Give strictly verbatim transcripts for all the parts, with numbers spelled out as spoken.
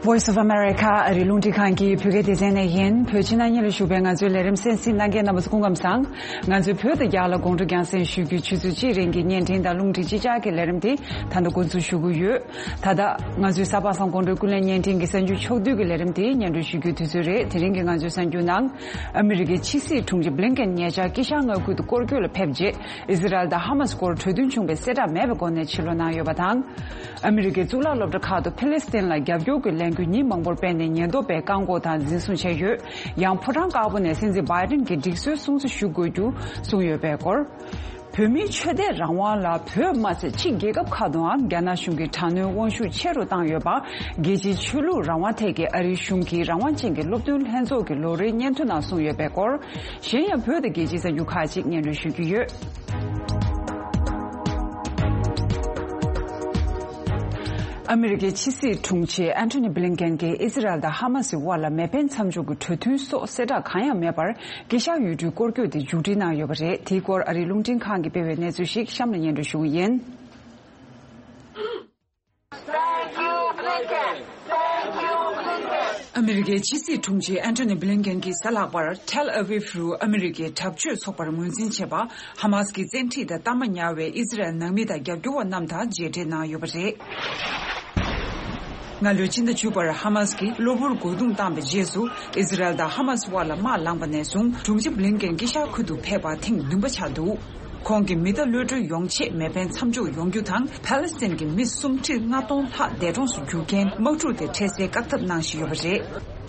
Voice of America ཨ་རིའི་རླུང་འཕྲིན་ཁང་གི་བོད་སྐད་སྡེ་ཚན་ནས་ཡིན། བོད་ཕྱི་ནང་གཉིས་ལ་བཞུགས་པའི་ང་ཚོའི་ལས་རིམ་གསན་གཟིགས་གནང་མཁན་རྣམ་པ་ཚོ་སྐུ་ཁམས་བཟང་། ང་ཚོའི་བོད་དང་རྒྱ་ལ་དགོང་དྲོ་རྒྱང་སྲིང་ཞུ་རྒྱུའི་ཆུ་ཚོད་གཅིག་རིང་གི་བརྙན་འཕྲིན་དང་རླུང་འཕྲིན་གཅིག་ཅར་གྱི་ལས་རིམ་དེ་ད་ལྟ་འགོ་འཛུགས་ཞུ་གི་ཡོད། ད་ལྟ་ང་ཚོའི་གཟའ་པ་སངས་དགོང་དྲོའི་ཀུན་གླེང་བརྙན་འཕྲིན་གྱི་གསར་འགྱུར་ཕྱོགས་བསྡུས་ཀྱི་ལས་རིམ་དེ་སྙན་སྒྲོན་ཞུ་རྒྱུའི་དུས་ཚོད་རེད། དེ་རིང་གི་ང་ཚོའི་གསར་འགྱུར་ནང་། ཨ་མི་རི་ཀའི་ཕྱི་སྲིད་དྲུང་ཆེ་བྷི་ལིན་ཀེན་ཉེ་ཆར་དཀྱིལ་ཤར་མངའ་ཁུལ་དུ་སྐོར་སྐྱོད་ལ་ཕེབས་རྗེས། ཨི་ཟི་རལ་དང་ཧ་མ་སི་སྐོར་གྲོས་མཐུན་བྱུང་བའི་གསལ་བསྒྲགས་མེད་པའི་སྒོ་ནས་ཕྱིར་ལོག་གནང་ཡོད་པ་དང་། ཨ་མི་རི་ཀའི་གཙུག་ལག་སློབ་གྲྭ་ཁག་ཏུ་ཕེ་ལེ་སི་ཐན་ལ་རྒྱབ་སྐྱོར་གྱི་ལས་འགུལ་ཉིན་མང་པོར་སྤེལ་ནས་ཉེན་རྟོག་པས་བཀག་འགོག་དང་འཛིན་བཟུང་བྱས་ཡོད། ཡང་ཕོ་བྲང་དཀར་པོ་ནས་སྲིད་འཛིན་བྷའི་ཌེན་གྱིས་སྒྲིག་སྲོལ་སྲུང་བརྩི་ཞུ་དགོས་རྒྱུ་གསུངས་ཡོད་པའི་སྐོར། བོད་མིའི་ཆོས་དད་རང་དབང་ལ་བོད་མ་ཟད་ཕྱི་རྒྱལ་ཁབ་ཁག་ཏུའང་རྒྱ་ནག་གཞུང་གིས་དྲག་གནོན་དབང་ཤུགས་ཆེ་རུ་བཏང་ཡོད་པ། རྒྱལ་སྤྱིའི་ཆོས་ལུགས་རང་དབང་ཐད་ཀྱི་ཨ་རིའི་གཞུང་གི་རང་དབང་ཅན་གྱི་སློབ་སྟོན་ལྷན་ཚོགས་ཀྱི་ལོ་རེའི་སྙན་ཐོ་ནང་གསུངས་ཡོད་པའི་སྐོར། གཞན་ཡང་བོད་དང་རྒྱལ་སྤྱིའི་གསར་འགྱུར་ཁག་ཅིག་སྙན་སྒྲོན་ཞུ་རྒྱུ་ཡོད། ཨ་མི་རི་ཀའི་ཕྱི་སྲིད་དྲུང་ཆེ་ཨན་ཐོ་ནི་བྷི་ལིན་ཀེན་གྱིས་ཨི་ཟི་རལ་དང་ཧ་མ་སི་དབར་ལ་མེ་འཕེན་མཚམས་འཇོག་གི་གྲོས་མཐུན་སོགས་གསལ་བསྒྲགས་གང་ཡང་མེད་པར། དཀྱིལ་ཤར་ཡུལ་གྲུའི་སྐོར་སྐྱོད་དེ་མཇུག་སྒྲིལ་གནང་ཡོད་པ་རེད། དེའི་སྐོར་ཨ་རིའི་རླུང་འཕྲིན་ཁང་གིས་སྤེལ་བའི་གནས་ཚུལ་ཞིག་གཤམ་ལ་སྙན་སྒྲོན་ཞུ་གི་ཡིན། Thank you, Blinken. Thank you, Blinken. ཨ་མི་རི་ཀའི་ཕྱི་སྲིད་དྲུང་ཆེ་ཨན་ཐོ་ནི་བྷི་ལིན་ཀེན་གྱིས་གཟའ་ལྷག་པར་ཐེལ་ཨ་ཝིབ་རུ་ཨ་མི་རི་ཀའི་དྲག་སྤྱོད་ཚོགས་པར་ངོས་འཛིན་བྱེད་པ། ཧ་མ་སི་གི་བཙན་ཁྲིད་དང་གཏའ་མ་ཉར་བའི་ཨི་ཟི་རལ་ནང་མི་དང་རྒྱབ་སྐྱོར་བ་རྣམས་དང་མཇལ་འཕྲད་གནང་ཡོད་པ་རེད། སྔ་ལོའི་ཕྱི་ཟླ་བཅུ་པར་ཧ་མ་སི་གིས་གློ་བུར་རྒོལ་རྡུང་བཏང་བའི་རྗེས་སུ། ཨི་ཟི་རལ་དང་ཧ་མ་སི་དབར་ལ་དམག་ལངས་པ་ནས་བཟུང་། དྲུང་ཆེ་བྷི་ལིན་ཀེན་དཀྱིལ་ཤར་ཁུལ་དུ་ཕེབས་པ་ཐེངས་བདུན་པ་ཆགས་འདུག་ཁོང་གིས་མི་གཏའ་གློད་གྲོལ་ཡོང་ཆེད་མེ་འཕེན་མཚམས་འཇོག་ཡོང་རྒྱུ་དང་། ཕཱ་ལེ་སི་ཐན་གྱི་མི་སུམ་ཁྲི་ལྔ་སྟོང་ལྷག་འདས་གྲོངས་སུ་གྱུར་རྐྱེན་དམག་འཁྲུག་དེ་འཕྲལ་སེལ་བཀག་ཐབས་གནང་བཞིན་ཡོད་པ་རེད།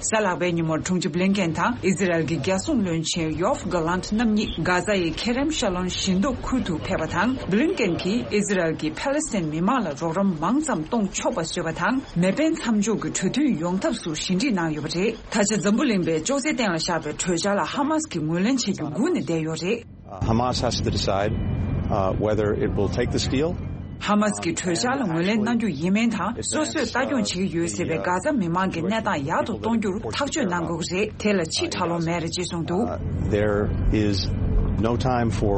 གཟའ་ལྷག་པའི་ཉིན་མོར་དྲུང་ཆེ་བྷི་ལིན་ཀེན་དང་ཨི་ཟི་རལ་གྱི་རྒྱལ་སྲུང་བློན་ཆེན་ཡོབ་གྷ་ལན་ཊི་རྣམ་གཉིས་གྷ་ཛ་ཡི་ཁེ་རེམ་ཤ་ལོན་ཞིང་སྡོད་ཁུལ་དུ་ཕེབས་པ་དང་། བྷི་ལིན་ཀེན་གྱིས་ཨི་ཟི་རལ་གྱིས་ཕཱ་ལེ་སི་ཐན་མི་མང་ལ་རོགས་རམ་མང་ཙམ་གཏོང་ཆོག་པ་བཟོས་པ་དང་། མེ་འཕེན་མཚམས་འཇོག་གི་གྲོས་མཐུན་ཡོང་ཐབས་སུ་ཞི་འགྲིག་གནང་ཡོད་པ་རེད། ད་ཆ་འཛམ་བུ་གླིང་པས་ཅོག་ཙེ་སྟེང་ལ་བཞག་པའི་གྲོས་འཆར་ལ་ཧ་མ་སི་གིས་ངོས་ལེན་བྱེད་རྒྱུ་སྒུག་ནས་བསྡད་ཡོད་རེད། Uh, Hamas has to decide, uh, whether it will take the steel. ཧ་མ་སི་གི་གྲོས་འཆར་ལ་ངོས་ལེན་གནང་རྒྱུ་ཡིན་མིན་དང་། སོ་སོས་ལྟ་སྐྱོང་བྱེད་ཀྱི་ཡོད་ཟེར་བའི་གྷ་ཛ་མི་མང་གི་གནས་སྟངས་ཡག་ཏུ་གཏོང་རྒྱུར་ཐག་གཅོད་གནང་དགོས་ཀྱི་རེད། དེ་ལ་ཕྱིས་འཁྲབ་ལོང་མེད་རེད་ཅེས་གསུངས་འདུག Uh, there is no time for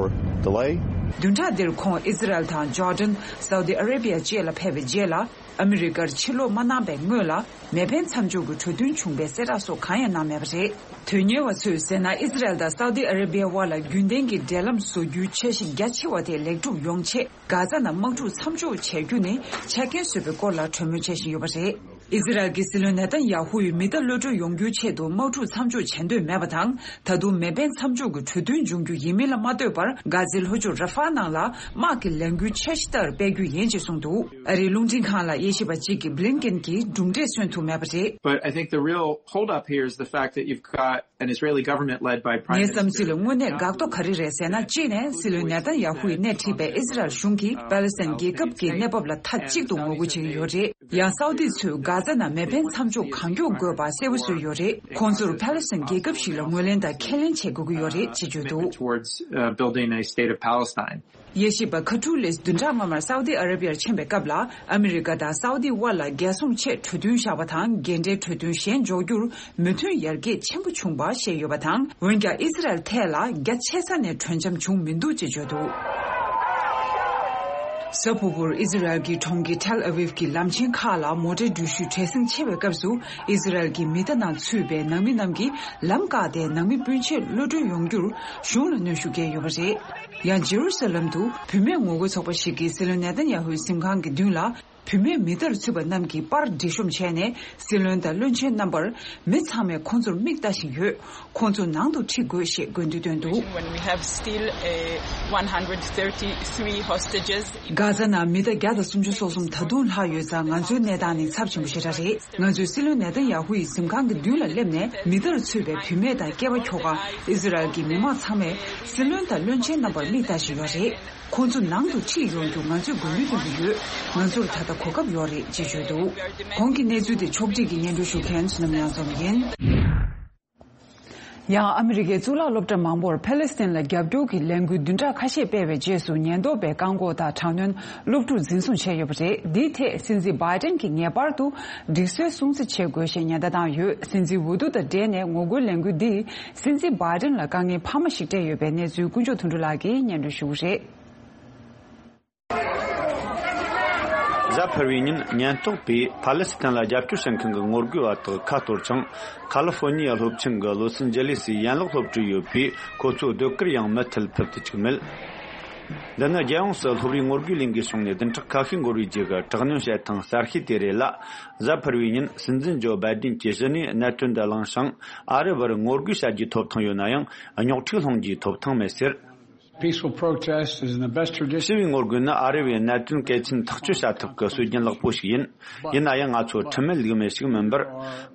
delay. བདུན་ཕྲག་འདིར་ཁོང་ཨི་ཟི་རལ་དང་ཇོར་ཌན། སའུ་ཏི་ཨ་རེ་བྷི་ཡ་བཅས་ལ་ཕེབས་པའི་རྗེས་ལ། ཨ་མི་རི་ཀར་ཕྱིར་ལོག་མ་གནང་བའི་སྔོན་ལ། མེ་འཕེན་མཚམས་འཇོག་གི་གྲོས་མཐུན་བྱུང་བའི་གསལ་བསྒྲགས་སོགས་གང་ཡང་གནང་མེད་པ་རེད། དོན་གཉེར་བ་ཚོས་ཟེར་ན། ཨི་ཟི་རལ་དང་སའུ་ཏི་ཨ་རེ་བྷི་ཡའི་དབར་ལ་རྒྱུན་ལྡན་གྱི་འབྲེལ་ལམ་བཟོ་རྒྱུའི་འཆར་གཞི་རྒྱ་ཆེ་བ་དེ་ལེགས་གྲུབ་ཡོང་ཆེད། གྷ་ཛ་ནང་དམག་འཁྲུག་མཚམས་འཇོག་བྱ་རྒྱུ་ནི་ཆ་རྐྱེན་བཟོས་པའི་སྐོར་ལ་གྲོས་མོལ་བྱེད་བཞིན་ཡོད་པ་རེད། ཨི་ཟི་རལ་གྱི་སྲིད་བློན་ནེ་ཐན་ཡ་ཧུ་ཡིས་མི་གཏའ་གློད་གྲོལ་ཡོང་རྒྱུའི་ཆེད་དུ་དམག་འཁྲུག་མཚམས་འཇོག་བྱེད་འདོད་མེད་པ་དང་། ད་དུང་མེ་འཕེན་མཚམས་འཇོག་གི་གྲོས་མཐུན་འབྱུང་རྒྱུ་ཡིན་མིན་ལ་མ་ལྟོས་པར། གྷ་ཛའི་ལྷོ་ཕྱོགས་ར་ཧྥ་ནང་ལ་དམག་གི་ལས་འགུལ་འཆར་གཞི་ལྟར་སྤེལ་རྒྱུ་ཡིན་ཅེས་གསུངས་འདུག་ཨ་རིའི་རླུང་འཕྲིན་ཁང་ལ་དབྱེ་ཞིབ་པ་གཅིག་གིས་བྷི་ལིན་ཀེན་གྱིས་གྲུབ་འབྲས་སོན་ཐུབ་མེད་པ་རེད། But I think the real holdup here is the fact that you've got an Israeli government led by Prime Minister Netanyahu. ངའི་བསམ་ཚུལ་ལ་དངོས་གནས་འགག་ཐོག་ག་རེ་རེད་ཟེར་ན། གཅིག་ནས་སྲིད་བློན་ནེ་ཐན་ཡ་ཧུ་ཡིས་སྣེ་ཁྲིད་པའི་ཨི་ཟི་རལ་གཞུང་གིས་པ་ལེ་སི་ཐན་རྒྱལ་ཁབ་ཀྱི་གནས་བབ་ལ་མཐའ་གཅིག་ཏུ་ངོ་རྒོལ་བྱེད་ཀྱི་ཡོད་རེད། ཡང་སའུ་ཏི་ཚོས་གྷ་ཛ་ནང་མེ་འཕེན་མཚམས་འཇོག་གང་མགྱོགས་དགོས་པ་གསལ་པོ་བཟོས་ཡོད་རེད། ཁོང་ཚོར་པ་ལེ་སི་ཐན་རྒྱལ་ཁབ་ཞིག་ལ་ངོས་ལེན་དང་ཁས་ལེན་བྱེད་དགོས་ཀྱི་ཡོད་རེད་ཅེས་བརྗོད་འདུག Towards, uh, building a state of Palestine. དབྱེ་ཞིབ་པ་ཁ་ཊུ་ལིས་བདུན་ཕྲག་སྔོན་མར་སའུ་ཏི་ཨ་ར་བི་ཡར་ཕྱིན་པའི་སྐབས་ལ། ཨ་མི་རི་ཀ་དང་སའུ་ཏི་དབར་ལ་རྒྱལ་སྲུང་ཆེད་གྲོས་མཐུན་བཞག་པ་དང་། རྒྱལ་འབྲེལ་གྲོས་མཐུན་གཞན་འཇོག་རྒྱུར་མོས་མཐུན་ཡར་རྒྱས་ཆེན་པོ་བྱུང་བ་བཤད་ཡོད་པ་དང་། འོན་ཀྱང་ཨི་ཟི་རལ་ཐད་ལ་རྒྱ་ཆེ་ས་ནས་གྲོས་འཆམ་བྱུང་མི་འདུག་ཅེས་བརྗོད་འདུག་གཟའ་ཕུར་བུར་ཨི་ཟི་རལ་གྱི་གྲོང་ཁྱེར་ཐེལ་ཨ་ཝིབ་ཀྱི་ལམ་ཆེན་ཁག་ལ་མོ་ཊའི་འགྲུལ་བཞུད་བྲེལ་ཟིང་ཆེ་བའི་སྐབས་སུ། ཨི་ཟི་རལ་གྱི་མི་གཏའ་ནང་ཚུད་པའི་ནང་མི་རྣམས་ཀྱིས་ལམ་བཀག་སྟེ། ནང་མི་སྤུན་མཆེད་གློད་གྲོལ་ཡོང་རྒྱུར་གཞུང་ལ་གནོན་ཤུགས་བསྐྱལ་ཡོད་པ་རེད། ཡང་ཇེ་རུ་ས་ལམ་དུ་བུད་མེད་ངོ་རྒོལ་ཚོགས་པ་ཞིག་གིས་སྲིད་བློན་ནེ་ཐན་ཡ་ཧུའི་གཟིམ་ཁང་གི་མདུན་ལ། བུད་མེད་མི་གཏར་ཚུད་པ་རྣམས་ཀྱི་པར་སྒྲིག་གཤོམ་བྱས་ནས། སྲིད་བློན་དང་བློན་ཆེན་རྣམ་པར་མི་ཚང་མས་ཁོང་ཚོར་མིག་ལྟ་བཞིན་ཡོད། ཁོང་ཚོ་ནང་དུ་ཁྲིད་དགོས་ཞེས་དགོས་འདུན་བཏོན་འདུག When we have still, uh, one hundred thirty-three hostages. གྷ་ཛ་ནང་མི་གཏའ་བརྒྱ་དང་སུམ་ཅུ་སོ་གསུམ་ད་དུང་ལྷག་ཡོད་ཙང་། ང་ཚོའི་གནས་སྟངས་ནི་ཚབས་ཆེན་པོ་ཞེ་དྲག་རེད། ང་ཚོས་སྲིད་བློན་ནེ་ཐན་ཡ་ཧུ་ཡི་གཟིམ་ཁང་གི་མདུན་ལ་སླེབས་ནས། མི་གཏར་ཚུད་པའི་བུད་མེད་དང་སྐྱེས་པ་ཁྱོ་ག་ཨི་ཟི་རལ་གྱི་མི་མང་ཚང་མས་སྲིད་བློན་དང་བློན་ཆེན་རྣམ་པར་མིག་ལྟ་བཞིན་ཡོད་རེད། ཁོང་ཚོ་ནང་དུ་ཁྲིད་ཡོང་རྒྱུ་ང་ཚོས་དགོས་འདུན་བཏོན་གྱི་ཡོད། ང་ཚོར་ད་ལྟ་གོ་སྐབས་ཡོད་རེད་ཅེས་བརྗོད་འདུག་གོང་གི་གནས་ཚུལ་དེ་ཕྱོགས་སྒྲིག་གིས་སྙན་སྒྲོན་ཞུ་མཁན་བསོད་ནམས་གཡང་འཛོམས་ཡིན། ཡང་ཨ་མི་རི་ཀའི་གཙུག་ལག་སློབ་གྲྭ་མང་པོར་ཕ་ལེ་སི་ཐན་ལ་རྒྱབ་སྐྱོར་གྱི་ལས་འགུལ་བདུན་ཕྲག་ཁ་ཤས་སྤེལ་བའི་རྗེས་སུ། ཉེན་རྟོག་པས་བཀག་འགོག་དང་དྲག་གནོན། སློབ་ཕྲུག་འཛིན་བཟུང་བྱས་ཡོད་པ་རེད། འདིའི་ཐད་སྲིད་འཛིན་བྷའི་ཏན་གྱིས་ངེས་པར་དུ་སྒྲིག་སྲོལ་སྲུང་བརྩི་བྱེད་དགོས་ཞེས་ཉེན་བརྡ་བཏང་ཡོད། སྲིད་འཛིན་འོས་བསྡུ་དང་འབྲེལ་ནས་ངོ་རྒོལ་ལས་འགུལ་འདིས་སྲིད་འཛིན་བྷའི་ཏན་ལ་དཀའ་ངལ་འཕར་མ་ཞིག་སྤྲད་ཡོད་པའི་གནས་ཚུལ་དཀོན་མཆོག་དོན་གྲུབ་ལགས་ཀྱིས་སྙན་སྒྲོན་ཞུ་གི་རེད། གཟའ་ཕུར་བུའི་ཉིན་ཉེན་རྟོག་པས་ཕ་ལེ་སི་ཐན་ལ་རྒྱབ་སྐྱོར་བྱེད་མཁན་གྱི་ངོ་རྒོལ་བ་དག་ཁ་གཏོར་ཅིང་། ཁ་ལི་ཧྥོ་ནི་ཡ་སློབ་ཆེན་གྱི་ལོ་སན་ཇེ་ལི་སི་ཡན་ལག་སློབ་གྲྭར་ཡོད་པའི་ཁོ་ཚོའི་ཟློས་གར་ཡང་མུ་མཐུད་ཕུད་དུ་བཅུག་མེད། འདི་ནི་རྒྱལ་ཡོངས་སུ་སློབ་རའི་ངོ་རྒོལ་ལས་འགུལ་བྱུང་ནས་བདུན་ཕྲག་ཁ་ཤས་འགོར་བའི་རྗེས་ཀྱི་དྲག་གནོན་བྱེད་སྟངས་གསར་ཤོས་དེ་རེད་ལ། གཟའ་ཕུར་བུའི་ཉིན་སྲིད་འཛིན་ཇོ་བྷའི་ཌེན་གྱིས་གཞི་ནས་གནད་དོན་འདི་བླངས་ཤིང་། ཨ་རི་བར་ངོ་རྒོལ་བྱ་རྒྱུའི་ཐོབ་ཐང་ཡོད་ན་ཡང་། རྙོག་དྲ་སློང་རྒྱུའི་ཐོབ་ཐང་མེད་ཟེར། Peaceful protest is in the best tradition. ཞི་བའི་ངོ་རྒོལ་ནི་ཨ་རི་བའི་གནད་དོན་གལ་ཆེན་ཐག་གཅོད་བྱ་ཐབས་ཀྱི་སྲོལ་རྒྱུན་ལེགས་པོ་ཞིག་ཡིན། ཡིན་ན་ཡང་ང་ཚོ་ཁྲིམས་མེད་ལུགས་མེད་ཞིག་མིན་པར།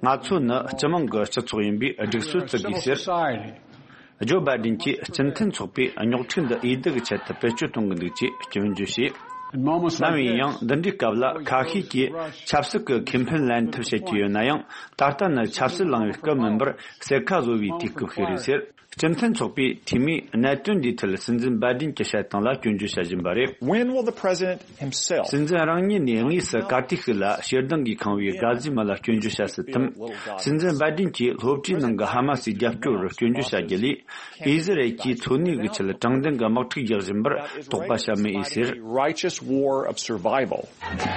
ང་ཚོ་ནི་སྤྱི་དམངས་ཀྱི་སྤྱི་ཚོགས་ཡིན་པས་སྒྲིག་སྲོལ་བརྩི་དགོས་ཟེར། ཇོ་བྷའི་ཌེན་གྱིས་སྤྱི་མཐུན་ཚོགས་པས་རྙོག་དྲ་འདི་འོས་བསྡུ་གི་ཆེད་དུ་བེད་སྤྱོད་གཏོང་གི་འདུག་ཅེས་སྐྱོན་བརྗོད་བྱས། ནམ་ཡིན་ཡང་འདི་འདྲའི་སྐབས་ལ་ཁ་ཤས་ཀྱིས་ཆབ་སྲིད་ཀྱི་ཁེ་ཕན་ལེན་ཐབས་བྱེད་ཀྱི་ཡོད་ན་ཡང་། ད་ལྟ་ནི་ཆབ་སྲིད་གླེང་བའི་སྐབས་མིན་པར་སེར་ཁ་བཟོ་བའི་དུས་སྐབས་ཤིག་རེད་ཟེར། སྤྱི་མཐུན་ཚོགས་པའི་འཐུས་མིས་གནད་དོན་འདིའི་ཐད་སྲིད་འཛིན་བྷའི་ཌེན་གྱི་བཤད་སྟངས་ལ་སྐྱོན་བརྗོད་བྱ་བཞིན་པ་རེད། When will the president himself? སྲིད་འཛིན་རང་ཉིད་ནས་དངོས་སུ་ག་དུས་ཤིག་ལ་ཞེ་སྡང་གིས་ཁེངས་པའི་གྷ་ཟའི་མི་ལ་སྐྱོན་བརྗོད་བྱ་སྲིད་དམ། སྲིད་འཛིན་བྷའི་ཌེན་གྱིས་སློབ་གྲྭའི་ནང་གི་ཧ་མ་སིའི་རྒྱབ་སྐྱོར་བར་སྐྱོན་བརྗོད་བྱ་རྒྱུ་ལས། ཨི་ཟི་རལ་གྱིས་འཚོ་གནས་ཀྱི་ཆེད་དྲང་བདེན་གྱི་དམག་འཁྲུག་རྒྱག་བཞིན་པར་དོགས་པ་བྱ་མི་འོས་ཟེར། Righteous war of survival.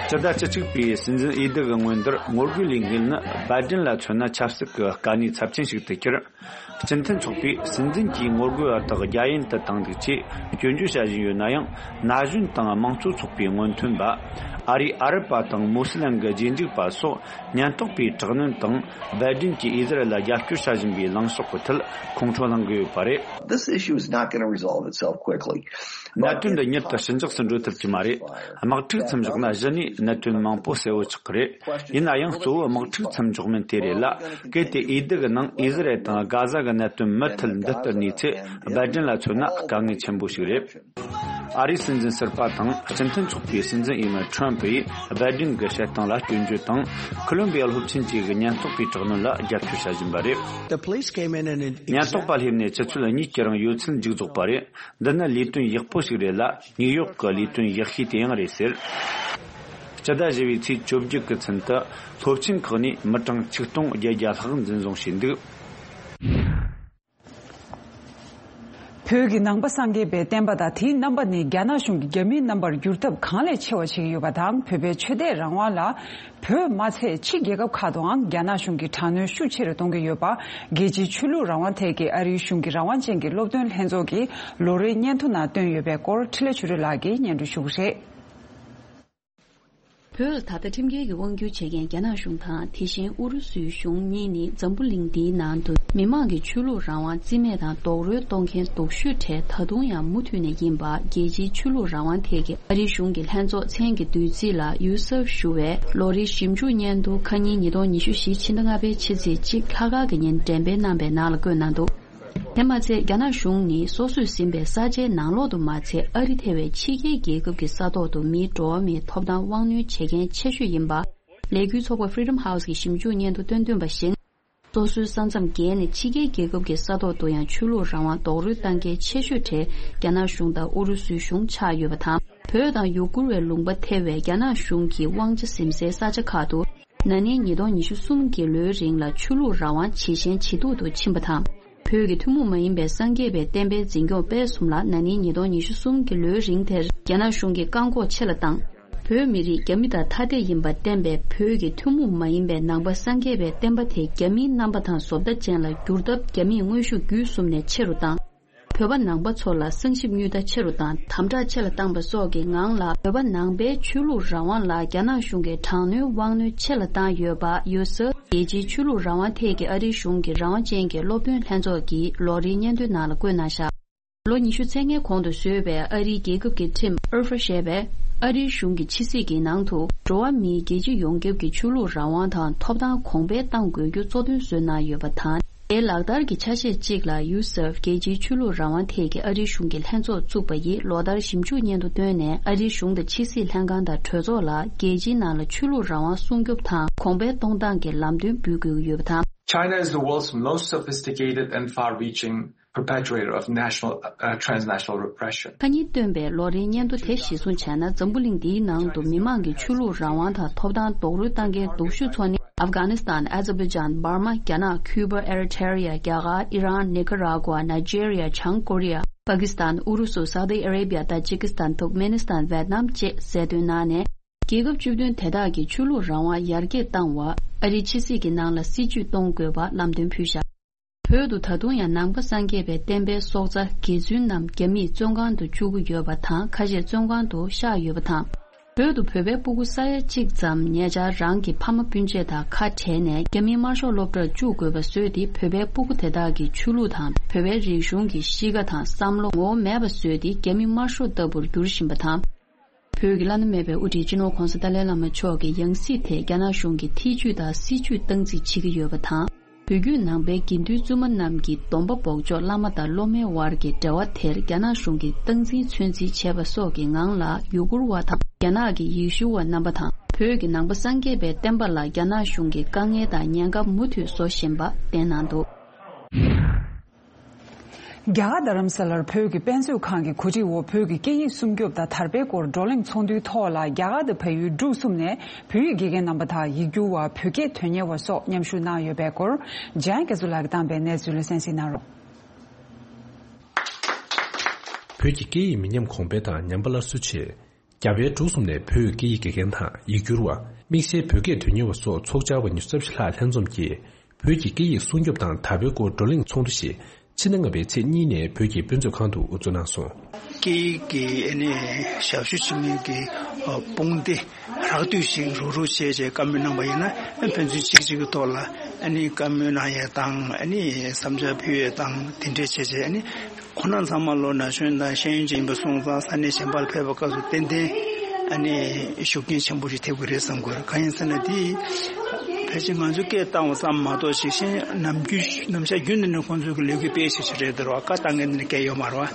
སྤྱི་ཟླ་བཅུ་གཅིག་པའི་སྲིད་འཛིན་འོས་བསྡུ་གི་སྔོན་དུར་ངོ་རྒོལ་ལས་འགུལ་ནི་བྷའི་ཌེན་ལ་མཚོན་ན་ཆབ་སྲིད་ཀྱི་དཀའ་གནད་ཚབས་ཆེན་ཞིག་ཏུ་གྱུར། སྤྱི་མཐུན་ཚོགས་པས་སྲིད་འཛིན་གྱིས་ངོ་རྒོལ་བ་དག་རྒྱ་ཡན་དུ་བཏང་འདུག་ཅེས་སྐྱོན་བརྗོད་བྱ་བཞིན་ཡོད་ན་ཡང་། ན་གཞོན་དང་དམངས་གཙོ་ཚོགས་པའི་སྔོན་ཐོན་པ་ཨ་རིའི་ཨ་རབ་པ་དང་མུ་སི་ལིམ་གྱི་རྗེས་འཇུག་པ་སོགས་ཉེན་རྟོག་པའི་དྲག་གནོན་དང་། བྷའི་ཌེན་གྱིས་ཨི་ཟི་རལ་ལ་རྒྱབ་སྐྱོར་བྱ་བཞིན་པའི་ལངས་ཕྱོགས་ཀྱི་ཐད་ཁོང་ཁྲོ་ལངས་ཀྱི་ཡོད་པ་རེད། This issue is not going to resolve itself quickly. གནད་དོན་འདི་མྱུར་དུ་ཞི་འཇགས་སུ་འགྲོ་ཐུབ་ཀྱི་མ་རེད། དམག་འཁྲུག་མཚམས་འཇོག་ན་གཞི་ནས་གནད་དོན་མང་པོ་གསལ་བོ་ཆགས་ཀྱི་རེད། ཡིན་ན་ཡང་གཙོ་བོ་དམག་འཁྲུག་མཚམས་འཇོག་མིན་དེ་རེད་ལ། གལ་ཏེ་འོས་བསྡུ་གི་ནང་ཨི་ཟི་རལ་དང་གྷ་ཟ་གི་གནད་དོན་མུ་མཐུད་འདི་ལྟར་གནས་ཚེ། བྷའི་ཌེན་ལ་མཚོན་ན་དཀའ་ངལ་ཆེན་པོ་ཞིག་རེད། ཨ་རིའི་སྲིད་འཛིན་ཟུར་པ་དང་སྤྱི་མཐུན་ཚོགས་པའི་སྲིད་འཛིན་འོས་མི་ཁྲོམ་ཕུ་ཡིས་བྷའི་ཌེན་གྱི་བཤད་སྟངས་ལ་སྐྱོན་བརྗོད་དང་། ཁོ་ལོམ་བི་ཡ་སློབ་ཆེན་གཅིག་གི་ཉེན་རྟོག་པའི་དྲག་གནོན་ལ་རྒྱབ་སྐྱོར་བྱ་བཞིན་པ་རེད། The police came in and ཉེན་རྟོག་པ་སླེབས་ནས་ཆུ་ཚོད་གཉིས་ཀྱི་རིང་ཡོད་ཚད་མཇུག་རྫོགས་པ་རེད། འདི་ནི་ལས་དོན་ཡག་པོ་ཞིག་རེད་ལ། ཉིའུ་ཡོག་གི་ལས་དོན་ཡག་ཤོས་དེ་ཡང་རེད་ཟེར། སྤྱི་ཟླ་བཞི་པའི་ཚེས་བཅོ་བརྒྱད་ཀྱི་ཚུན་དུ་སློབ་ཆེན་ཁག་ནས་མི་གྲངས་ཆིག་སྟོང་བརྒྱད་བརྒྱ་ལྷག་འཛིན་བཟུང་བྱས་འདུག། བོད་ཀྱི་ནང་པ་སངས་རྒྱས་པའི་བསྟན་པ་དང་དེའི་རྣམ་པ་ནི་རྒྱ་ནག་གཞུང་གིས་རྒྱ་མིའི་རྣམ་པར་བསྒྱུར་ཐབས་གང་ལས་ཆེ་བ་བྱེད་ཀྱི་ཡོད་པ་དང་། བོད་པའི་ཆོས་དད་རང་དབང་ལ་བོད་མ་ཚད་ཕྱི་རྒྱལ་ཁབ་ཁག་ཏུའང་རྒྱ་ནག་གཞུང་གིས་དྲག་གནོན་ཤུགས་ཆེ་རུ་གཏོང་གི་ཡོད་པ། རྒྱལ་སྤྱིའི་ཆོས་ལུགས་རང་དབང་ཐད་ཀྱི་ཨ་རིའི་གཞུང་གི་རང་དབང་ཅན་གྱི་སློབ་སྟོན་ལྷན་ཚོགས་ཀྱིས་ལོ་རེའི་སྙན་ཐོ་ནང་བཏོན་ཡོད་པའི་སྐོར་འཕྲིན་ལས་ཆོས་སྒྲོན་ལགས་ཀྱིས་སྙན་སྒྲོན་ཞུ་གི་རེད། བོད་ལ་ད་ལྟ་ཁྲིམས་འགལ་གྱི་དབང་སྒྱུར་བྱེད་མཁན་རྒྱ་ནག་གཞུང་དང་། དེ་བཞིན་ཨུ་རུ་སུའི་གཞུང་གཉིས་ནི་འཛམ་བུ་གླིང་འདིའི་ནང་དུ་མི་མང་གི་ཆོས་ལུགས་རང་དབང་རྩིས་མེད་དང་རྡོག་རོལ་གཏོང་མཁན་སྡུག་ཤོས་གྲས་ད་དུང་ཡང་མུ་མཐུད་ནས་ཡིན་པ། རྒྱལ་སྤྱིའི་ཆོས་ལུགས་རང་དབང་ཐད་ཀྱི་ཨ་རིའི་གཞུང་གི་ལྷན་ཚོགས་མཚན་གྱི་བདུད་རྩི་ལ་ཡུ་སབ་ཞུ་བས་ལོ་རེའི་ཞིབ་འཇུག་སྙན་ཐོ་ཁ་ཉིན་ཉིས་སྟོང་ཉི་ཤུ་བཞི་ཕྱི་ཟླ་ལྔ་པའི་ཕྱི་ཚེས་གཅིག་ལྷག་དཀར་གྱི་ཉིན་འགྲེམས་སྤེལ་གནང་པའི་ནང་ལ་བཀོད་གནང་འདུག། དེ་མ་ཚད་རྒྱ་ནག་གཞུང་ནི་སོ་སོས་ཟིན་པའི་ས་ཆའི་ནང་ལོགས་དུ་མ་ཚད་ཨ་རི་ཐེ་བའི་ཕྱི་རྒྱལ་རྒྱལ་ཁབ་ཀྱི་ས་ཐོག་ཏུ་མིའི་འགྲོ་བ་མིའི་ཐོབ་ཐང་དབང་གནོན་བྱེད་མཁན་ཆེ་ཤོས་ཡིན་པ། ལས་འགུལ་ཚོགས་པ་Freedom House གིས་ཞིབ་འཇུག་སྙན་ཐོ་བཏོན་བཏོན་པ་བཞིན། སོ་སོའི་ས་མཚམས་བརྒལ་ནས་ཕྱི་རྒྱལ་རྒྱལ་ཁབ་ཀྱི་ས་ཐོག་ཏུ་ཡང་ཆོས་ལུགས་རང་དབང་རྡོག་རོལ་བཏང་མཁན་ཆེ་ཤོས་གྲས་རྒྱ་ནག་གཞུང་དང་ཨུ་རུ་སུའི་གཞུང་ཆགས་ཡོད་པ་དང་། བོད་དང་ཡུ་གུར་བའི་ལུང་པ་ཐེ་བའི་རྒྱ་ནག་གཞུང་གི་དབང་ཆ་ཟིན་སའི་ས་ཆ་ཁག་ཏུ། ན་ནིང་ཉིས་སྟོང་ཉི་ཤུ་གསུམ་གྱི་ལོའི་རིང་ལ་ཆོས་ལུགས་རང་དབང་ཇེ་ཞན་ཇེ་སྡུག་ཏུ་ཕྱིན་པ་དང་། བོད་ཀྱི་ཐུན་མོང་མ་ཡིན་པའི་སངས་རྒྱས་པའི་བསྟན་པའི་འཛིན་སྐྱོང་སྤེལ་གསུམ་ལ་ན་ནིང་ཉིས་སྟོང་ཉི་ཤུ་གསུམ་གྱི་ལོའི་རིང་དེར་རྒྱ་ནག་གཞུང་གིས་བཀག་འགོག་ཆེ་ལ་བཏང་། བོད་མི་རིགས་རྒྱ་མི་དང་ཐ་དད་ཡིན་པར་བསྟན་པའི་བོད་ཀྱི་ཐུན་མོང་མ་ཡིན་པའི་ནང་པ་སངས་རྒྱས་པའི་བསྟན་པ་དེ་རྒྱ་མིའི་རྣམ་པ་དང་བཟོ་ལྟ་ཅན་ལ་བསྒྱུར་ཐབས་རྒྱ་མིས་དངོས་ཤུགས་བརྒྱུད་གསུམ་ནས་ཆེ་རུ་བཏང་། བོད་པ་ནང་པ་ཚོ་ལ་གསང་ཞིབ་དངུལ་རྟ་ཆེ་རུ་དང་དམ་དྲག་ཆེ་ལ་བཏང་པ་སོགས་ཀྱི་ངང་ལ། བོད་པ་ནང་པའི་ཆོས་ལུགས་རང་དབང་ལ་རྒྱ་ནག་གཞུང་གིས་དྲག་གནོན་དབང་གནོད་ཆེ་ལ་བཏང་ཡོད་པ་ཡོད་ས། རྒྱལ་སྤྱིའི་ཆོས་ལུགས་རང་དབང་ཐད་ཀྱི་ཨ་རིའི་གཞུང་གི་རང་དབང་ཅན་གྱི་སློབ་སྟོན་ལྷན་ཚོགས་ཀྱིས་ལོ་རེའི་སྙན་ཐོའི་ནང་ལ་བཀོད་གནང་བཞག། ལོ་ཉི་ཤུ་ཚད་ལྔའི་གོང་དུ་བཟོས་པའི་ཨ་རིའི་རྒྱལ་ཁབ་ཀྱི་ཁྲིམས་ཨར་ཧྥ་ཞེས་པས་ཨ་རིའི་གཞུང་གི་ཕྱི་སྲིད་ཀྱི་ནང་དུ་འགྲོ་བ་མིའི་རྒྱལ་སྤྱི་ཡོངས་ཁྱབ་ཀྱི་ཆོས་ལུགས་རང་དབང་དང་ཐོབ་ཐང་གོང་འཕེལ་གཏང་དགོས་རྒྱུ་གཙོ་དོན་བཟོས་གནང་ཡོད་པ་དང་། དེའི་ལག་བསྟར་གྱི་ཆ་ཤས་གཅིག་ལ་ཡུ་སབ་རྒྱལ་སྤྱིའི་ཆོས་ལུགས་རང་དབང་ཐད་ཀྱི་ཨ་རིའི་གཞུང་གི་ལྷན་ཚོགས་བཙུགས་པ་ཡིས་ལོ་ལྟར་ཞིབ་འཇུག་སྙན་ཐོ་བཏོན་ནས་ཨ་རིའི་གཞུང་དང་ཕྱི་སྲིད་ལྷན་ཁང་དང་གྲོས་ཚོགས་ལ་རྒྱལ་སྤྱིའི་ནང་ལ་ཆོས་ལུགས་རང་དབང་སྲུང་སྐྱོབ་དང་གོང་འཕེལ་གཏོང་སྟངས་ཀྱི་ལམ་སྟོན་འབུལ་དགོས་ཀྱི་ཡོད་པ་དང་། China is the world's most sophisticated and far-reaching perpetuator of national, uh, transnational repression. ཁ་ཉིན་བཏོན་པའི་ལོ་རེའི་སྙན་ཐོ་དེ་གཞིར་བཟུང་བྱས་ན། འཛམ་བུ་གླིང་འདིའི་ནང་དུ་མི་མང་གི་ཆོས་ལུགས་རང་དབང་དང་ཐོབ་ཐང་རྡོག་རོལ་བཏང་མཁན་སྡུག་ཤོས་ཚོ་ནི། ཨབ་གྷ་ནི་སི་ཐན། ཨ་ཛར་བྷའི་ཇན། འབར་མ། རྒྱ་ནག། ཁུ་པ། ཨེ་རི་ཐེ་རི་ཡ། རྒྱ་གར། ཨི་རན། ནི་ཀ་ར་གུ་ཝ། ནཱི་ཇེ་རི་ཡ། བྱང་ཀོ་རི་ཡ། པ་ཀི་སི་ཐན། ཨུ་རུ་སུ། སའུ་ཏི་ཨ་རེ་བྷི་ཡ། ཏཱ་ཇི་ཀི་སི་ཐན། ཐུར་ཀ་མེ་ནི་སི་ཐན། ཝེད་ནམ་བཅས་གསལ་སྟོན་གནང་ནས། རྒྱལ་ཁབ་བཅུ་བདུན་དེ་དག་གི་ཆོས་ལུགས་རང་དབང་ཡར་རྒྱས་བཏང་བར་ཨ་རིའི་ཕྱི་སྲིད་ཀྱི་ནང་ལ་སྲིད་ཇུས་གཏོང་དགོས་པ་ལམ་སྟོན་ཕུལ་བཞག་བོད་དུ་ད་དུང་ཡང་ནང་པ་སངས་རྒྱས་པའི་བསྟན་པའི་སྲོག་རྩ་དགེ་ཚུལ་རྣམས་རྒྱ་མིས་བཙོན་ཁང་དུ་བཅུག་གི་ཡོད་པ་དང་། ཁ་ཤས་བཙོན་ཁང་དུ་བཞག་ཡོད་པ་དང་། བོད་དུ་བོད་པའི་སྤུ་གུ་ས་ཡ་གཅིག་ཙམ་ཉེ་ཆར་རང་གི་ཕ་མ་སྤུན་མཆེད་དང་ཁ་བྲལ་ནས་རྒྱ་མིའི་དམར་ཤོག་སློབ་གྲྭར་བཅུག་དགོས་པ་བཟོས་ཏེ། བོད་པའི་སྤུ་གུ་དེ་དག་གི་ཆོས་ལུགས་དང་བོད་པའི་རིག་གཞུང་གི་གཤིས་ཀ་དང་བསམ་བློ་ངོ་བོ་མེད་པ་བཟོས་ཏེ་རྒྱ་མི་དམར་ཤོག་ལྟ་བུར་འགྱུར་བཞིན་པ་དང་། བོད་ཀྱི་བླ་ན་མེད་པའི་དབུ་ཁྲིད་སྤྱི་ནོར་༧གོང་ས་ཏཱ་ལའི་བླ་མ་མཆོག་གི་ཡང་སྲིད་ཐད་རྒྱ་ནག་གཞུང་གིས་ཐེ་བྱུས་དང་སྲིད་བྱུས་སྟངས་འཛིན་བྱེད་ཀྱི་ཡོད་པ་དང་། བོད་བརྒྱུད་ནང་པའི་དགེ་འདུན་བཙུན་མ་རྣམས་ཀྱི་སྡོམ་པ་འབོགས་ཆོག་བླ་མ་དང་སློབ་མའི་དབར་གྱི་འབྲེལ་བ་དེར་རྒྱ་ནག་གཞུང་གིས་སྟངས་འཛིན་ཚོད་འཛིན་བྱས་པ་སོགས་ཀྱི་ངང་ལ། ཡུ་གུར་བ་དང་རྒྱ་ནག་གི་ཡེ་ཤུ་བ་རྣམ་པ་དང་། བོད་ཀྱི་ནང་པ་སངས་རྒྱས་པའི་བསྟན་པ་ལ་རྒྱ་ནག་གཞུང་གིས་དཀའ་ངལ་དང་ཉེན་ཁ་མུ་མཐུད་བཟོ་བཞིན་པ་བསྟན་གནང་འདུག་རྒྱ་གར་རྡ་རམ་ས་ལར་བོད་ཀྱི་དཔེ་མཛོད་ཁང་གི་གོ་སྒྲིག་འོག་བོད་ཀྱི་སྐད་ཡིག་སྲུང་སྐྱོབ་དང་དར་སྤེལ་སྐོར་བགྲོ་གླེང་ཚོགས་འདུའི་ཐོག་ལ། རྒྱ་གར་དང་བལ་ཡུལ་འབྲུག་གསུམ་ནས་བོད་ཡིག་དགེ་རྒན་རྣམ་པ་དང་། ཡིག་སྒྱུར་བ། བོད་སྐད་དོན་གཉེར་བ་སོགས་མཉམ་ཞུགས་གནང་ཡོད་པའི་སྐོར། འཇམ་དབྱངས་སྐྱིད་མཚོ་ལགས་ཀྱིས་བཏང་པའི་གནས་ཚུལ་ལ་གསན་གཟིགས་གནང་རོགས། བོད་ཀྱི་སྐད་ཡིག་མི་ཉམས་གོང་འཕེལ་དང་ཉམས་པ་སླར་གསོའི་ཆེད། རྒྱ་བལ་འབྲུག་གསུམ་ནས་བོད་ཡིག་སྐད་ཡིག་དགེ་རྒན་དང་ཡིག་སྒྱུར་བ། དམིགས་བསལ་བོད་སྐད་དོན་གཉེར་བ་སོགས་ཚོགས་བཅར་བ་ཉི་ཤུ་རྩ་བཞི་ལྷག་ལྷན་འཛོམས་ཀྱིས། བོད་ཀྱི་སྐད་ཡིག་སྲུང་སྐྱོབ་དང་དར་སྤེལ་སྐོར་བགྲོ་གླེང་ཚོགས་འདུ་ཞིག་ཕྱི་ཟླ་ལྔ་པའི་ཚེས་གཉིས་ནས་བོད་ཀྱི་དཔེ་མཛོད་ཁང་དུ་དབུ་འཛུགས་གནང་སོང་། སྐད་ཡིག་གི་ཨ་ནི་ཞབས་ཞུ་བྱེད་མཁན་གྱི་ཨ་དཔུང་སྡེ་རགས་བསྡུས་ཤིག་རུག་རུག་བྱས་བྱས་བཀའ་མོལ་གནང་པ་ཡིན་ན། ཕན་ཚུན་གཅིག་གཅིག་གི་ཐོག་ལ་ཨ་ནི་བཀའ་མོལ་གནང་ཡས་དང་། ཨ་ནི་བསམ་འཆར་ཕུལ་ཡས་དང་། དེ་འདྲས་བྱས་བྱས་ཨ་ནི། ཁོང་རྣམ་ཚང་མ་ལོ་ན་གཞོན་དང་ཤེས་ཡོན་ཅན་ཡིན་པ་སོང་ཙང་། ས་གནས་གཞན་པར་ཕེབས་པའི་སྐབས་སུ་ཏན་ཏན་ཨ་ནི་ཤུགས་རྐྱེན་ཆེན་པོ་ཞིག་ཐེབས་ཀྱི་རེད་བསམ་གྱི་ཡོད། གང་ཡིན་ཟེར་ན། དེ་ཕལ་ཆེར་ང་ཚོས་སྐད་བཏང་བ་ཙམ་མ་གཏོགས། ཤེས་བཞིན་ནམ་རྒྱུན་ནམ་ཞག་རྒྱུན་དུ་ནས་ཁོང་ཚོའི་གི་ལས་འགུལ་སྤེལ་བྱེད་ཀྱི་རེད་དོ། བཀའ་བཏང་མཁན་དེ་འདྲ་གང་ཡང་ཡོད་མ་རེད་བ།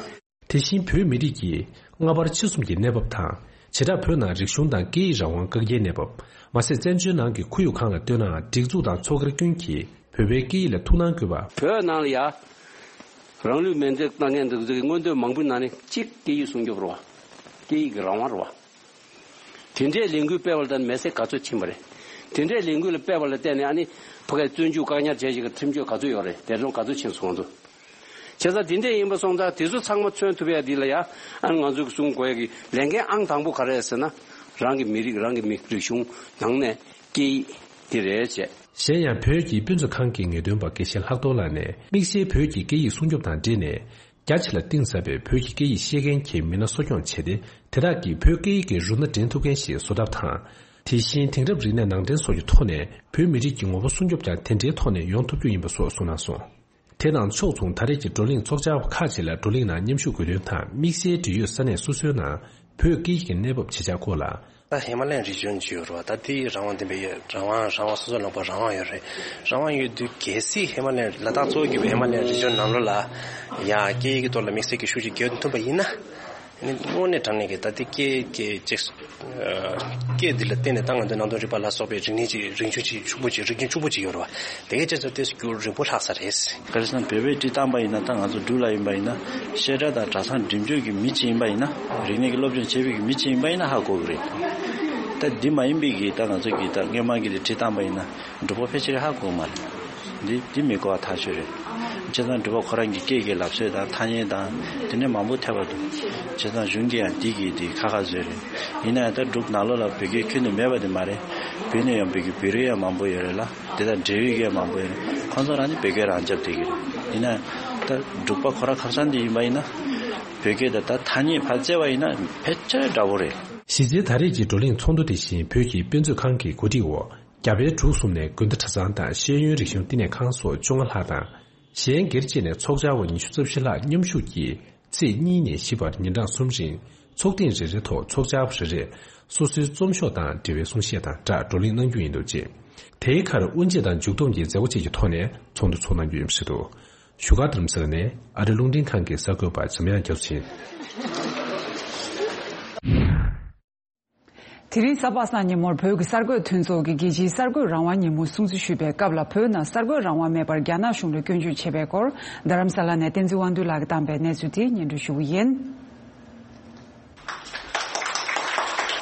དེ་བཞིན་བོད་མི་རིགས་ཀྱི་སྔ་བར་ཕྱི་གསུམ་གྱི་གནས་བབ་དང་། བྱེ་བྲག་བོད་ནང་རིག་གཞུང་དང་སྐད་ཡིག་རང་དབང་བཀག་རྒྱའི་གནས་བབ། མ་ཟད་བཙན་བྱོལ་ནང་གི་ཁོར་ཡུག་གང་ལ་ལྟོས་ནའང་། སྒྲིག་འཛུགས་དང་ཚོགས་སྒེར་ཀུན་གྱིས་བོད་པའི་སྐད་ཡིག་ལ་ཐུགས་སྣང་དགོས་པ། བོད་ནང་ལ་ཡ། རང་ལུས་མེར་སྲེག་བཏང་མཁན་འདི་ཚོ་གི་མངོན་འདོད་མང་པོའི་ནང་ནས་གཅིག་སྐད་ཡིག་སྲུང་སྐྱོབ་རེད་བ། སྐད་ཡིག་གི་རང་དབང་རེད་བ། དེ་འདྲའི་ལས་འགུལ་སྤེལ་བ་ལ་བརྟེན་མེར་སྲེག་ག་ཚོད་ཕྱིན་པ་རེད། དེ་འདྲའི་ལས་འགུལ་ལ་སྤེལ་བ་ལ་བརྟེན་ནས་ཨ་ནི་ཕ་གིའི་བཙོན་འཇུག་བཀག་ཉར་བྱས་ཞིག་གི་ཁྲིམས་གཅོད་ག་ཚོད་ཡོད་རེད། འདས་གྲོངས་ག་ཚོད་ཕྱིན་སོང་འདུག་བྱས་ཙང་དེ་འདྲ་ཡིན་པ་སོང་ཙང་། དེ་ཚོ་ཚང་མ་མཚོན་ཐུབ་ཡ་འདི་ལ་ཡ། ཨ་ནི་ང་ཚོ་གི་གསུང་དགོས་ཡ་གི་ལས་འགན་ཨང་དང་པོ་ག་རེ་རེད་ཟེར་ན། རང་གི་མི་རིགས། རང་གི་མི་རིགས་གཞུང་ནང་ནས་སྐད་ཡིག་འདི་རེད་བྱས། གཞན་ཡང་། བོད་ཀྱི་དཔེ་མཛོད་ཁང་གི་ངེས་སྟོན་པ་དགེ་བཤེས་ལྷག་རྡོར་ལགས་ནས། དམིགས་བསལ་བོད་ཀྱི་སྐད་ཡིག་སྲུང་སྐྱོབ་དང་འབྲེལ་ནས། རྒྱ་ཆེ་ལ་གཏིང་ཟབ་པའི་བོད་ཀྱི་སྐད་ཡིག་ཤེས་མཁན་གྱི་མི་སྣ་གསོ་སྐྱོང་བྱས་ཏེ། དེ་དག་གིས་བོད་སྐད་ཡིག་གི་རུ་སྣ་འདྲེན་ཐུབ་མཁན་ཞིག་བཟོ་ཐབས་དང་། དེ་བཞིན་དེང་རབས་རིག་གནས་ནང་འདྲེན་སོགས་ཀྱི་ཐོག་ནས་བོད་མི་རིགས་ཀྱི་ངོ་བོ་སྲུང་སྐྱོབ་ཀྱང་དེ་འདྲའི་ཐོག་ནས་ཡོང་ཐུབ་རྒྱུ་ཡིན་པ་སོགས་གསུངས་གནང་སོང་། དེ་དང་ཕྱོགས་མཚུངས། ད་རེས་ཀྱི་བགྲོ་གླེང་ཚོགས་བཅར་བ་ཁག་ཅིག་ལ་བགྲོ་གླེང་ནང་མཉམ་ཞུགས་དགོས་དོན་དང་། དམིགས་བསལ་འབྲེལ་ཡོད་ས་གནས་སོ་སོའི་ནང་བོད་སྐད་ཡིག་གི་གནས་བབ་ཇི་ཆགས་སྐོར་ལ། ད་ཧི་མ་ལ་ཡན་རི་ཇོན་ཅིག་ཡོད་རེད་བ། ད་དེ་རང་དབང་ལྡན་པའི་རང་དབང་། རང་དབང་། སོ་སོ་ལུང་པ་རང་དབང་ཡོད་རེད། རང་དབང་ཡོད་དུས་གལ་སྲིད་ཧི་མ་ལ་ཡན། ལ་དྭགས་གཙོ་བོ་གྱུར་པའི་ཧི་མ་ལ་ཡན་རི་ཇོན་ནང་ལོགས་ལ་ཡ་སྐད་ཡིག་གི་ཐོག་ལ་དམིགས་བསལ་གྱི་ཤུགས་རྐྱེན་བསྐྱོན་ཐུབ་པ་ཡིན་ན། ནི་དངོས་གནས་དྲང་གནས་ཀྱི་ད་ལྟའི་སྐད་ཀྱི་ཅིག་ཨ་སྐད་འདི་ལ་བརྟེན་ནས་ད་ང་ཚོའི་ནང་དོན་རིག་པ་ལ་སོགས་པའི་རིག་གནས་ཅིག་རིག་གཞུང་ཅིག་ཕྱུག་པོ་ཅིག་རིག་གཞུང་ཕྱུག་པོ་ཅིག་ཡོད་རེད་བ། དེ་གའི་ཆ་ཚང་དེ་སུ་རྒྱུན་རིང་པོ་ལྷག་ས་རེད། ག་རེ་ཟེར་ན། བོད་པས་བྲིས་བཏང་པ་ཡིན་ན། ད་ང་ཚོ་འབྲུག་ལ་ཡིན་པ་ཡིན་ན། བཤད་གྲྭ་དང་གྲྭ་ཚང་འགྲིམ་འཇུག་གི་མི་གཅིག་ཡིན་པ་ཡིན་ན། རིག་གནས་ཀྱི་སློབ་སྦྱོང་བྱེད་པའི་གི་མི་གཅིག་ཡིན་པ་ཡིན་ན་ཧ་གོ་གི་རེད། ད་འདི་མ་ཡིན་པའི་གི་ད་ང་ཚོ་གི་ད་སྔོན་མ་གི་དེ་བྲིས་བཏང་པ་ཡིན་ན། འབྲུག་པ་ཕལ་ཆེར་ཧ་གོ་མ་རེད། འདི་འདི་མི་གོ་བ་ཐག་ཆོད་རེད། བྱས་ཙང་འབྲུག་པ་ཁོ་རང་གི་སྐད་ཀྱི་ལབ་སྲོལ་དང་ཐ་སྙད་དང་དེ་འདྲ་མང་པོ་ཐེབས་པ་འདུག་བྱས་ཙང་གཞུང་གིས་ཡང་འདི་གི་འདི་ཁ་ཁ་བཟོས་རེད། ཡིན་ན་ཡང་ད་འབྲུག་ནང་ལོགས་ལ་བོད་སྐད་ཁྱོན་ནས་མེད་པ་དེ་མ་རེད། བོད་ནས་ཡང་བོད་ཀྱི་བོད་རིགས་ཡང་མང་པོ་ཡོད་རེད་ལ། དེ་དང་འབྲེལ་ཡོད་ཀྱི་ཡང་མང་པོ་ཡོད་རེད། ཁོང་ཚོ་རང་ནི་བོད་སྐད་རང་རྐྱབ་བསྡད་ཀྱི་རེད། ཡིན་ན་ཡང་ད་འབྲུག་པ་ཁོ་རང་ཁ་སང་འདི་ཡིན་པ་ཡིན་ན། བོད་སྐད་དང་ད་ཐ་སྙད་ཕར་བཙལ་བ་ཡིན་ན་ཕལ་ཆེར་འདྲ་པོ་རེད། གཞི་རྩའི་ད་རེས་ཀྱི་བགྲོ་གླེང་ཚོགས་འདུ་དེ་བཞིན་བོད་ཀྱི་དཔེ་མཛོད་ཁང་གི་གོ་སྒྲིག་འོག་རྒྱ་བལ་འབྲུག་གསུམ་ནས་དགོན་སྡེ་གྲྭ་ཚང་དང་ཤེས་ཡོན་རིག་གཞུང་བསྟི་གནས་ཁང་སོགས་བཅོ་ལྔ་ལྷག་དང་། གཞན་སྒེར་བཅས་ནས་ཚོགས་བཅར་བ་ཉི་ཤུ་རྩ་བཞི་ལྷག་མཉམ་ཞུགས་ཀྱིས། ཚེས་གཉིས་ནས་བཞི་བར་ཉིན་གྲངས་གསུམ་རིང་ཚོགས་ཐེངས་རེ་རེའི་ཐོག་ཚོགས་བཅར་བ་རེ་རེས་སོ་སོའི་རྩོམ་ཤོག་དང་འབྲེལ་བའི་གསུང་བཤད་དང་སྦྲགས་བགྲོ་གླེང་གནང་རྒྱུ་ཡིན་འདུག་ཅེས། དེའི་ཁར་དབུ་འབྱེད་དང་མཇུག་བསྡོམས་ཀྱི་མཛད་སྒོ་བཅས་ཀྱི་ཐོག་ནས་ཚོགས་འདུ་འཚོགས་གནང་རྒྱུ་ཡིན་པ་རེད་འདུག་བཞུགས་སྒར་རྡ་རམ་ས་ལ་ནས་ཨ་རི་རླུང་འཕྲིན་ཁང་གི་གསར་འགོད་པ་འཇམ་དབྱངས་རྒྱ་མཚོ་ཡིན། དེ་རིང་གཟའ་པ་སངས་ཉིན་མོར་བོད་ཀྱི་གསར་འགོད་མཐུན་ཚོགས་ཀྱིས་རྒྱལ་སྤྱིའི་གསར་འགོད་རང་དབང་ཉིན་མོ་སྲུང་བརྩི་ཞུས་པའི་སྐབས་ལ། བོད་ནང་གསར་འགོད་རང་དབང་མེད་པར་རྒྱ་ནག་གཞུང་ལ་སྐྱོན་བརྗོད་བྱས་པའི་སྐོར། རྡ་རམ་ས་ལ་ནས་བསྟན་འཛིན་དབང་འདུས་ལགས་ཀྱིས་བཏང་པའི་གནས་ཚུལ་དེ་སྙན་སྒྲོན་ཞུ་གི་ཡིན།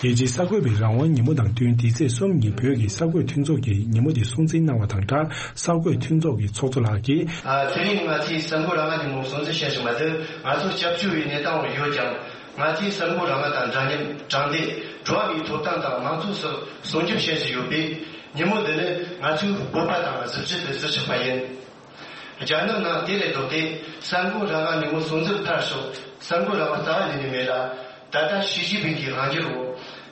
རྒྱལ་སྤྱིའི་གསར་འགོད་པའི་རང་དབང་ཉིན་མོ་དང་བསྟུན། འདི་ཚེས་གསུམ་ཉིན་བོད་ཀྱི་གསར་འགོད་མཐུན་ཚོགས་ཀྱིས་ཉིན་མོ་འདི་སྲུང་བརྩི་གནང་བ་དང་སྦྲགས། གསར་འགོད་མཐུན་ཚོགས་ཀྱི་ཚོགས་གཙོ་ལགས་ཀྱིས། ཨ། དེ་རིང་ང་ཚོས་གསར་འགོད་རང་དབང་ཉིན་མོ་སྲུང་བརྩི་བྱས་བཞིན་པ་དེ་ང་ཚོ་སྐྱབས་བཅོལ་བའི་གནས་སྟངས་འོག་ཡོད་ཀྱང་། ང་ཚོས་གསར་འགོད་རང་དབང་དང་འདྲ་མཉམ་དྲང་བདེན། འགྲོ་བ་མིའི་ཐོབ་ཐང་དང་མང་གཙོ་སོགས་སྲུང་སྐྱོབ་བྱེད་བཞིན་ཡོད་པས། ཉིན་མོ་འདི་ནི་ང་ཚོའི་སྤོབས་པ་དང་གཟི་བརྗིད་དུ་གཟིགས་ཆོག་པ་ཡིན། རྒྱ་ནག་ནང་དེ་ལས་ལྡོག་སྟེ། གསར་འགོད་རང་དབང་ཉིན་མོ་སྲུང་བརྩི་མཐར་སོན། གསར་འགོད་རང་དབང་རྩ་བ་ནས་ནས་མེད་ལ། ད་ལྟ་ཞི་ཅིན་ཕིང་གི་དབང་སྒྱུར་འོག་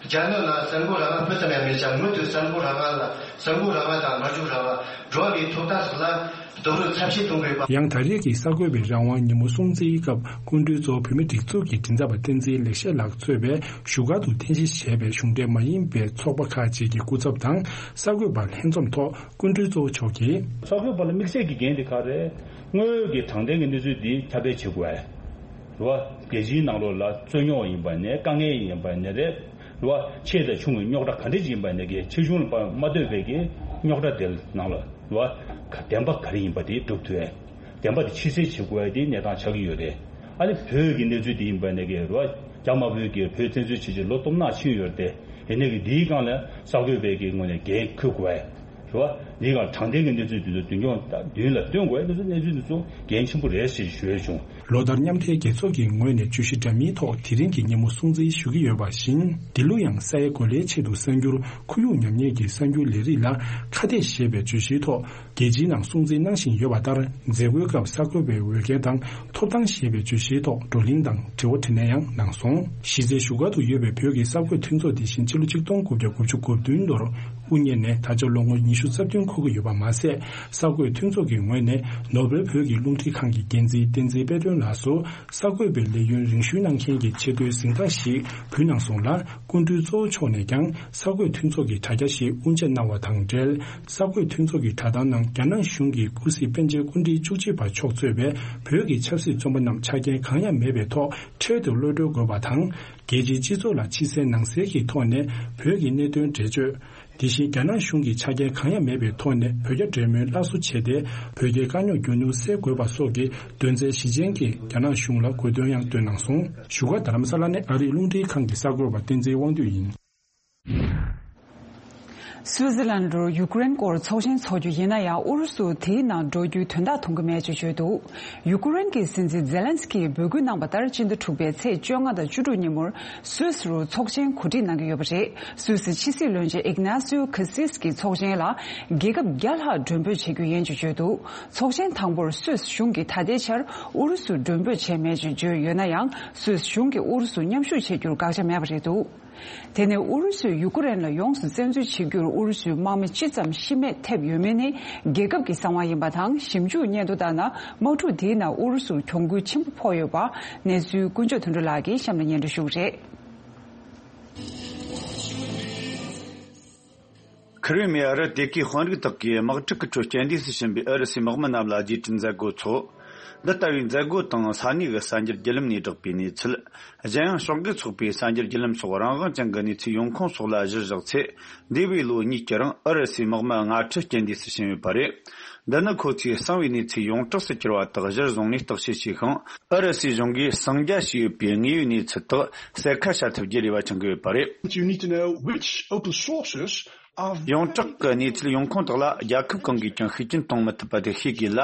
རྒྱ་ནག་ནང་གསར་འགོད་རང་དབང་སྤུ་ཙམ་ཡང་མེད་ཀྱང་། མུ་མཐུད་གསར་འགོད་རང་དབང་ལ། གསར་འགོད་རང་དབང་དང་སྨྲ་བརྗོད་རང་དབང་། འགྲོ་བ་མིའི་ཐོབ་ཐང་སོགས་ལ་རྡོག་རོལ་ཚབས་ཆེ་གཏོང་དགོས་པ། ཡང་ད་རེས་ཀྱི་གསར་འགོད་པའི་རང་དབང་ཉིན་མོ་སྲུང་བརྩིའི་སྐབས། སྐུ་མགྲོན་གཙོ་བོ་བོད་མིའི་སྒྲིག་འཛུགས་ཀྱི་མགྲིན་ཚབ་པ་བསྟན་འཛིན་ལེགས་བཤད་ལགས་གཙོས་པའི་བཞུགས་སྒར་དུ་རྟེན་གཞི་བྱས་པའི་གཞུང་འབྲེལ་མ་ཡིན་པའི་ཚོགས་པ་ཁག་ཅིག་གི་སྐུ་ཚབ་དང་། གསར་འགོད་པ་ལྷན་འཛོམས་ཐོག་སྐུ་མགྲོན་གཙོ་བོ་མཆོག་གིས། གསར་འགོད་པ་ལ་དམིགས་བསལ་གྱི་འགན་དེ་ག་རེད། དངོས་ཡོད་ཀྱི་དྲང་བདེན་གྱི་གནས་ཚུལ་འདི་ཁྱབ་སྤེལ་བྱེད་དགོས། རེད་བ། རྒྱལ་སྤྱིའི་ནང་ལོགས་ལ་རྩོད་རྙོག་ཡིན་པ་ནས། དཀའ་ངལ་ཡིན་པ་ནས་རེད། རེད་བ། ཆེ་དང་ཆུང་གི་རྙོག་དྲ་ག་འདྲ་ཅིག་ཡིན་པ་ནས་ཀྱི་ཆེ་ཆུང་ལ་མ་ལྟོས་པའི་གི་རྙོག་དྲ་དེ་ནང་ལ་རེད་བ། བདེན་པ་ག་རེ་ཡིན་པ་དེ་སྒྲུབ་ཐུབ་ཡས། བདེན་པ་དེ་ཕྱིར་གསལ་བྱེད་དགོས་ཡས་དེ་གནས་སྟངས་ཆགས་ཀྱི་ཡོད་རེད། ཨ་ནི་བོད་ཀྱི་གནས་ཚུལ་དེ་ཡིན་པ་ནས་ཀྱི་རེད་བ། རྒྱ་དམར་པོའི་གི་བོད་བཙན་འཛུལ་བྱས་རྗེས་ལོ་སྟོང་ནག་ཕྱིན་ཡོད་རེད་དེ། ཡིན་ནའི་གི་འདིའི་སྒང་ལ་གསར་འགོད་པའི་གི་ངོས་ནས་འགན་འཁུར་དགོས་ཡས། རེད་བ། འདིའི་སྒང་དྲང་བདེན་གྱི་གནས་ཚུལ་དེ་ཚོ་མདུན་སྐྱོང་མདུན་ལ་སྟོན་དགོས་ཡས། དེ་ཚོ་གནས་ཚུལ་དེ་ཚོ་འགན་ཆེན་པོ་རེད་ཞེས་ཞུ་ཡས་བྱུང་། ལོ་ལྟར་མཉམ་འབྲེལ་རྒྱལ་ཚོགས་ཀྱི་ངོས་ནས་བརྗོད་གཞི་འདྲ་མིན་ཐོག་དེ་རིང་གི་ཉིན་མོ་སྲུང་བརྩི་ཞུ་གི་ཡོད་པ་བཞིན། འདི་ལོ་ཡང་ས་ཡའི་གོ་ལའི་ཆེད་དུ་གསར་འགྱུར། ཁོར་ཡུག་ཉམས་ཉེས་ཀྱི་གསར་འགྱུར་ལས་རིགས་ལ་ཁ་གཏད་ཞེས་པའི་བརྗོད་གཞིའི་ཐོག་རྒྱལ་སྤྱིའི་ནང་སྲུང་བརྩི་གནང་བཞིན་ཡོད་པ་ལྟར། མཛད་སྒོའི་སྐབས་གསར་འགོད་པའི་འོས་འགན་དང་ཐོབ་ཐང་ཞེས་པའི་བརྗོད་གཞིའི་ཐོག་བགྲོ་གླེང་དང་དྲི་བ་དྲིས་ལན་ཡང་གནང་སོང་། གཞི་རྩའི་བཞུགས་སྒར་དུ་ཡོད་པའི་བོད་ཀྱི་གསར་འགོད་མཐུན་ཚོགས་དེ་བཞིན་ཕྱི་ལོ་ཆིག་སྟོང་དགུ་བརྒྱ་དགུ་བཅུ་གོ་བདུན་ལོར་དབུ་བརྙེས་ནས་ད་ཆ་ལོ་ངོ་ཉི་ཤུ་རྩ་བདུན་འཁོར་གྱི་ཡོད་པ་མ་ཟད། གསར་འགོད་མཐུན་ཚོགས་ཀྱི་ངོས་ནས་ནོར་བེལ་བོད་ཀྱི་རླུང་འཕྲིན་ཁང་གི་འགན་འཛིན་བསྟན་འཛིན་དཔལ་སྒྲོན་ལགས་སུ། གསར་འགོད་པའི་ལས་ཡུན་རིང་ཤོས་གནང་མཁན་གྱི་ཆེ་མཐོའི་གཟེངས་རྟགས་ཤིག་ཕུལ་གནང་སོང་ལ། སྐུ་མགྲོན་གཙོ་བོ་མཆོག་ནས་ཀྱང་གསར་འགོད་མཐུན་ཚོགས་ཀྱི་དྲ་རྒྱ་ཞིག་དབུ་འབྱེད་གནང་བ་དང་འབྲེལ། གསར་འགོད་མཐུན་ཚོགས་ཀྱི་དྲ་ཐང་ནང་རྒྱ་ནག་གཞུང་གི་ཀུང་སིའི་པཎ་ཆེན་སྐུ་ཕྲེང་བཅུ་གཅིག་པ་མཆོག་གཙོས་པའི་བོད་ཀྱི་ཆབ་སྲིད་བཙོན་པ་རྣམས་ཆ་རྐྱེན་གང་ཡང་མེད་པའི་ཐོག་འཕྲལ་དུ་གློད་གྲོལ་དགོས་པ་དང་། རྒྱལ་སྤྱིའི་སྤྱི་ཚོགས་ལ་ཕྱི་གསལ་ནང་གསལ་གྱི་ཐོག་ནས་བོད་ཀྱི་གནད་དོན་འགྲེལ་བརྗོད། དེ་བཞིན་རྒྱ་ནག་གཞུང་གིས་ཆ་རྐྱེན་གང་ཡང་མེད་པའི་ཐོག་ནས་བོད་རྒྱ་འབྲེལ་མོལ་སླར་གསོ་བྱས་ཏེ། བོད་རྒྱའི་དཀའ་རྙོག་མགྱོགས་མྱུར་སེལ་དགོས་པ་སོགས་ཀྱི་དོན་ཚན་བཞི་ཅན་གྱི་རྒྱ་ནག་གཞུང་ལ་དགོས་འདུན་ཡང་བཏོན་གནང་སོང་། བཞུགས་སྒར་རྡ་རམ་ས་ལ་ནས་ཨ་རིའི་རླུང་འཕྲིན་ཁང་གི་གསར་འགོད་པ་བསྟན་འཛིན་དབང་འདུས་ཡིན། སུའུ་ཙི་ལན་ཌར་ཡུ་ཀེ་རེན་སྐོར་ཚོགས་ཆེན་འཚོགས་རྒྱུ་ཡིན་ན་ཡང་། ཨུ་རུ་སུ་དེའི་ནང་འགྲོ་རྒྱུའི་དོན་དག་མཐོང་གི་མེད་ཅེས་བརྗོད་འདུག་ཡུ་ཀེ་རེན་གྱི་སྲིད་འཛིན་ཛེ་ལན་སི་ཀིས་འབོད་སྐུལ་གནང་བ་ལྟར། སྤྱི་ཟླ་དྲུག་པའི་ཚེས་བཅོ་ལྔ་དང་བཅུ་དྲུག་ཉིན་མོར་སུད་སི་རུ་ཚོགས་ཆེན་གོ་སྒྲིག་གནང་གི་ཡོད་པ་རེད། སུད་སི་ཕྱི་སྲིད་བློན་ཆེན་ཨིག་ནཱ་སིའོ་ཁི་སིས་ཀྱིས་ཚོགས་ཆེན་ལ་རྒྱལ་ཁབ་བརྒྱ་ལྷག་མགྲོན་འབོད་བྱེད་རྒྱུ་ཡིན་ཅེས་བརྗོད་འདུག་ཚོགས་ཆེན་དང་པོར་སུད་སི་གཞུང་གིས་ད་ལྟའི་ཆར་ཨུ་རུ་སུར་མགྲོན་འབོད་བྱས་མེད་ཅེས་བརྗོད་ཡོད་ན་ཡང་། སུད་སི་གཞུང་གིས་ཨུ་རུ་སུ་མཉམ་ཞུགས་བྱེད་རྒྱུར་དགག་བྱ་མེད་པ་རེད་འདུག་དེ་ནས་ཨུ་རུ་སུས་ཡུ་ཀེ་རེན་ལ་ཡོངས་སུ་བཙན་འཛུལ་བྱེད་རྒྱུར་ཨུ་རུ་སུའི་དམག་མི་ཅི་ཙམ་ཤི་རྨས་ཐེབས་ཡོད་མེད་ནི་རྒྱལ་ཁབ་ཀྱི་གསང་བ་ཡིན་པ་དང་། ཞིབ་འཇུག་སྙན་ཐོ་ལྟར་ན། དམག་འཁྲུག་དེའི་ནང་ཨུ་རུ་སུར་གྱོང་གུན་ཆེན་པོ་ཕོག་ཡོད་པ། གནས་ཚུལ་དཀོན་མཆོག་དོན་གྲུབ་ལགས་ཀྱིས་གཤམ་ལ་སྙན་སྒྲོན་ཞུ་གི་རེད། ཁི་རི་མི་ཡ་རུ་དེ་གའི་དཔོན་རིགས་དག་གིས་དམག་འཁྲུག་གི་ཁྲོད་རྐྱེན་འདས་སུ་ཕྱིན་པའི་ཨུ་རུ་སུའི་དམག་མི་རྣམས་ལ་རྗེས་དྲན་མཛད་སྒོ་འཚོགས། འདི་ལྟ་བུའི་མཛད་སྒོ་དང་ས་གནས་ཀྱི་གསར་འགྱུར་བརྒྱུད་ལམ་ནས་བསྒྲགས་པའི་གནས་ཚུལ། གཞན་ཡང་ཕྱོགས་འགལ་ཚོགས་པའི་གསར་འགྱུར་བརྒྱུད་ལམ་སོགས་རང་དབང་ཅན་གྱི་གནས་ཚུལ་ཡོང་ཁུངས་སོགས་ལ་གཞི་བཞག་ཚེ། འདས་པའི་ལོ་གཉིས་ཀྱི་རིང་ཨུ་རུ་སུའི་དམག་མི་ལྔ་ཁྲི་རྐྱེན་འདས་སུ་ཕྱིན་ཡོད་པ་རེད། འདི་ནི་ཁོ་ཚོས་གསང་བའི་གནས་ཚུལ་ཡོངས་གྲགས་སུ་གྱུར་པ་དག་གཞིར་བཟུང་ནས་བརྟག་དཔྱད་བྱས་ཤིང་། ཨུ་རུ་སུའི་གཞུང་གིས་གསང་རྒྱ་བྱས་ཡོད་པའི་དངོས་ཡོད་གནས་ཚུལ་དག་གསལ་ཁ་བྱ་ཐུབ་རྒྱུའི་རེ་བ་འཆང་གི་ཡོད་པ་རེད། You need to know which open sources are ཡོངས་གྲགས་ཀྱི་གནས་ཚུལ་ཡོང་ཁུངས་དག་ལ་རྒྱལ་ཁབ་གང་གིས་ཀྱང་ཤུགས་རྐྱེན་གཏོང་མི་ཐུབ་པ་དེ་ཤེས་དགོས་ལ།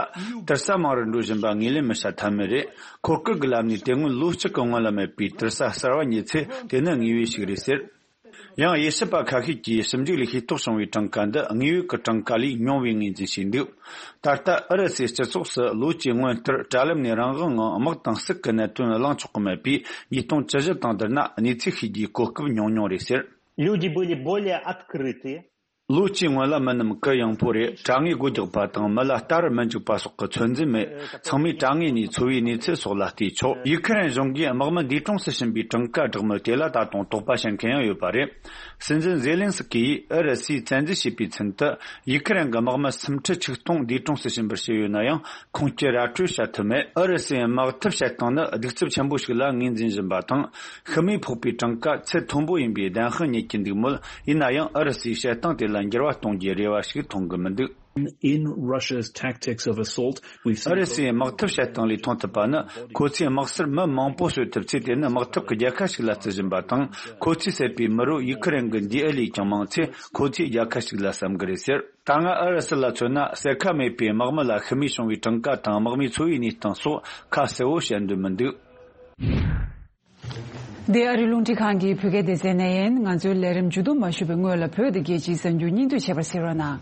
དུར་ས་མང་རུ་འགྲོ་བཞིན་པ་ངོས་ལེན་མི་བྱ་ཐབས་མེད་རེད། འཁོར་སྐར་གྱི་ལམ་ནས་དེ་སྔོན་ལོ་གཅིག་གི་སྔོན་ལ་མེད་པའི་དུར་ས་གསར་བ་རྙེད་ཚེ། དེ་ནི་དངོས་ཡོད་ཞིག་རེད་ཟེར། ཡང་དབྱེ་ཞིབ་པ་ཁ་ཤས་ཀྱིས་ཞིབ་འཇུག་ལས་ཤེས་རྟོགས་བྱུང་བའི་གྲངས་ཀ་འདི་དངོས་ཡོད་ཀྱི་གྲངས་ཀ་ལས་ཉུང་བའི་ངོས་འཛིན་བྱས་འདུག་ད་ལྟ་ཨུ་རུ་སུའི་སྤྱི་ཚོགས་སུ་ལོ་གཅིག་སྔོན་ལྟར་དྲ་ལམ་ནས་རང་དབང་ངང་དམག་དང་སྲིད་ཀྱི་གནད་དོན་གླེང་ཆོག་གི་མེད་པས། ཉིས་སྟོང་བཅུ་བཞི་དང་བསྡུར་ན་གནས་ཚུལ་ཤེས་རྒྱུའི་གོ་སྐབས་ཉུང་ཉུང་རེད་ཟེར། Люди были более открыты. ལོ་གཅིག་སྔོན་ལ་མི་རྣམས་གུ་ཡངས་པོ་རེད། དྲ་ངོས་སྒོ་རྒྱག་པ་དང་མི་ལ་ལྟ་རུ་མི་འཇུག་པ་སོགས་ཀྱི་ཚོད་འཛིན་མེད། ཚང་མས་དྲ་ངོས་ནས་འཚོ་བའི་གནས་ཚུལ་སོགས་ལ་བལྟས་ཆོག་ཡུ་ཁི་རེན་གཞུང་གིས་དམག་མི་འདས་གྲོངས་སུ་ཕྱིན་པའི་གྲངས་ཀ་བསྒྲགས་མི་དེ་ལ་ད་དུང་དོགས་པ་བྱེད་མཁན་ཡང་ཡོད་པ་རེད། སྲིད་འཛིན་ཛེ་ལན་སི་ཀི་ཡིས་ཨུ་རུ་སུས་བཙན་འཛུལ་བྱས་པའི་ཚུན་དུ་ཡུ་ཁི་རེན་གྱི་དམག་མི་སུམ་ཁྲི་ཆིག་སྟོང་འདས་གྲོངས་སུ་ཕྱིན་པར་བྱས་ཡོད་ན་ཡང་། ཁོངས་སྐྱེལ་ར་སྤྲོད་བྱ་ཐུབ་མེད། ཨུ་རུ་སུའི་དམག་འཐབ་བྱེད་སྟངས་ནི་གདུག་རྩུབ་ཆེན་པོ་ཞིག་ལ་ངོས་འཛིན་བཞིན་པ་དང་། ཤི་རྨས་ཕོག་པའི་གྲངས་ཀ་ཚད་མཐོན་པོ་ཡིན་པའི་བདེན་དཔང་རྙེད་ཀྱི་འདུག་མོད། ཡིན་ན་ཡང་ཨུ་རུ་སུའི་བྱེད་སྟངས་དེ་ལ་འགྱུར་བ་གཏོང་རྒྱུའི་རེ་བ་ཞིག་མཐོང་གི་མི་འདུག In Russia's tactics of assault, we've seen ཨུ་རུ་སུའི་དམག་འཐབ་བྱེད་སྟངས་ལས་མཐོང་ཐུབ་པ་ནི། ཁོ་ཚོས་དམག་སར་མི་མང་པོ་གསོད་ཐུབ་ཚེ། དེ་ནི་དམག་འཐབ་ཀྱི་རྒྱལ་ཁ་ཞིག་ལ་བརྩི་བཞིན་པ་དང་། ཁོ་ཚོས་བསད་པའི་མི་རོ་ཡུ་ཁི་རེན་གྱི་འདིའི་ཨུ་ལས་ཀྱང་མང་ཚེ། ཁོ་ཚོས་རྒྱལ་ཁ་ཞིག་ལ་བསམ་གི་རེད་ཟེར། ད་སྔ་ཨུ་རུ་སུ་ལ་མཚོན་ན། གསལ་ཁ་མེད་པའི་དམག་མི་ལ་ཤི་རྨས་བྱུང་བའི་གྲངས་ཀ་དང་། དམག་མིའི་འཚོ་བའི་གནས་སྟངས་སོགས་ཁ་གསལ་བོ་བཤད་འདོད་མི་འདུག་འདི་ཨ་རི་རླུང་འཕྲིན་ཁང་གི་བོད་སྐད་སྡེ་ཚན་ནས་ཡིན། ང་ཚོའི་ལས་རིམ་མཇུག་བསྡོམས་མ་ཞུས་པའི་སྔོན་ལ་བོད་དང་རྒྱལ་སྤྱིའི་གསར་འགྱུར་སྙིང་བསྡུས་བྱས་པར་གཟིགས་རོགས་གནང་།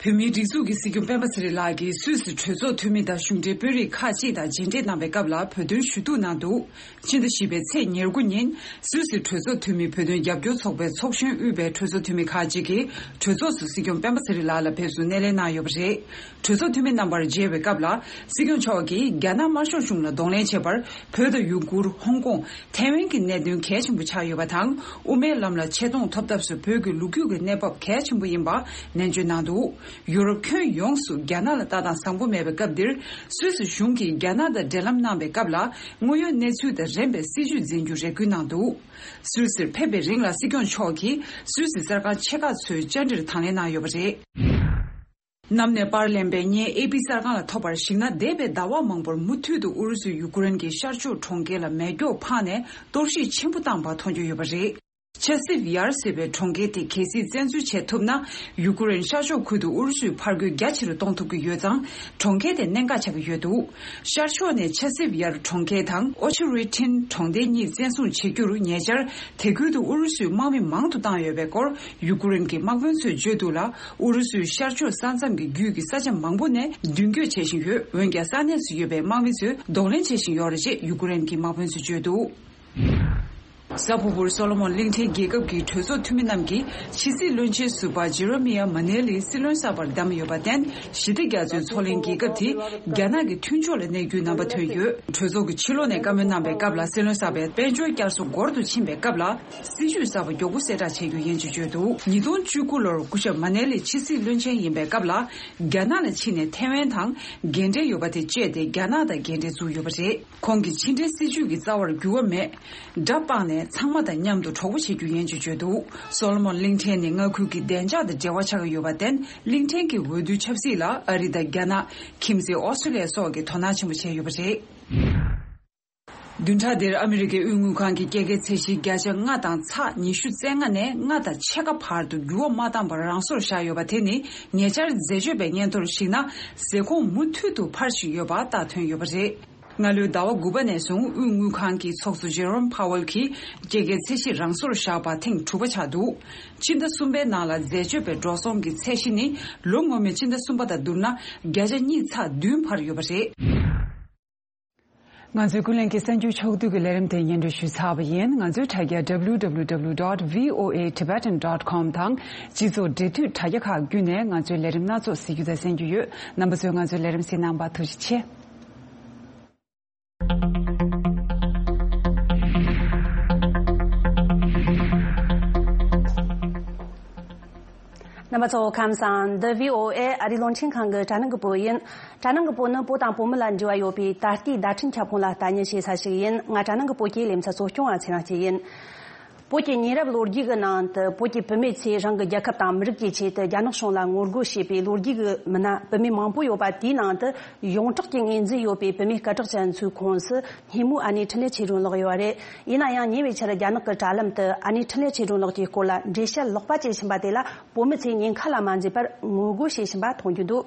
བོད་མིའི་སྒྲིག་འཛུགས་ཀྱི་སྲིད་སྐྱོང་སྤེན་པ་ཚེ་རིང་ལགས་ཀྱིས་སུད་སི་གྲོས་ཚོགས་འཐུས་མི་དང་གཞུང་འབྲེལ་དཔོན་རིགས་ཁག་ཅིག་དང་མཇལ་འཕྲད་གནང་བའི་སྐབས་ལ་བོད་དོན་ཞུ་གཏུག་གནང་འདུག་ཕྱི་ཟླ་བཞི་པའི་ཚེས་ཉེར་དགུ་ཉིན་སུད་སི་གྲོས་ཚོགས་འཐུས་མི་བོད་དོན་རྒྱབ་སྐྱོར་ཚོགས་པའི་ཚོགས་གཞོན་དབུས་པའི་གྲོས་ཚོགས་འཐུས་མི་ཁག་ཅིག་གིས་གྲོས་ཚོགས་སུ་སྲིད་སྐྱོང་སྤེན་པ་ཚེ་རིང་ལགས་ལ་ཕེབས་བསུ་སྣེ་ལེན་གནང་ཡོད་པ་རེད། གྲོས་ཚོགས་འཐུས་མི་རྣམ་པར་མཇལ་བའི་སྐབས་ལ་སྲིད་སྐྱོང་མཆོག་གིས་རྒྱ་ནག་དམར་ཤོག་གཞུང་ལ་གདོང་ལེན་བྱེད་པར་བོད་དང་ཡུ་གུར། ཧོང་ཀོང་། ཐའེ་ཝན་གྱི་གནད་དོན་གལ་ཆེན་པོ་ཆགས་ཡོད་པ་དང་། དབུ་མའི་ལམ་ལ་ཆེ་མཐོང་ཐོབ་ཐབས་སུ་བོད་ཀྱི་ལོ་རྒྱུས་ཀྱི་གནས་བབ་གལ་ཆེན་པོ་ཡིན་པ་ནན་བརྗོད་གནང་འདུག་ཡུ་རོབ་ཁྱོན་ཡོངས་སུ་རྒྱ་ནག་ལ་ལྟ་སྟངས་བཟང་པོ་མེད་པའི་སྐབས་འདིར། སུད་སི་གཞུང་གིས་རྒྱ་ནག་དང་འབྲེལ་ལམ་གནང་བའི་སྐབས་ལ། དངོས་ཡོད་གནས་ཚུལ་དང་རན་པའི་སྲིད་ཇུས་འཛིན་རྒྱུར་རེ་སྐུལ་གནང་འདུག་སུད་སིར་ཕེབས་པའི་རིང་ལ་སྲིད་སྐྱོང་མཆོག་གིས་སུད་སི་གསར་ཁང་ཆེ་ཁག་ཚོའི་བཅར་འདྲིར་དང་ལེན་གནང་ཡོད་པ་རེད། གནམ་ནས་པར་ལེན་པའི་བརྙན་ཨེ་པི་གསར་ཁང་ལ་ཐོབ་པར་གཞིགས་ན། འདས་པའི་ཟླ་བ་མང་པོར་མུ་མཐུད་དུ་ཨུ་རུ་སུས་ཡུ་ཀེ་རེན་གྱི་ཤར་ཕྱོགས་གྲོང་ཁྱེར་ལ་མེ་སྒྱོགས་འཕངས་ནས་གཏོར་བཤིག་ཆེན་པོ་བཏང་བ་མཐོང་རྒྱུ་ཡོད་པ་རེད། ཆ་སིབ་ཡར་ཟེར་བའི་གྲོང་ཁྱེར་དེ་གལ་སྲིད་བཙན་འཛུལ་བྱེད་ཐུབ་ན། ཡུ་ཀེ་རེན་ཤར་ཕྱོགས་ཁུལ་དུ་ཨུ་རུ་སུས་ཕར་རྒོལ་རྒྱ་ཆེ་རུ་གཏོང་ཐུབ་ཀྱི་ཡོད་ཙང་། གྲོང་ཁྱེར་དེ་གནད་འགག་ཆགས་ཀྱི་ཡོད་འདུག་ཤར་ཕྱོགས་ནས་ཆ་སིབ་ཡར་གྲོང་ཁྱེར་དང་ཨོ་ཆི་རི་ཐིན་གྲོང་རྡལ་གཉིས་བཙན་བཟུང་བྱེད་རྒྱུར་ཉེ་ཆར་དེ་ཁུལ་དུ་ཨུ་རུ་སུས་དམག་མི་མང་དུ་བཏང་ཡོད་པའི་སྐོར་ཡུ་ཀེ་རེན་གྱི་དམག་དཔོན་ཚོས་བརྗོད་འདུག་ལ། ཨུ་རུ་སུའི་ཤར་ཕྱོགས་ས་མཚམས་ཀྱི་རྒྱུད་ཀྱི་ས་ཆ་མང་པོ་ནས་མདུན་སྐྱོད་བྱེད་བཞིན་ཡོད། འོན་ཀྱང་ས་གནས་སུ་ཡོད་པའི་དམག་མི་ཚོས་གདོང་ལེན་བྱེད་བཞིན་ཡོད་རེད་ཅེས་ཡུ་ཀེ་རེན་གྱི་དམག་དཔོན་ཚོས་བརྗོད་འདུག་གཟའ་ཕུར་བུར་སོ་ལོ་མོན་གླིང་ཕྲན་རྒྱལ་ཁབ་ཀྱི་གྲོས་ཚོགས་འཐུས་མི་རྣམས་ཀྱིས་ཕྱི་སྲིད་བློན་ཆེན་ཟུར་པ་ཇེ་རོ་མི་ཡ་མ་ནེ་ལི་སྲིད་བློན་གསར་པར་བདམས་ཡོད་པར་བརྟེན། ཞི་བདེ་རྒྱ་མཚོའི་མཚོ་གླིང་རྒྱལ་ཁབ་དེ་རྒྱ་ནག་གི་མཐུན་ཕྱོགས་ལ་གནས་རྒྱུའི་རྣམ་པ་ཐོན་ཡོད། གྲོས་ཚོགས་ཀྱིས་ཕྱི་ལོགས་ནས་བཀའ་མོལ་གནང་བའི་སྐབས་ལ། སྲིད་བློན་གསར་པའི་དཔལ་འབྱོར་བསྐྱར་གསོ་འགོར་དུ་ཕྱིན་པའི་སྐབས་ལ། སྲིད་ཇུས་གསར་པ་མགྱོགས་པོ་གསལ་བསྒྲགས་བྱེད་རྒྱུ་ཡིན་ཅེས་བརྗོད་འདུག་ཉིས་སྟོང་བཅུ་དགུ་ལོར་སྐུ་ཞབས་མ་ནེ་ལི་ཕྱི་སྲིད་བློན་ཆེན་ཡིན་པའི་སྐབས་ལ། རྒྱ་ནག་ལ་ཕྱིན་ནས་ཐའེ་ཝན་དང་འགལ་འབྲེལ་ཡོད་པ་དེ་བཅད་དེ་རྒྱ་ནག་དང་འགལ་འབྲེལ་བཙུགས་ཡོད་པ་རེད། ཁོང་གི་ཕྱི་འབྲེལ་སྲིད་ཇུས་ཀྱི་རྩ་བར་འགྱུར་བ་མེད། དགྲ་སྤངས་ནས་ཚང་མ་དང་མཉམ་དུ་གྲོགས་པོ་བྱེད་རྒྱུ་ཡིན་ཅེས་བརྗོད་འདུག་སོ་ལོ་མོན་གླིང་ཕྲན་ནི་མངའ་ཁུལ་གྱི་བདེ་འཇགས་དང་འབྲེལ་བ་ཆགས་ཀྱི་ཡོད་པར་བརྟེན། གླིང་ཕྲན་གྱི་འོས་བསྡུའི་ཆབ་སྲིད་ལ་ཨ་རི་དང་རྒྱ་ནག་ཁྱིམ་མཚེས་ཨོ་སི་ཀྲི་ལི་ཡ་སོགས་ཀྱིས་དོ་སྣང་ཆེན་པོ་བྱས་ཡོད་པ་རེད། བདུན་ཕྲག་འདིར་ཨ་མི་རི་ཀའི་དབུས་དངུལ་ཁང་གི་སྐྱེད་ཀའི་ཚད་གཞི་བརྒྱ་ཆ་ལྔ་དང་ཚེག་ཉི་ཤུ་རྩ་ལྔ་ནས་ལྔ་དང་ཕྱེད་ཀ་བར་དུ་འགྱུར་བ་མ་བཏང་བར་རང་སོར་བཞག་ཡོད་པ་དེ་ནི། ཉེ་ཆར་འཛད་སྤྱོད་པའི་སྙན་ཐོར་ཞིག་ན། ཟད་གོང་མུ་མཐུད་དུ་འཕར་བཞིན་ཡོད་པ་རྟགས་ཐོན་ཡོད་པ་རེད། སྔ་ལོའི་ཟླ་བ་དགུ་པ་ནས་བཟུང་དབུས་དངུལ་ཁང་གི་ཚོགས་གཙོ་ཇེ་རོམ་ཕ་ཝེལ་གྱིས་སྐྱེད་ཀའི་ཚད་གཞི་རང་སོར་བཞག་པ་ཐེངས་དྲུག་པ་ཆགས་འདུག་ཕྱི་ཟླ་གསུམ་པའི་ནང་ལ་འཛད་སྤྱོད་པའི་འགྲོ་སོང་གི་ཚད་གཞི་ནི། ལོ་སྔོན་མའི་ཕྱི་ཟླ་གསུམ་པ་དང་བསྡུར་ན། བརྒྱ་ཆ་གཉིས་ཚེག་བདུན་འཕར་ཡོད་པ་རེད། ང་ཚོའི་ཀུན་གླེང་གི་གསར་འགྱུར་ཕྱོགས་བསྡུས་ཀྱི་ལས་རིམ་དེ་སྙན་སྒྲོན་ཞུས་ཚར་བ་ཡིན། ང་ཚོའི་དྲ་རྒྱ་W W W dot V O A Tibetan dot com དང་། སྤྱི་ཚོགས་འབྲེལ་མཐུད་དྲ་རྒྱ་ཁག་བརྒྱུད་ནས་ང་ཚོའི་ལས་རིམ་སྣ་ཚོགས་གཟིགས་རྒྱུ་དང་གསན་རྒྱུ་ཡོད། རྣམ་པ་ཚོས་ང་ཚོའི་ལས་རིམ་གཟིགས་གནང་བར་ཐུགས་རྗེ་ཆེ། རྣམ་པ་ཚོ་ཁམས་བཟང་། འདི་V O A ཨ་རིའི་རླུང་འཕྲིན་ཁང་གི་དྲ་སྣང་གི་པོད་ཡིན། དྲ་སྣང་གི་པོད་ནི་བོད་དང་བོད་མི་ལ་འབྲེལ་བ་ཡོད་པའི་ད་ལྟའི་བརྡ་འཕྲིན་ཁྱབ་ཁོངས་ལ་ལྟ་ཉན་བྱེད་ས་ཞིག་ཡིན། ང་དྲ་སྣང་གི་པོད་ཀྱི་ལེ་ཚན་གཙོ་སྐྱོང་བ་ཚེ་རིང་སྐྱིད་ཡིན། བོད་ཀྱི་ཉེ་རབས་ལོ་རྒྱུས་ཀྱི་ནང་དུ་བོད་ཀྱི་བུད་མེད་ཚོས་རང་གི་རྒྱལ་ཁབ་དང་མི་རིགས་ཀྱི་ཆེད་དུ་རྒྱ་ནག་གཞུང་ལ་ངོ་རྒོལ་བྱས་པའི་ལོ་རྒྱུས་ཀྱི་མི་སྣ་བུད་མེད་མང་པོ་ཡོད་པ་དེའི་ནང་དུ་ཡོངས་གྲགས་ཀྱི་ངོས་འཛིན་ཡོད་པའི་བུད་མེད་སྐད་གྲགས་ཅན་ཚོའི་ཁོངས་སུ། སྙེ་མོ་ཨ་ནེ་འཕྲིན་ལས་ཆོས་སྒྲོན་ལགས་ཡོད་པ་རེད། ཡིན་ན་ཡང་ཉེ་བའི་ཆར་རྒྱ་ནག་གི་དྲ་ལམ་དུ་ཨ་ནེ་འཕྲིན་ལས་ཆོས་སྒྲོན་ལགས་ཀྱི་སྐོར་ལ་འགྲེལ་བཤད་ལོག་པ་བྱེད་བཞིན་པ་དེ་ལ་བོད་མི་ཚོས་ཉེན་ཁ་ལ་མ་འཛེམས་པར་ངོ་རྒོལ་བྱེད་བཞིན་པ་མཐོང་རྒྱུ་འདུག་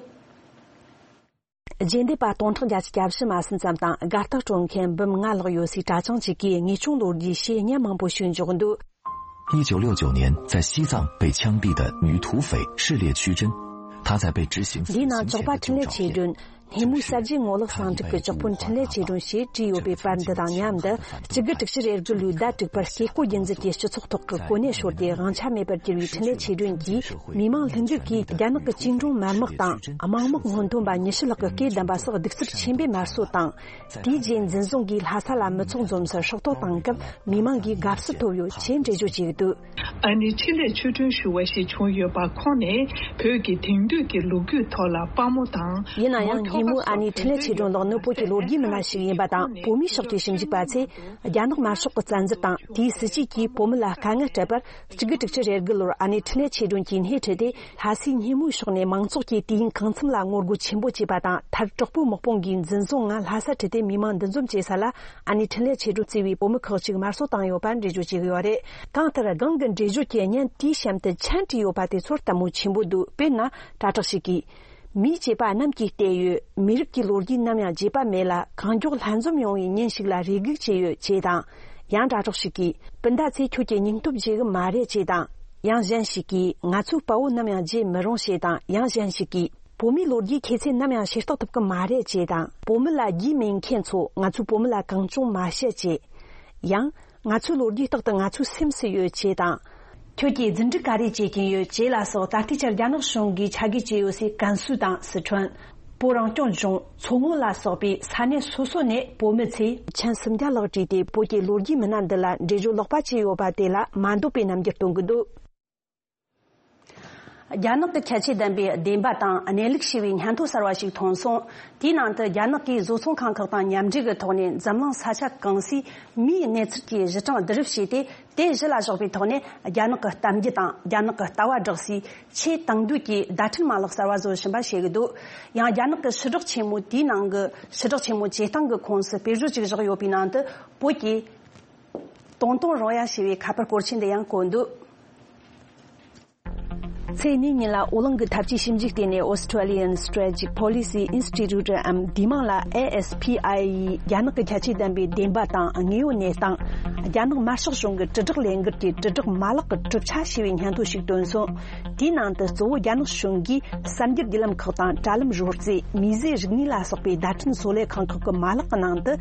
རྗེས་འདེད་པ་སྟོང་ཕྲག་བརྒྱད་ཅུ་གྱ་བཞི་མ་ཟིན་ཙམ་དང་དགའ་རྟགས་སྤྲོད་མཁན་འབུམ་ལྔ་ལྷག་ཡོད་སའི་གྲྭ་ཚང་གཅིག་གིས་ངེས་སྐྱོན་ལོ་རྒྱུས་ཞེས་བརྙན་མང་པོ་ཞིག་འཇོག་འདུག 一九六九年，在西藏被枪毙的女土匪是列屈珍，她在被执行死刑前的旧照片。 འདིའི་ནང་ཇག་པ་འཕྲིན་ལས་ཆོས་སྒྲོན། སྙེ་མོའི་གསར་བརྗེའི་ངོ་ལོག་ཟིང་འཁྲུག་གི་ཇག་པོ་འཕྲིན་ལས་ཆོས་སྒྲོན་ཞེས་བྲིས་ཡོད་པའི་པར་འདི་དང་མཉམ་དུ། གཅིག་དགུ་དྲུག་ཅུ་རེ་དགུ་ལོའི་ཟླ་དྲུག་པར་སྐྱེ་སྐོ་རྒྱུད་འཛིན་གྱི་སྤྱི་ཚོགས་ཐོག་གི་གོ་གནས་ཤོར་ཏེ་དབང་ཆ་མེད་པར་གྱུར་བའི་འཕྲིན་ལས་ཆོས་སྒྲོན་གྱིས། མི་མང་ལྷུན་གྱིས་རྒྱ་ནག་གི་བཅིངས་འགྲོལ་དམར་དམག་དང་དམངས་དམག་སྔོན་ཐོན་པ་ཉི་ཤུ་ལྷག་གི་སྐེ་བསྡམས་པ་སོགས་གདུག་རྩུབ་ཆེན་པོས་དམར་གསོད་དང་། དེའི་རྗེས་འཛིན་བཟུང་གིས་ལྷ་ས་ལ་མི་ཚོགས་འཛོམས་སར་ཧྲག་ཐོག་བཏང་སྐབས་མི་མང་གིས་དགའ་བསུ་ཐོབ་ཡོད་ཅེས་འགྲེལ་བརྗོད་བྱས་འདུག་ཨ་ནེ་འཕྲིན་ལས་ཆོས་སྒྲོན་ཞུ་བ་ཞིག་བྱུང་ཡོད་པ་ཁོང་ནས་བོད་ཀྱི་དེང་དུས་ཀྱི་ལོ་རྒྱུས་ཐོག་ལ་དཔའ་མོ་དང་། ཡིན་ན་ཡང་སྙེ་མོ་ཨ་ནེ་འཕྲིན་ལས་ཆོས་སྒྲོན་ལགས་ནི་བོད་ཀྱི་ལོ་རྒྱུས་མི་སྣ་ཞིག་ཡིན་པ་དང་། བོད་མིའི་ཕྱོགས་ཀྱི་ཞིབ་འཇུག་པ་ཚོས་རྒྱ་ནག་དམར་ཤོག་གི་བཙན་འཛུལ་དང་དེའི་སྲིད་ཇུས་ཀྱིས་བོད་མི་ལ་དཀའ་ངལ་སྤྲད་པར། གཅིག་དགུ་དྲུག་ཅུ་རེ་དགུ་ལོར་ཨ་ནེ་འཕྲིན་ལས་ཆོས་སྒྲོན་གྱིས་སྣེ་ཁྲིད་དེ། ལྷ་སའི་སྙེ་མོའི་ཕྱོགས་ནས་མང་ཚོགས་ཀྱིས་དུས་ཡུན་གང་འཚམ་ལ་ངོ་རྒོལ་ཆེན་པོ་བྱས་པ་དང་། མཐར་དྲག་པོའི་དམག་དཔུང་གིས་འཛིན་བཟུང་ངང་ལྷ་ས་ཁྲིད་དེ་མི་མང་འདུ་འཛོམས་བྱེད་ས་ལ་ཨ་ནེ་འཕྲིན་ལས་ཆོས་སྒྲོན་གཙོས་པའི་བོད་མི་ཁག་ཅིག་དམར་གསོད་བཏང་ཡོད་པ་འགྲེལ་བརྗོད་བྱས་ཡོད་རེད། གང་ལྟར་སྒང་གི་འགྲེལ་བརྗོད་ཀྱི་བརྙན་དེའི་གཤམ་དུ་མཆན་བྲིས་ཡོད་པ་དེ་ཚོར་ལྟད་མོ་ཆེན་པོ་འདུག་དཔེར་ན། དྲ་གྲགས་ཤིག་གིས། མིའི་བྱེད་པ་རྣམས་ཀྱིས་བལྟས་ཡོད། མི་རིགས་ཀྱི་ལོ་རྒྱུས་ནམ་ཡང་བརྗེད་པ་མེད་ལ། གང་མགྱོགས་ལྷན་འཛོམས་ཡོང་བའི་ཉིན་ཞིག་ལ་རེ་སྒུག་བྱས་ཡོད་ཅེས་དང་། ཡང་དྲ་གྲོགས་ཤིག་གིས། སྤུན་ཟླ་ཚོས་ཁྱོད་ཀྱི་སྙིང་སྟོབས་བརྗེད་གི་མ་རེད་ཅེས་དང་། ཡང་གཞན་ཞིག་གིས། ང་ཚོའི་དཔའ་བོ་ནམ་ཡང་བརྗེད་མི་རུང་ཞེས་དང་། ཡང་གཞན་ཞིག་གིས། བོད་མིའི་ལོ་རྒྱུས་ཁྱེད་ཚོས་ནམ་ཡང་ཤེས་རྟོགས་ཐུབ་གི་མ་རེད་ཅེས་དང་། བོད་མི་ལ་རྒྱུས་མེད་མཁན་ཚོ། ང་ཚོའི་བོད་མི་ལ་གང་བྱུང་མ་བཤད་ཅེས། ཡང་། ང་ཚོའི་ལོ་རྒྱུས་རྟག་ཏུ་ང་ཚོའི་སེམས་སུ་ཡོད་ཅེས་དང་། ཁྱོད་ཀྱིས་རྫུ་འཕྲུལ་ག་རེ་བྱེད་ཀྱིན་ཡོད་ཅེས་ལ་སོགས། ད་ལྟའི་ཆར་རྒྱ་ནག་གཞུང་གིས་ཆ་བགོས་བྱས་ཡོད་སའི་ཀན་སུའུ་དང་སི་ཁྲོན། བོད་རང་སྐྱོང་ལྗོངས། མཚོ་སྔོན་ལ་སོགས་པའི་ས་གནས་སོ་སོ་ནས་བོད་མི་ཚོས་ཆན་སུམ་བརྒྱ་ལྷག་བྲིས་ཏེ། བོད་ཀྱི་ལོ་རྒྱུས་མི་སྣ་འདི་ལ་འགྲེལ་བརྗོད་ལོག་པ་བྱས་ཡོད་པ་དེ་ལ་མ་འདོད་པའི་རྣམ་འགྱུར་སྟོན་གྱི་འདུག། རྒྱ་ནག་གི་ཁྱད་ཆོས་ལྡན་པའི་བདེན་པ་དང་གནས་ལུགས་ཞེས་པའི་སྙན་ཐོ་གསར་བ་ཞིག་ཐོན་སོང་། དེའི་ནང་དུ་རྒྱ་ནག་གིས་བཟོ་ཚོང་ཁང་ཁག་དང་མཉམ་འབྲེལ་གྱི་ཐོག་ནས་འཛམ་གླིང་ས་ཆ་གང་སའི་མིའི་གནས་ཚུལ་གྱི་གཞི་གྲངས་བསྡུ་རུབ་བྱས་ཏེ། དེ་གཞི་ལ་བཞག་པའི་ཐོག་ནས་རྒྱ་ནག་གི་གཏམ་རྒྱུད་དང་རྒྱ་ནག་གི་ལྟ་བ་བསྒྲགས་སའི་ཆེས་དེང་དུས་ཀྱི་བརྡ་འཕྲིན་མ་ལག་གསར་བ་བཟོ་བཞིན་པ་བཤད་ཀྱི་འདུག། ཡང་རྒྱ་ནག་གི་ཕྱི་བསྒྲགས་ཆེན་མོ་དེའི་ནང་གི། ཕྱི་བསྒྲགས་ཆེན་མོ་བྱེད་སྟངས་ཀྱི་ཁོངས་སུ་དཔེར་བརྗོད་ཅིག་བཞག་ཡོད་པའི་ནང་དུ། བོད་ཀྱི་ཏུང་ཏུང་རོ་ཡ་ཞེས་པའི་ཁ་པར་སྐོར་ཆེན་འདི་ཡང་བཀོད་འདུག། ཚེས་གཉིས་ཉིན་ལ་ཨོ་གླིང་གི་འཐབ་ཇུས་ཞིབ་འཇུག་ལྟེ་གནས། Australian Strategic Policy Institute འམ་དེ་མིང་ལ་ཨེ་ཨེས་ཕི་ཨའི་ཡིས། རྒྱ་ནག་གི་ཁྱད་ཆོས་ལྡན་པའི་བདེན་པ་དང་དངོས་ཡོད་གནས་སྟངས། རྒྱ་ནག་དམར་ཤོག་གཞུང་གི་དྲིལ་བསྒྲགས་ལས་འགུལ་གྱི་དྲིལ་བསྒྲགས་མ་ལག་གི་གྲུབ་ཆ་ཞེས་པའི་སྙན་ཐོ་ཞིག་བཏོན་སོང་། དེའི་ནང་དུ་གཙོ་བོ་རྒྱ་ནག་གཞུང་གིས་གསར་འགྱུར་བརྒྱུད་ལམ་ཁག་དང་། དྲ་ལམ་རོལ་རྩེད། མིས་བཟོས་རིག་གནས་ལ་སོགས་པའི་བརྡ་འཕྲིན་བཟོ་ལས་ཁང་ཁག་གི་མ་ལག་གི་ནང་དུ།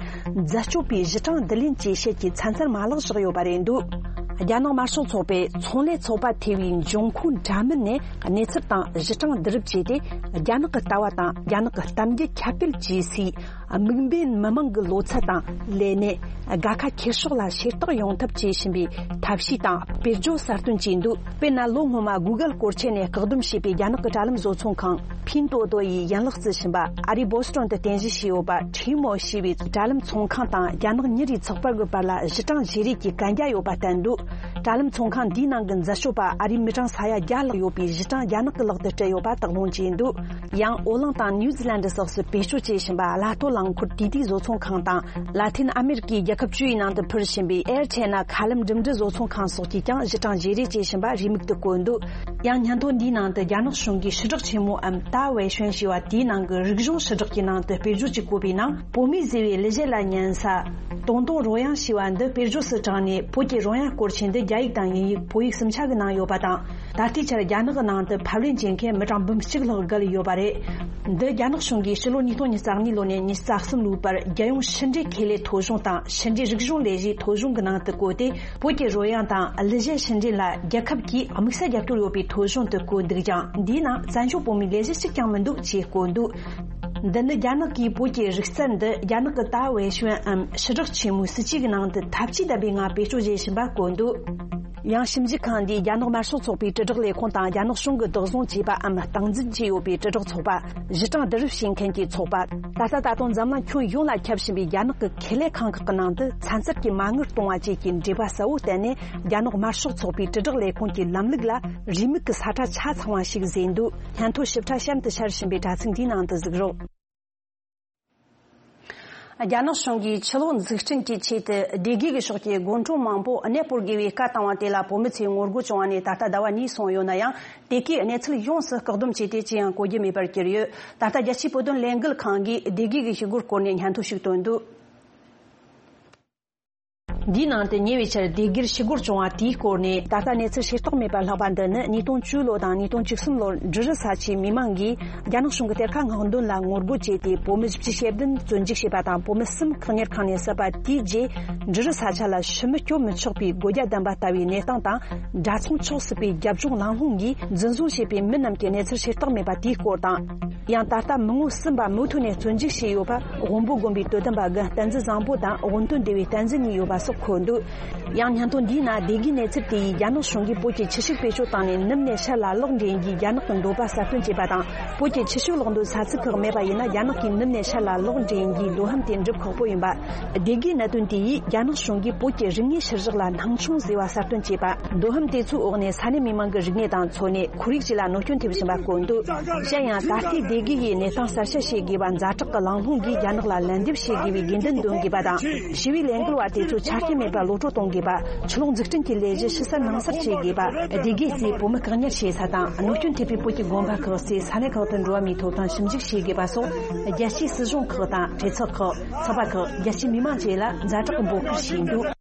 འཛད་སྤྱོད་པའི་གཞི་གྲངས་བསྡུ་ལེན་བཅས་བྱེད་ཀྱི་ཚན་རྩལ་མ་ལག་བཞག་ཡོད་པ་རེད་འདུག། རྒྱ་ནག་དམར་ཤོག་ཚོགས་པས་ཚོང་ལས་ཚོགས་པ་ཐེ་བའི་འབྱུང་ཁུངས་འདྲ་མིན་ནས་གནས་ཚུལ་དང་གཞི་གྲངས་བསྡུ་རུབ་བྱས་ཏེ། རྒྱ་ནག་གི་ལྟ་བ་དང་རྒྱ་ནག་གི་གཏམ་རྒྱུད་ཁྱབ་སྤེལ་བྱེད་སའི་དམིགས་འབེན་མི་མང་གི་ལོ་ཚད་དང་ལས་གནས། དགའ་ཁ་འཁྱེར་ཕྱོགས་ལ་ཤེས་རྟོགས་ཡོང་ཐབས་བྱེད་བཞིན་པའི་ཐབས་ཤེས་དང་དཔེར་བརྗོད་གསལ་སྟོན་བྱས་འདུག། དཔེར་ན། ལོ་སྔོན་མ་Google སྐོར་ཆེན་ནས་བཀག་སྡོམ་བྱས་པའི་རྒྱ་ནག་གི་དྲ་ལམ་བཟོ་ཚོང་ཁང་Pinduoduo ཡི་ཡན་ལག་བརྩི་བཞིན་པ། ཨ་རིའི་Boston དུ་རྟེན་གཞི་བྱས་ཡོད་པ་Temu ཞེས་པའི་དྲ་ལམ་ཚོང་ཁང་དང་རྒྱ་ནག་མྱི་རིགས་ཚགས་པར་གྱི་བར་ལ་གཞི་གྲངས་བརྗེ་རེས་ཀྱི་གན་རྒྱ་ཡོད་པ་བསྟན་འདུག། དྲ་ལམ་ཚོང་ཁང་འདིའི་ནང་གི་འཛད་སྤྱོད་པ་ཨ་རིའི་མི་གྲངས་ས་ཡ་བརྒྱ་ལྷག་ཡོད་པའི་གཞི་གྲངས་རྒྱ་ནག་གི་ལག་ཏུ་སྤྲད་ཡོད་པ་དག་སློང་བྱས་འདུག། ཡང་ཨོ་གླིང་དང་ནིའུ་ཛི་ལན་སོགས་སུ་བེད་སྤྱོད་བྱེད་བཞིན་པ་གླ་གཏོད་རླངས་འཁོར་དེ་དུས་བཟོ་ཚོང་ཁང་དང་། ལ་ཏིན་ཨ་མེ་རི་ཀའི་རྒྱལ་ཁབ་བཅུའི་ནང་དུ་འཕུར་བཞིན་པའི་Air China མཁའ་ལམ་འགྲིམ་འགྲུལ་བཟོ་ཚོང་ཁང་སོགས་ཀྱིས་ཀྱང་གཞི་གྲངས་བརྗེ་རེས་བྱེད་བཞིན་པ་རེའུ་མིག་ཏུ་བཀོད་འདུག། ཡང་སྙན་ཐོ་འདིའི་ནང་དུ་རྒྱ་ནག་གཞུང་གིས་ཕྱི་བསྒྲགས་ཆེན་མོའམ་ཏཱ་ཝེ་ཤོན་ཞེས་པ་དེའི་ནང་གི་རིག་གཞུང་ཕྱི་བསྒྲགས་ཀྱི་ནང་དུ་དཔེར་བརྗོད་ཅིག་བཀོད་པའི་ནང་། བོད་མིས་བཟོས་པའི་གླུ་གཞས་ལ་ཉན་ས་ཏུང་ཏུང་རོལ་དབྱངས་ཞེས་པ་འདི་དཔེར་བརྗོད་སུ་དྲངས་ནས། བོད་ཀྱི་རོལ་དབྱངས་སྐོར་ཆེན་འདི་རྒྱ་ཡིག་དང་དབྱིན་ཡིག་བོད་ཡིག་གསུམ་ཆ་གི་ནང་ཡོད་པ་དང་། ད་ལྟའི་ཆར་རྒྱ་ནག་གི་ནང་དུ་ཕབ་ལེན་བྱེད་མཁན་མི་གྲངས་འབུམ་གཅིག་ལྷག་བརྒལ་ཡོད་པ་རེད། འདི་རྒྱ་ནག་གཞུང་གིས་ཕྱི་ལོ་ཉིས་སྟོང་ཉི་ཤུ་རྩ་གཉིས་ལོ་ནས་ཉི་ཤུ་རྩ་གསུམ་ལོའི་བར་རྒྱལ་ཡོངས་ཕྱི་འབྲེལ་ཁེ་ལས་ཐོ་གཞུང་དང་ཕྱི་འབྲེལ་རིག་གཞུང་ལས་གཞིའི་ཐོ་གཞུང་གི་ནང་དུ་བཀོད་དེ། བོད་ཀྱི་རོལ་དབྱངས་དང་གླུ་གཞས་ཕྱི་འབྲེལ་ལ་རྒྱལ་ཁབ་ཀྱིས་དམིགས་བསལ་རྒྱབ་སྐྱོར་ཡོད་པའི་ཐོ་གཞུང་དུ་བཀོད་འདུག་ཀྱང་། འདིའི་ནང་བཙན་བྱོལ་བོད་མིའི་ལས་གཞི་གཅིག་ཀྱང་མི་འདུག་ཅེས་བཀོད་འདུག། འདི་ནི་རྒྱ་ནག་གིས་བོད་ཀྱི་རིག་རྩལ་འདི་རྒྱ་ནག་གི་ཏཱ་ཝེ་ཤོན་འམ་ཕྱི་བསྒྲགས་ཆེན་མོའི་སྲིད་ཇུས་ཀྱི་ནང་དུ་ཐབས་ཇུས་ལྡན་པའི་ངང་བེད་སྤྱོད་བྱེད་བཞིན་པ་བཀོད་འདུག། ཡང་ཞིབ་འཇུག་ཁང་འདིས་རྒྱ་ནག་དམར་ཤོག་ཚོགས་པའི་དྲིལ་བསྒྲགས་ལས་ཁུངས་དང་རྒྱ་ནག་གཞུང་གིས་བདག་བཟུང་བྱས་པའམ་སྟངས་འཛིན་བྱས་ཡོད་པའི་དྲིལ་བསྒྲགས་ཚོགས་པ། གཞི་གྲངས་བསྡུ་རུབ་བྱེད་མཁན་གྱི་ཚོགས་པ། ད་ལྟ་ད་དུང་འཛམ་གླིང་ཁྱོན་ཡོངས་ལ་ཁྱབ་བཞིན་པའི་རྒྱ་ནག་གི་ཁེ་ལས་ཁང་ཁག་གི་ནང་དུ་ཚན་རྩལ་གྱི་མ་དངུལ་གཏོང་བ་བཅས་ཀྱི་འབྲེལ་བ་གསལ་བོ་བསྟན་ནས། རྒྱ་ནག་དམར་ཤོག་ཚོགས་པའི་དྲིལ་བསྒྲགས་ལས་ཁུངས་ཀྱི་ལམ་ལུགས་ལ་རེའུ་མིག་གི་ས་ཁྲ་ཆ་ཚང་བ་ཞིག་བཟོས་འདུག། སྙན་ཐོ་ཞིབ་ཕྲ་གཤམ་དུ་ཤར་བཞིན་པའི་དྲ་ཚིགས་འདིའི་ནང་དུ་གཟིགས་རོགས། རྒྱ་ནག་གཞུང་གིས་ཆུ་ལོག་འཛུགས་སྐྲུན་གྱི་ཆེད་དུ་སྡེ་དགེ་གི་ཕྱོགས་ཀྱི་དགོན་གྲོང་མང་པོ་གནས་སྤོར་དགོས་པའི་བཀའ་བཏང་བ་དེ་ལ་བོད་མི་ཚོས་ངོ་རྒོལ་བྱུང་བ་ནས་ད་ལྟ་ཟླ་བ་གཉིས་སོང་ཡོད་ན་ཡང་། དེ་གའི་གནས་ཚུལ་ཡོངས་སུ་བཀག་སྡོམ་བྱས་ཏེ་ཅི་ཡང་གོ་རྒྱུ་མེད་པར་གྱུར་ཡོད། ད་ལྟ་རྒྱལ་སྤྱིའི་བོད་དོན་ལས་འགུལ་ཁང་གིས་སྡེ་དགེ་གི་ཞི་རྒོལ་སྐོར་ནས་སྙན་ཐོ་ཞིག་བཏོན་འདུག། འདིའི་ནང་དུ་ཉེ་བའི་ཆར་སྡེ་དགེར་ཞི་རྒོལ་བྱུང་བ་དེའི་སྐོར་ནས། ད་ལྟ་གནས་ཚུལ་ཤེས་རྟོགས་མེད་པར་ལྷག་པ་འདི་ནི་ཉིས་སྟོང་བཅུ་ལོ་དང་ཉིས་སྟོང་བཅུ་གསུམ་ལོར་འབྲི་རུ་ས་ཆའི་མི་མང་གིས་རྒྱ་ནག་གཞུང་གི་གཏེར་ཁ་སྔོག་འདོན་ལ་ངོ་རྒོལ་བྱས་ཏེ། བོད་མི་བཞི་བཅུ་ཞེ་བདུན་བཙོན་འཇུག་བྱས་པ་དང་། བོད་མི་གསུམ་བཀག་ཉར་ཁང་ནས་བསད་པ་དེའི་རྗེས། འབྲི་རུ་ས་ཆ་ལ་ཕྱི་མི་སྐྱོབ་མི་ཆོག་པའི་སྒོ་རྒྱ་བསྡམས་པ་ལྟ་བུའི་གནས་སྟངས་དང་། འདྲ་མཚུངས་ཕྱོགས་སྲིད་པའི་རྒྱབ་ལྗོངས་ལམ་ལྷོང་གིས་འཛིན་བཟུང་བྱས་པའི་མི་རྣམས་ཀྱི་གནས་ཚུལ་ཤེས་རྟོགས་མེད་པ་དེའི་སྐོར་དང་། ཡང་ད་ལྟ་མི་ངོ་གསུམ་པ་མུ་མཐུད་ནས་བཙོན་འཇུག་བྱས་ཡོད་པ། དབོན་པོ་དགོན་པའི་དོ་དམ་པ་རྒན་བསྟན་འཛིན་བཟང་པོ་དང་དབོན་སྟོན་སྡེ་བའི་བསྟན་འཛིན་གཉིས་ཡོད་པ་སོགས་འཁོད་འདུག། ཡང་སྙན་ཐོ་འདིའི་ནང་སྡེ་དགེའི་གནས་ཚུལ་དེ་ཡིས་རྒྱ་ནག་གཞུང་གིས་བོད་ཀྱི་ཁྱི་ཤུག་བེད་སྤྱོད་བཏང་ནས་ནུབ་ནས་ཤར་ལ་གློག་འདྲེན་རྒྱུའི་རྒྱ་ནག་གི་འདོད་པ་གསལ་སྟོན་བྱས་པ་དང་། བོད་ཀྱི་ཁྱི་ཤུག་གློག་འདོན་ས་ཚིགས་ཁག་མེད་པ་ཡིན་ན། རྒྱ་ནག་གིས་ནུབ་ནས་ཤར་ལ་གློག་འདྲེན་རྒྱུའི་ལོ་ཧམ་དེ་འགྲུབ་ཁག་པོ་ཡིན་པ། སྡེ་དགེའི་གནད་དོན་དེ་ཡིས་རྒྱ་ནག་གཞུང་གིས་བོད་ཀྱི་རིག་གནས་ཤུལ་བཞག་ལ་སྣང་ཆུང་བཟོས་པ་གསལ་སྟོན་བྱས་པ། མདོ་ཧམ་དེ་ཚོའི་འོག་ནས་ས་གནས་མི་མང་གི་རིག་གནས་དང་འཚོ་གནས། ཁོར་ཡུག་བཅས་ལ་གནོད་སྐྱོན་ཐེབས་བཞིན་པ་བཀོད་འདུག། གཞན་ཡང་། ད་ལྟའི་སྡེ་དགེ་ཡི་གནས་སྟངས་གསལ་བཤད་བྱེད་དགོས་པ་ཛ་དྲག་གི་ལམ་ལྷོང་གིས་རྒྱ་ནག་ལ་ལན་འདེབས་བྱེད་དགོས་པའི་དགོས་འདུན་འདོན་དགོས་པ་དང་། ཞི་བའི་ལས་འགུལ་བ་དེ་ཚོས་ཆ་ ཤེས་མེད་པར་གློད་བཀྲོལ་གཏོང་དགོས་པ། ཆུ་ལོག་འཛུགས་སྐྲུན་གྱི་ལས་གཞི་ཕྱི་གསལ་ནང་གསལ་བྱེད་དགོས་པ། སྡེ་དགེ་རྩེའི་བོད་མི་བཀག་ཉར་བྱས་ས་དང་གནོད་སྐྱོན་ཐེབས་པའི་བོད་ཀྱི་དགོན་པ་ཁག་རྩིས་ས་གནས་ཁག་ཏུ་འགྲོ་བ་མིའི་ཐོབ་ཐང་ཞིབ་འཇུག་བྱེད་དགོས་པ་སོགས་རྒྱལ་སྤྱིའི་སྲིད་གཞུང་ཁག་དང་གྲོས་ཚོགས་ཁག་ཚོགས་པ་ཁག་རྒྱལ་སྤྱིའི་མི་མང་བཅས་ལ་ཛ་དྲག་གི་འབོད་སྐུལ་བྱས་འདུག་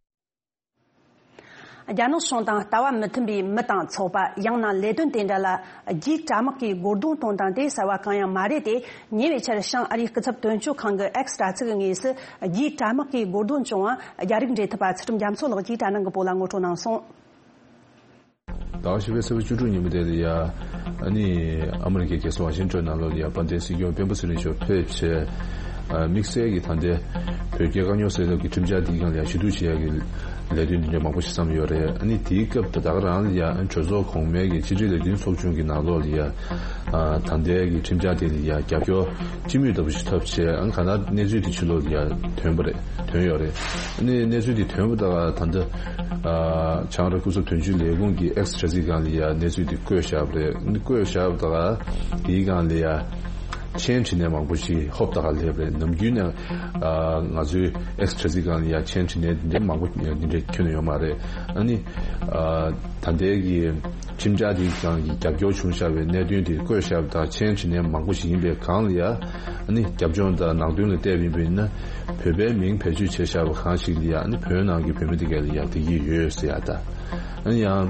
རྒྱ་ནག་གཞུང་དང་ལྟ་བ་མི་མཐུན་པའི་མི་དང་ཚོགས་པ་ཡང་ན་ལས་དོན་དེ་འདྲ་ལ་རྒྱའི་དྲ་དམག་གིས་རྒོལ་རྡུང་གཏོང་སྟངས་དེ་གསར་བ་གང་ཡང་མ་རེད་དེ། ཉེ་བའི་ཆར་བྱང་ཨ་རིའི་སྐུ་ཚབ་དོན་གཅོད་ཁང་གི་X་དྲ་ཚིགས་ཀྱི་ངོས་སུ་རྒྱའི་དྲ་དམག་གིས་རྒོལ་རྡུང་བྱུང་བ་རྒྱ་རིགས་འབྲེལ་མཐུད་པ་ཚུལ་ཁྲིམས་རྒྱ་མཚོ་ལགས་ཀྱིས་དྲ་སྣང་གི་བོད་ལ་ངོ་སྤྲོད་གནང་སོང་། ཟླ་བ་བཞི་པའི་ཚེས་པ་བཅུ་དྲུག་ཉིན་མོ་དེ་ལ་ཡ། ཨ་ནི་ཨ་མི་རི་ཀའི་རྒྱལ་ས་ཝ་ཤིང་ཏོན་ནང་ལོགས་ལ་ཡ་དཔལ་ལྡན་སྲིད་སྐྱོང་སྤེན་པ་ཚེ་རིང་མཆོག་ཕེབས་བྱས། ཨ་དམིགས་བསལ་གྱི་ད་ལྟའི་བོད་རྒྱའི་དཀའ་རྙོག་སེལ་ཐབས་ཀྱི་ཁྲིམས་འཆར་འདིའི་སྒང་ལ་ཡ་ཞུ་གཏུག་བྱེད་ཡ་གི་ལས་དོན་འདི་འདྲ་མང་པོ་ཞིག་བསམ་ཡོད་རེད། ཨ་ནི་དེའི་སྐབས་དེ་དག་རང་ལ་ཡ་གྲོས་ཚོགས་གོང་མའི་གི་ཕྱི་དྲིལ་ལས་དོན་ཚོགས་ཆུང་གི་ནང་ལོགས་ལ་ཡ། ཨ་ད་ལྟའི་གི་ཁྲིམས་འཆར་དེ་ལ་ཡ་རྒྱབ་སྐྱོར་སྤྱི་མོས་ལྟ་བུ་ཞིག་ཐོབ་བྱས། ཨ་གང་ལྟར་གནས་ཚུལ་དེ་ཕྱི་ལོགས་ལ་ཡ་ཐོན་པ་རེད། ཐོན་ཡོད་རེད། ཨ་ནི་གནས་ཚུལ་དེ་ཐོན་པ་དང་ད་ལྟ་ཨ་བྱང་ཨ་རི་སྐུ་ཚབ་དོན་གཅོད་ལས་ཁུངས་ཀྱི་X་དྲ་ཚིགས་སྒང་ལ་ཡ་གནས་ཚུལ་དེ་བཀོད་བཞག་པ་རེད། ཨ་ནི་བཀོད་བཞག་པ་དང་དེའི་སྒང་ལ་ཡ་མཆན་བྲིས་ནས་མང་པོ་ཞིག་ཧོབ་ཏེ་ག་སླེབས་རེད། ནམ་རྒྱུན་ནས་ཨ་ང་ཚོའི་X་དྲ་ཚིགས་སྒང་ལ་ཡ་མཆན་བྲིས་ནས་འདི་འདྲའི་མང་པོ་འདི་འདྲའི་ཁྱོན་ནས་ཡོད་མ་རེད། ཨ་ནི་ཨ་ད་ལྟའི་གི་ཁྲིམས་འཆར་དེའི་སྒང་གི་རྒྱབ་སྐྱོར་བྱུང་བཞག་པའི་གནད་དོན་དེ་བཀོད་བཞག་པ་དང་མཆན་བྲིས་ནས་མང་པོ་ཞིག་ཡིན་པའི་སྒང་ལ་ཡ། ཨ་ནི་རྒྱབ་ལྗོངས་དང་ནང་དོན་ལ་བལྟས་པ་ཡིན་པ་ཡིན་ན། བོད་པའི་མིང་བེད་སྤྱོད་བྱས་བཞག་པ་གང་ཞིག་ལ་ཡ། ཨ་ནི་བོད་ནང་གི་བོད་མི་དེ་ག་ལ་ཡ་བསྡད་ཀྱི་ཡོད་ཟེར་ཡ་ད། ཨ་ནི་ཡང་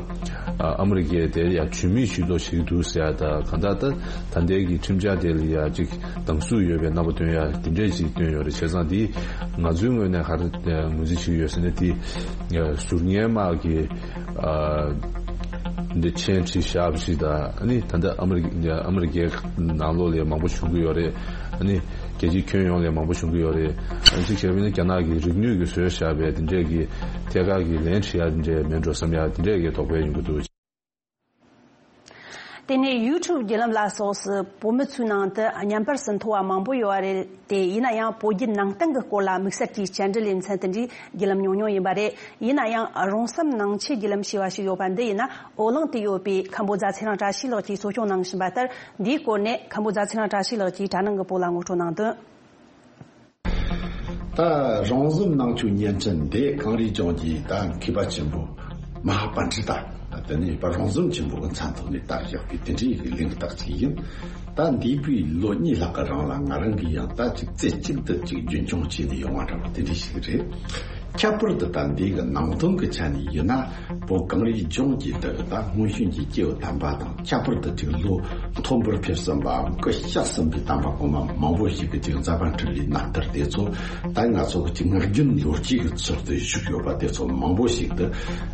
ཨ་ཨ་མི་རི་ཀས་དེ་ལ་ཡ་ཇུས་མེད་ཇུས་གཏོགས་བྱེད་ཀྱི་འདུག་ཟེར་ཡ་ད། གང་ལྟར་ད་ད་ལྟའི་གི་ཁྲིམས་འཆར་དེ་ལ་ཡ་ཅིག་སྡང་ཟུག་ཡོད་པའི་རྣམ་པ་སྟོན་ཡ་དེ་འདྲས་ཅིག་སྟོན་ཡོད་རེད། བྱས་ཙང་དེ་ང་ཚོའི་ངོས་ནས་ག་རེ་ངོས་འཛིན་བྱེད་ཀྱི་ཡོད་ཟེར་ན། དེ་ཟུར་ཉན་དམག་གི་ཨ་འདི་མཆན་བྲིས་བཞག་པ་ཞིག་དང་། ཨ་ནི་ད་ལྟ་ཨ་མི་རི་ཨ་མི་རི་ཀའི་ནང་ལོགས་ལ་མང་པོ་བྱུང་གི་ཡོད་རེད། ཨ་ནི་རྒྱལ་སྤྱིའི་ཁྱོན་ཡོངས་ལ་མང་པོ་བྱུང་གི་ཡོད་རེད། ཨ་ནི་གཅིག་བྱས་པ་ཡིན་ན་རྒྱ་ནག་གི་རིག་ནུས་ཀྱིས་བཟོས་བཞག་པའི་དེ་འདྲས་ཀྱི་ཐད་ཀར་གྱི་ལན་བྲིས་ཡ་དེ་འདྲས་མེད་འགྲོ་བསམ་ཡ་དེ་འདྲས་ཀྱི་དོགས་པ་ཡོང་གི་འདུག། དེ་ནས་ཡུ་ཊུབ་བརྒྱུད་ལམ་ལ་སོགས་སུ་བོད་མི་ཚོའི་ནང་དུ་བརྙན་པར་ཟིན་ཐོ་བ་མང་པོ་ཡོད་པ་རེད་དེ། ཡིན་ན་ཡང་བོད་བརྒྱུད་ནང་བསྟན་གྱི་སྐོར་ལ་དམིགས་བསལ་གྱི་བཅར་འདྲི་ལེ་ཚན་དེ་འདྲའི་བརྒྱུད་ལམ་ཉུང་ཉུང་ཡིན་པ་རེད། ཡིན་ན་ཡང་རོང་ཟོམ་ནང་ཆོས་བརྒྱུད་ལམ་ཞེས་པ་ཞིག་ཡོད་པ་འདི་ཡིན་ན། ཨོ་གླིང་དུ་ཡོད་པའི་མཁན་པོ་རྫ་ཚེ་རིང་བཀྲ་ཤིས་ལགས་ཀྱིས་གཙོ་སྐྱོང་གནང་བཞིན་པ་ལྟར། འདིའི་སྐོར་ནས་མཁན་པོ་རྫ་ཚེ་རིང་བཀྲ་ཤིས་ལགས་ཀྱིས་དྲ་སྣང་གི་བོད་ལ་ངོ་སྤྲོད་གནང་དོན། ད་རོང་ཟོམ་ནང་ཆོས་བརྙན་འཕྲིན་འདི་གངས་རིའི་ལྗོངས་ཀྱི་ད་མཁས་པ་ཆེན་པོ་མ་ཧཱ་པཎྜི་ཏ། དེ་ནས་པ་རོང་ཟོམ་ཆེན་པོའི་མཚན་ཐོག་ནས་དར་བཞག་པའི་དེ་འདྲའི་གླེང་སྟེགས་ཅིག་ཡིན། ད་འདས་པའི་ལོ་གཉིས་ལྷག་གི་རིང་ལ་ང་རང་གིས་ཡང་ད་ཅིག་རྩེ་གཅིག་ཏུ་ཅིག་རྒྱུན་འཁྱོངས་བྱས་ནས་ཡོང་བ་འདྲ་བ་དེ་འདྲ་ཞིག་རེད། ཁྱད་པར་དུ་ད་འདི་གི་ནང་དོན་གྱི་ཆ་ནས་ཡིན་ན། བོད་གངས་རིའི་ལྗོངས་ཀྱི་དེ་གི་ད་སྔོན་བྱོན་གྱི་སྐྱེས་བུ་དམ་པ་དང་། ཁྱད་པར་དུ་ཅིག་ལོ་མཐོན་པོར་ཕེབས་ཟིན་པའམ་སྐུ་གཤེགས་ཟིན་པའི་དམ་པ་གོང་མ་མང་པོ་ཞིག་གི་ཅིག་མཛད་པ་འཕྲིན་ལས་རྣམ་ཐར་དེ་ཚོ་ད་ང་ཚོ་གི་ཅིག་ངག་རྒྱུན་ལོ་རྒྱུས་ཀྱི་ཚུལ་དུ་བཞུགས་ཡོད་པ་དེ་ཚོ་མང་པོ་ཞིག་ཏུ།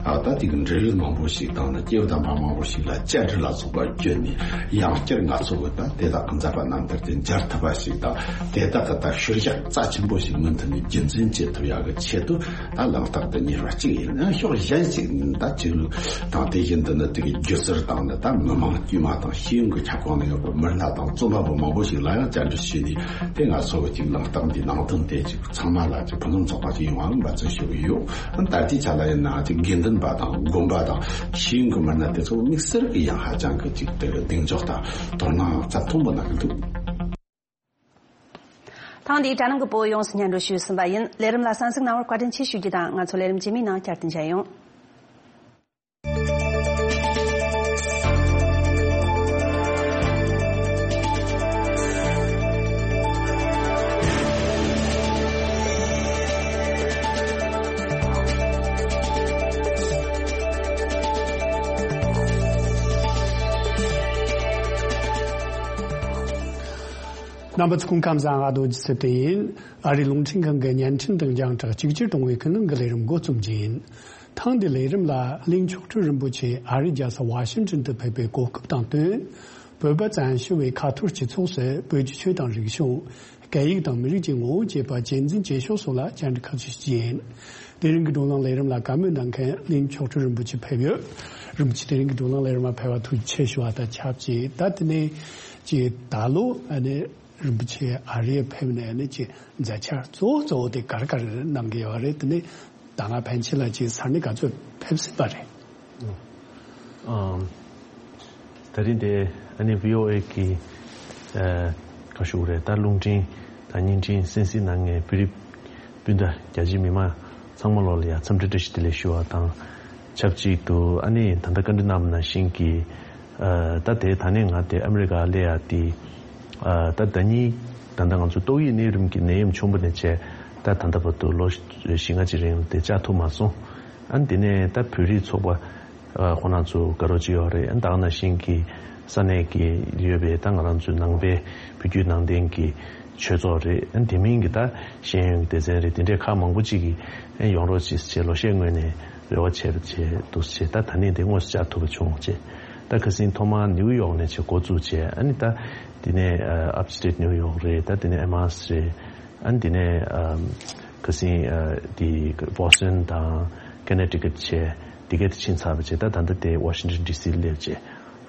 ཨ་ད་དེ་གི་འབྲེལ་ཡོད་མང་པོ་ཞིག་དང་ནི་སྐྱེས་བུ་དམ་པ་མང་པོ་ཞིག་ལ་བཅར་འདྲི་ལ་སོགས་པ་བརྒྱུད་ནས། ཡང་བསྐྱར་ང་ཚོ་གི་ད་དེ་དག་གི་མཛད་པ་རྣམ་ཐར་དེ་མཇལ་ཐུབ་པ་ཞིག་དང་། དེ་དག་གི་ད་ཤུལ་བཞག་རྩ་ཆེན་པོ་ཞིག་མུ་མཐུད་ནས་རྒྱུན་འཛིན་བྱེད་ཐུབ་ཡག་གི་ཆེད་དུ། ད་གླེང་སྟེགས་དེ་གཉེར་བ་གཅིག་ཡིན། ཡང་ཕྱོགས་གཞན་ཞིག་ནས་ད་ཆོས་ལུགས་དང་། དེ་བཞིན་དུ་ནི་དེ་གི་སྒྱུ་རྩལ་དང་ནི་ད་མི་མང་དཀྱུས་མ་དང་། ཤེས་ཡོན་གྱི་ཁྱབ་ཁོངས་ནང་ཡོད་པའི་མི་སྣ་དང་རྩོམ་པ་པོ་མང་པོ་ཞིག་ལ་ཡང་བཅར་འདྲི་བྱས་ནས། དེ་ང་ཚོ་གི་ཅིག་གླེང་སྟེགས་འདིའི་ནང་དོན་དེ་ཅིག་ཚང་མ་ལ་ཅིག་ཕུན་སུམ་ཚོགས་པ་ཞིག་ཡོང་བ་འབད་བརྩོན་ཞུ་གི་ཡོད། ད་ལྟའི་ཆ་ལ་ཡིན་ན་ཅིག་དགེ་འདུན་པ་དང་དགོན་པ་དང་ཤེས་ཡོན་གྱི་མི་སྣ་དེ་ཚོ་དམིགས་བསལ་གྱི་ཡང་ཧ་ཅང་གི་ཅིག་དེ་གི་གདེང་འཇོག་དང་དོ་སྣང་ཚད་མཐོན་པོ་གནང་གི་འདུག། ཐེངས་འདིའི་དྲ་སྣང་གི་བོད་ཡོངས་སུ་སྙན་སྒྲོན་ཞུས་ཟིན་པ་ཡིན། ལས་རིམ་ལ་གསན་གཟིགས་གནང་བར་བཀའ་དྲིན་ཆེ་ཞུ་རྒྱུ་དང་། ང་ཚོ་ལས་རིམ་རྗེས་མའི་ནང་བསྐྱར་དུ་མཇལ་ཡོང་། རྣམ་པ་ཚོ་སྐུ་ཁམས་བཟང་། ཨ་རྡོ་རྗེ་ཚེ་བརྟན་ཡིན། ཨ་རིའི་རླུང་འཕྲིན་ཁང་གི་བརྙན་འཕྲིན་དང་རྒྱང་བསྒྲགས་གཅིག་གྱུར་གཏོང་བའི་ཀུན་གླེང་གི་ལས་རིམ་འགོ་རྩོམ་རྒྱུ་ཡིན། ཐེངས་འདིའི་ལས་རིམ་ལ་གླིང་མཆོག་སྤྲུལ་རིན་པོ་ཆེ་ཨ་རིའི་རྒྱལ་ས་ཝ་ཤིང་ཏོན་དུ་ཕེབས་པའི་གོ་སྐབས་དང་བསྟུན། བོད་པ་བཙན་བྱོལ་བའི་ཁ་ཐོར་སྤྱི་ཚོགས་སུ་བོད་ཀྱི་ཆོས་དང་རིག་གཞུང་། སྐད་ཡིག་དང་མི་རིགས་ཀྱི་ངོ་བོ་བཅས་པ་གཅེས་འཛིན་བྱེད་ཕྱོགས་སོགས་ལ་བཅར་འདྲི་ཁ་ཤས་ཤིག་ཡིན། དེ་རིང་གི་བགྲོ་གླེང་ལས་རིམ་ལ་བཀའ་མོལ་གནང་མཁན་གླིང་མཆོག་སྤྲུལ་རིན་པོ་ཆེ་ཕེབས་ཡོད། རིན་པོ་ཆེ་དེ་རིང་གི་བགྲོ་གླེང་ལས་རིམ་ལ་ཕེབས་པར་ཐུགས་རྗེ་ཆེ་ཞུ་བ་དང་ཆབས་ཅིག། ད་དེ་ནས་ཀྱི་ད་ལོ་ཨ་ནི་རིན་པོ་ཆེ་ཨ་རིར་ཕེབས་ནས་ཨ་ནི་ཀྱི་མཛད་འཆར་གཙོ་བོ་གཙོ་བོ་དེ་ག་རེ་ག་རེ་གནང་གི་ཡོད་རེད། དེ་ནས་ད་སྔ་ཕན་ཆད་ལ་ཀྱི་ས་གནས་ག་ཚོད་ཕེབས་ཟིན་པ་རེད། ཨམ། ད་རིང་དེ་ཨ་ནི་བྷི་ཨོ་ཨེ་གི་ཨ་ག་ཞུ་དགོས་རེད། ད་རླུང་འཕྲིན་དང་བརྙན་འཕྲིན་གསན་གཟིགས་གནང་མཁན་བོད་རིགས་སྤུན་ཟླ་རྒྱ་ཆེའི་མི་མང་ ཚང་མ་ལོག་ལ་ཡ་འཚམས་འདྲི་བཀྲ་ཤིས་བདེ་ལེགས་ཞུ་བ་དང་ཆབས་ཅིག་ཏུ། ཨ་ནི་ད་ལྟ་བཀའ་འདྲི་གནང་བ་ནང་བཞིན་གྱི་ཨ་ད་དེ་ད་ནས་ང་དེ་ཨ་མི་རི་ཀ་སླེབས་ཡ་དེ་ཨ་ད་ཟླ་གཉིས། ད་ལྟ་ང་ཚོ་ཏོག་དབྱིབས་ནད་རིམས་ཀྱི་ནད་ཡམས་བྱུང་བ་ནས་བྱས་ད་ད་ལྟ་བར་དུ་ལོ་བཞི་ལྔ་ཅིག་རིང་དེ་བཅར་ཐུབ་མ་སོང་། ཨ་ནི་དེ་ནས་ད་བོད་རིགས་ཚོགས་པ་ཨ་ཁོ་རང་ཚོ་དགའ་རབ་ཅིག་ཡོད་རེད། ཨ་ནི་ད་ག་ནང་བཞིན་གྱི་ས་གནས་ཀྱི་ཡོད་པའི་ད་ང་རང་ཚོའི་ནང་པའི་བོད་བརྒྱུད་ནང་བསྟན་གྱི་ཆོས་ཚོགས་རེད། ཨ་ནི་དེ་མིན་གྱི་ད་ཤེས་ཡོན་སྡེ་ཚན་རེད། དེ་འདྲའི་ཁག་མང་པོ་ཅིག་གིས་ཨ་ནི་ཡོང་རོགས་ཅིག་ཅེས་ལོ་ཤས་སྔོན་ནས་རེ་བ་བྱས་པ་བྱས་འདུག་ཅེས། ད་ད་ནས་དེ་དངོས་སུ་བཅར་ཐུབ་པ་བྱུང་ཅེས། ད་ཁ་སང་ཐོག་མར་ནིའུ་ཡོག་ནས་ཅེས་འགོ་བཙུགས་བྱས། ཨ་ནི་ད་དེ་ནས་ཨ་ཨབ་སི་ཊེཊ་ནིའུ་ཡོག་རེད། ད་དེ་ནས་ཨེམ་ཨར་སི་རེད། ཨ་ནི་དེ་ནས་ཨ་ཁ་སང་ཨ་དེ་བོ་སི་ཊོན་དང་ཀེ་ནེ་ཊི་ཀཊ་བྱས། དེ་གས་དེ་ཕྱིན་ཚར་བ་བྱས། ད་ད་ལྟ་དེ་ཝ་ཤིང་ཊོན་ཌི་སི་སླེབས་བྱས།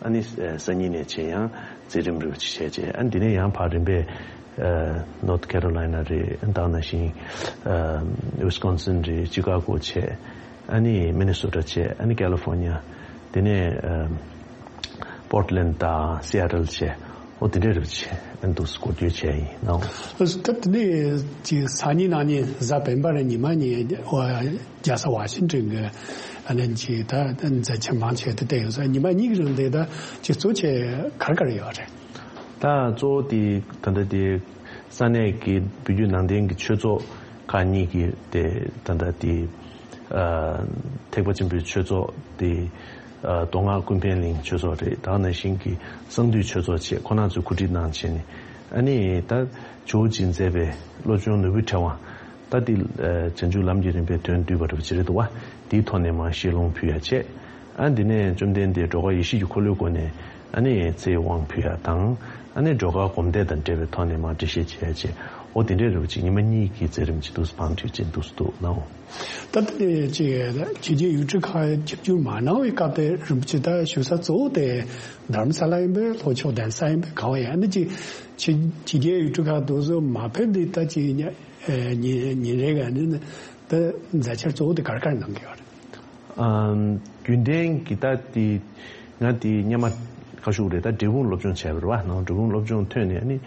ཨ་ནི་ཨ་སང་ཉིན་ནས་བྱས་ཡང་མཛད་རིམ་རེ་བ་ཅིག་བྱས་བྱས། ཨ་ནི་དེ་ནས་ཡང་ཕར་རིམ་པས་ཨ་ནོར་ཐི་ཁེ་རོ་ལའི་ན་རེད། ཨ་ནི་ད་ག་ནང་བཞིན་ཨ་ཝི་སི་ཀོན་སིན་རེད། ཅི་ཀ་གོ་བྱས། ཨ་ནི་མི་ནི་སོ་ཊ་བྱས། ཨ་ནི་ཀ་ལི་ཧྥོར་ནི་ཡ། དེ་ནས་ཨ་པོར་ཊི་ལེན་ཌི་དང་སི་ཨེ་ཊལ་བྱས། ཨོ་དེ་འདྲའི་རེ་བ་བྱས། ཨ་ནི་འདུག་སྐོར་སྐྱོད་བྱས་ཡིན་ནའང་། ད་དེ་ནས་ཅིག་སང་ཉིན་གནངས་ཉིན་གཟའ་སྤེན་པ་རེད། ཉི་མ་གཉིས་རྒྱལ་ས་ཝ་ཤིང་ཊོན་གྱི་ཨ་ནི་ཅིག་ད་མཛད་འཆར་མང་ཆེ་དེ་བསྡད་ཡོད་ས། ཉི་མ་གཉིས་ཀྱི་རིང་དེ་ད་ཅིག་གཙོ་ཆེ་ག་རེ་ག་རེ་ཡོད་རེད། ད་གཙོ་བོ་དེ་ད་ལྟ་དེ་ས་གནས་ཀྱི་བོད་བརྒྱུད་ནང་བསྟན་གྱི་ཆོས་ཚོགས་ཁག་གཉིས་ཀྱི་དེ་ད་ལྟ་དེ་ཨ་ཐེག་པ་ཆེན་པོའི་ཆོས་ཚོགས་དེ་ཨ་མདོ་སྔགས་ཀུན་ཕན་གླིང་ཆོས་ཚོགས་རེད། ད་ག་ནང་བཞིན་གྱི་གསང་འདུས་ཆོས་ཚོགས་བྱས། ཁོ་རང་ཚོས་གོ་སྒྲིག་གནང་བྱས་ནས། ཨ་ནི་ད་ཇོ་བོ་རྗེས་མཛད་པའི་བློ་སྦྱོང་ནོར་བུའི་ཕྲེང་བ། ད་འདི་ཨ་བྱང་ཆུབ་ལམ་གྱི་རིམ་པའི་དོན་བསྡུས་པ་རེད་པ་ཅིག་རེད་འདུག་བ། འདིའི་ཐོག་ནས་མར་ཞལ་ལུང་ཕུལ་ཡ་བྱས། ཨ་འདི་ནས་བཅོམ་ལྡན་འདས་སྒྲོལ་དཀར་ཡེ་ཤེས་ཀྱི་འཁོར་ལོའི་སྒོ་ནས་ཨ་ནི་ཚེའི་དབང་ཕུལ་ཡ་དང་། ཨ་ནི་སྒྲོལ་དཀར་སྒོམ་བཟླས་དང་འབྲེལ་བའི་ཐོག་ནས་མར་འགྲེལ་བཤད་བྱས་བྱས། འོ་དེ་འདྲའི་རེ་བ་ཅིག་ཉི་མ་གཉིས་ཀྱི་མཛད་རིམ་ཅིག་འདུག་སེ་བང་སྒྲིག་ཅིག་འདུག་སེ་འདུག་ནའོ། ད་ལྟ་ནས་ཅིག་ཕྱི་རྒྱལ་ཡུལ་གྲུ་ཁག་ཆིབས་བསྒྱུར་མ་གནང་བའི་སྐབས་དེ་རིན་པོ་ཆེ་ད་བཞུགས་ས་གཙོ་བོ་དེ་རྡ་རམ་ས་ལ་ཡིན་པས། ལྷོ་ཕྱོགས་གདན་ས་ཡིན་པས། ག་བ་ཡིན། ཨ་ནི་ཅིག་ཕྱི་ཕྱི་རྒྱལ་ཡུལ་གྲུ་ཁག་དེ་ཚོ་མ་ཕེབས་དུས་ད་ཅིག་ཉིན་ཉིན་རེ་ག་ནས་ད་མཛད་འཆར་གཙོ་བོ་དེ་ག་རེ་ག་རེ་གནང་གི་ཡོད་རེད། ཨམ། རྒྱུན་ལྡན་གྱི་ད་དེ་ང་དེ་སྔོན་མ་ཁ་ཤུག་རེད། ད་འབྲས་སྤུངས་སློབ་སྦྱོང་བྱས་པ་རེད་བ། ནང་འབྲས་སྤུངས་སློབ་སྦྱོང་ཐོན་ནས་ཨ་ནི་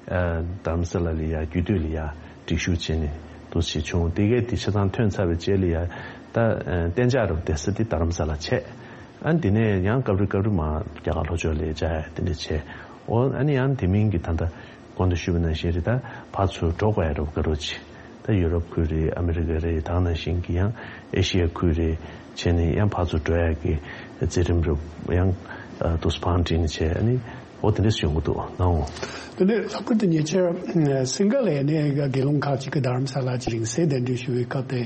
ཨ་རྡ་རམ་ས་ལ་ལ་ཡ་རྒྱུད་སྟོད་ལ་ཡ་སྒྲིག་ཞུགས་བྱས་ནས་འདུག་སེ་བྱུང་། དེ་གས་དེ་ཆ་ཚང་ཐོན་ཚར་བའི་རྗེས་ལ་ཡ་ད་ཨ་གཏན་འཇགས་རུ་བསྡད་ས་དེ་རྡ་རམ་ས་ལ་བྱས། ཨ་ནི་དེ་ནས་ཡང་སྐབས་རེ་སྐབས་རེ་མར་རྒྱ་གར་ལྷོ་ཕྱོགས་ལ་བཅར་ཡ་དེ་འདྲ་བྱས། འོ་ཨ་ནི་ཡང་དེ་མིན་གྱི་ད་ལྟ་གོང་དུ་ཞུས་པ་ནང་བཞིན་རེད། ད་ཕར་ཚུར་འགྲོ་དགོས་ཡ་རབ་དགའ་རབ་ཅིག་ད་ཡུ་རོབ་ཁུལ་རེད། ཨ་མི་རི་ཀ་རེད། ད་ག་ནང་བཞིན་གྱི་ཡང་ཨེ་ཤི་ཡ་ཁུལ་རེད་བྱས་ནས་ཡང་ཕར་ཚུར་འགྲོ་ཡ་གི་མཛད་རིམ་རབ་ཡང་ཨ་འདུག་སེ་བང་སྒྲིག་ནས་བྱས། ཨ་ནི་འོ་དེ་འདྲ་ཞུ་གི་འདུག་ནའོ། དེ་ནས་ལྷག་པར་དུ་ཉེ་ཆར་སིང་ག་ལའི་ནས་དགེ་སློང་ཁག་ཅིག་གིས་རྡ་རམ་ས་ལ་ཅིག་རིང་བསྲེལ་གདན་འདྲེན་ཞུ་བའི་སྐབས་དེ་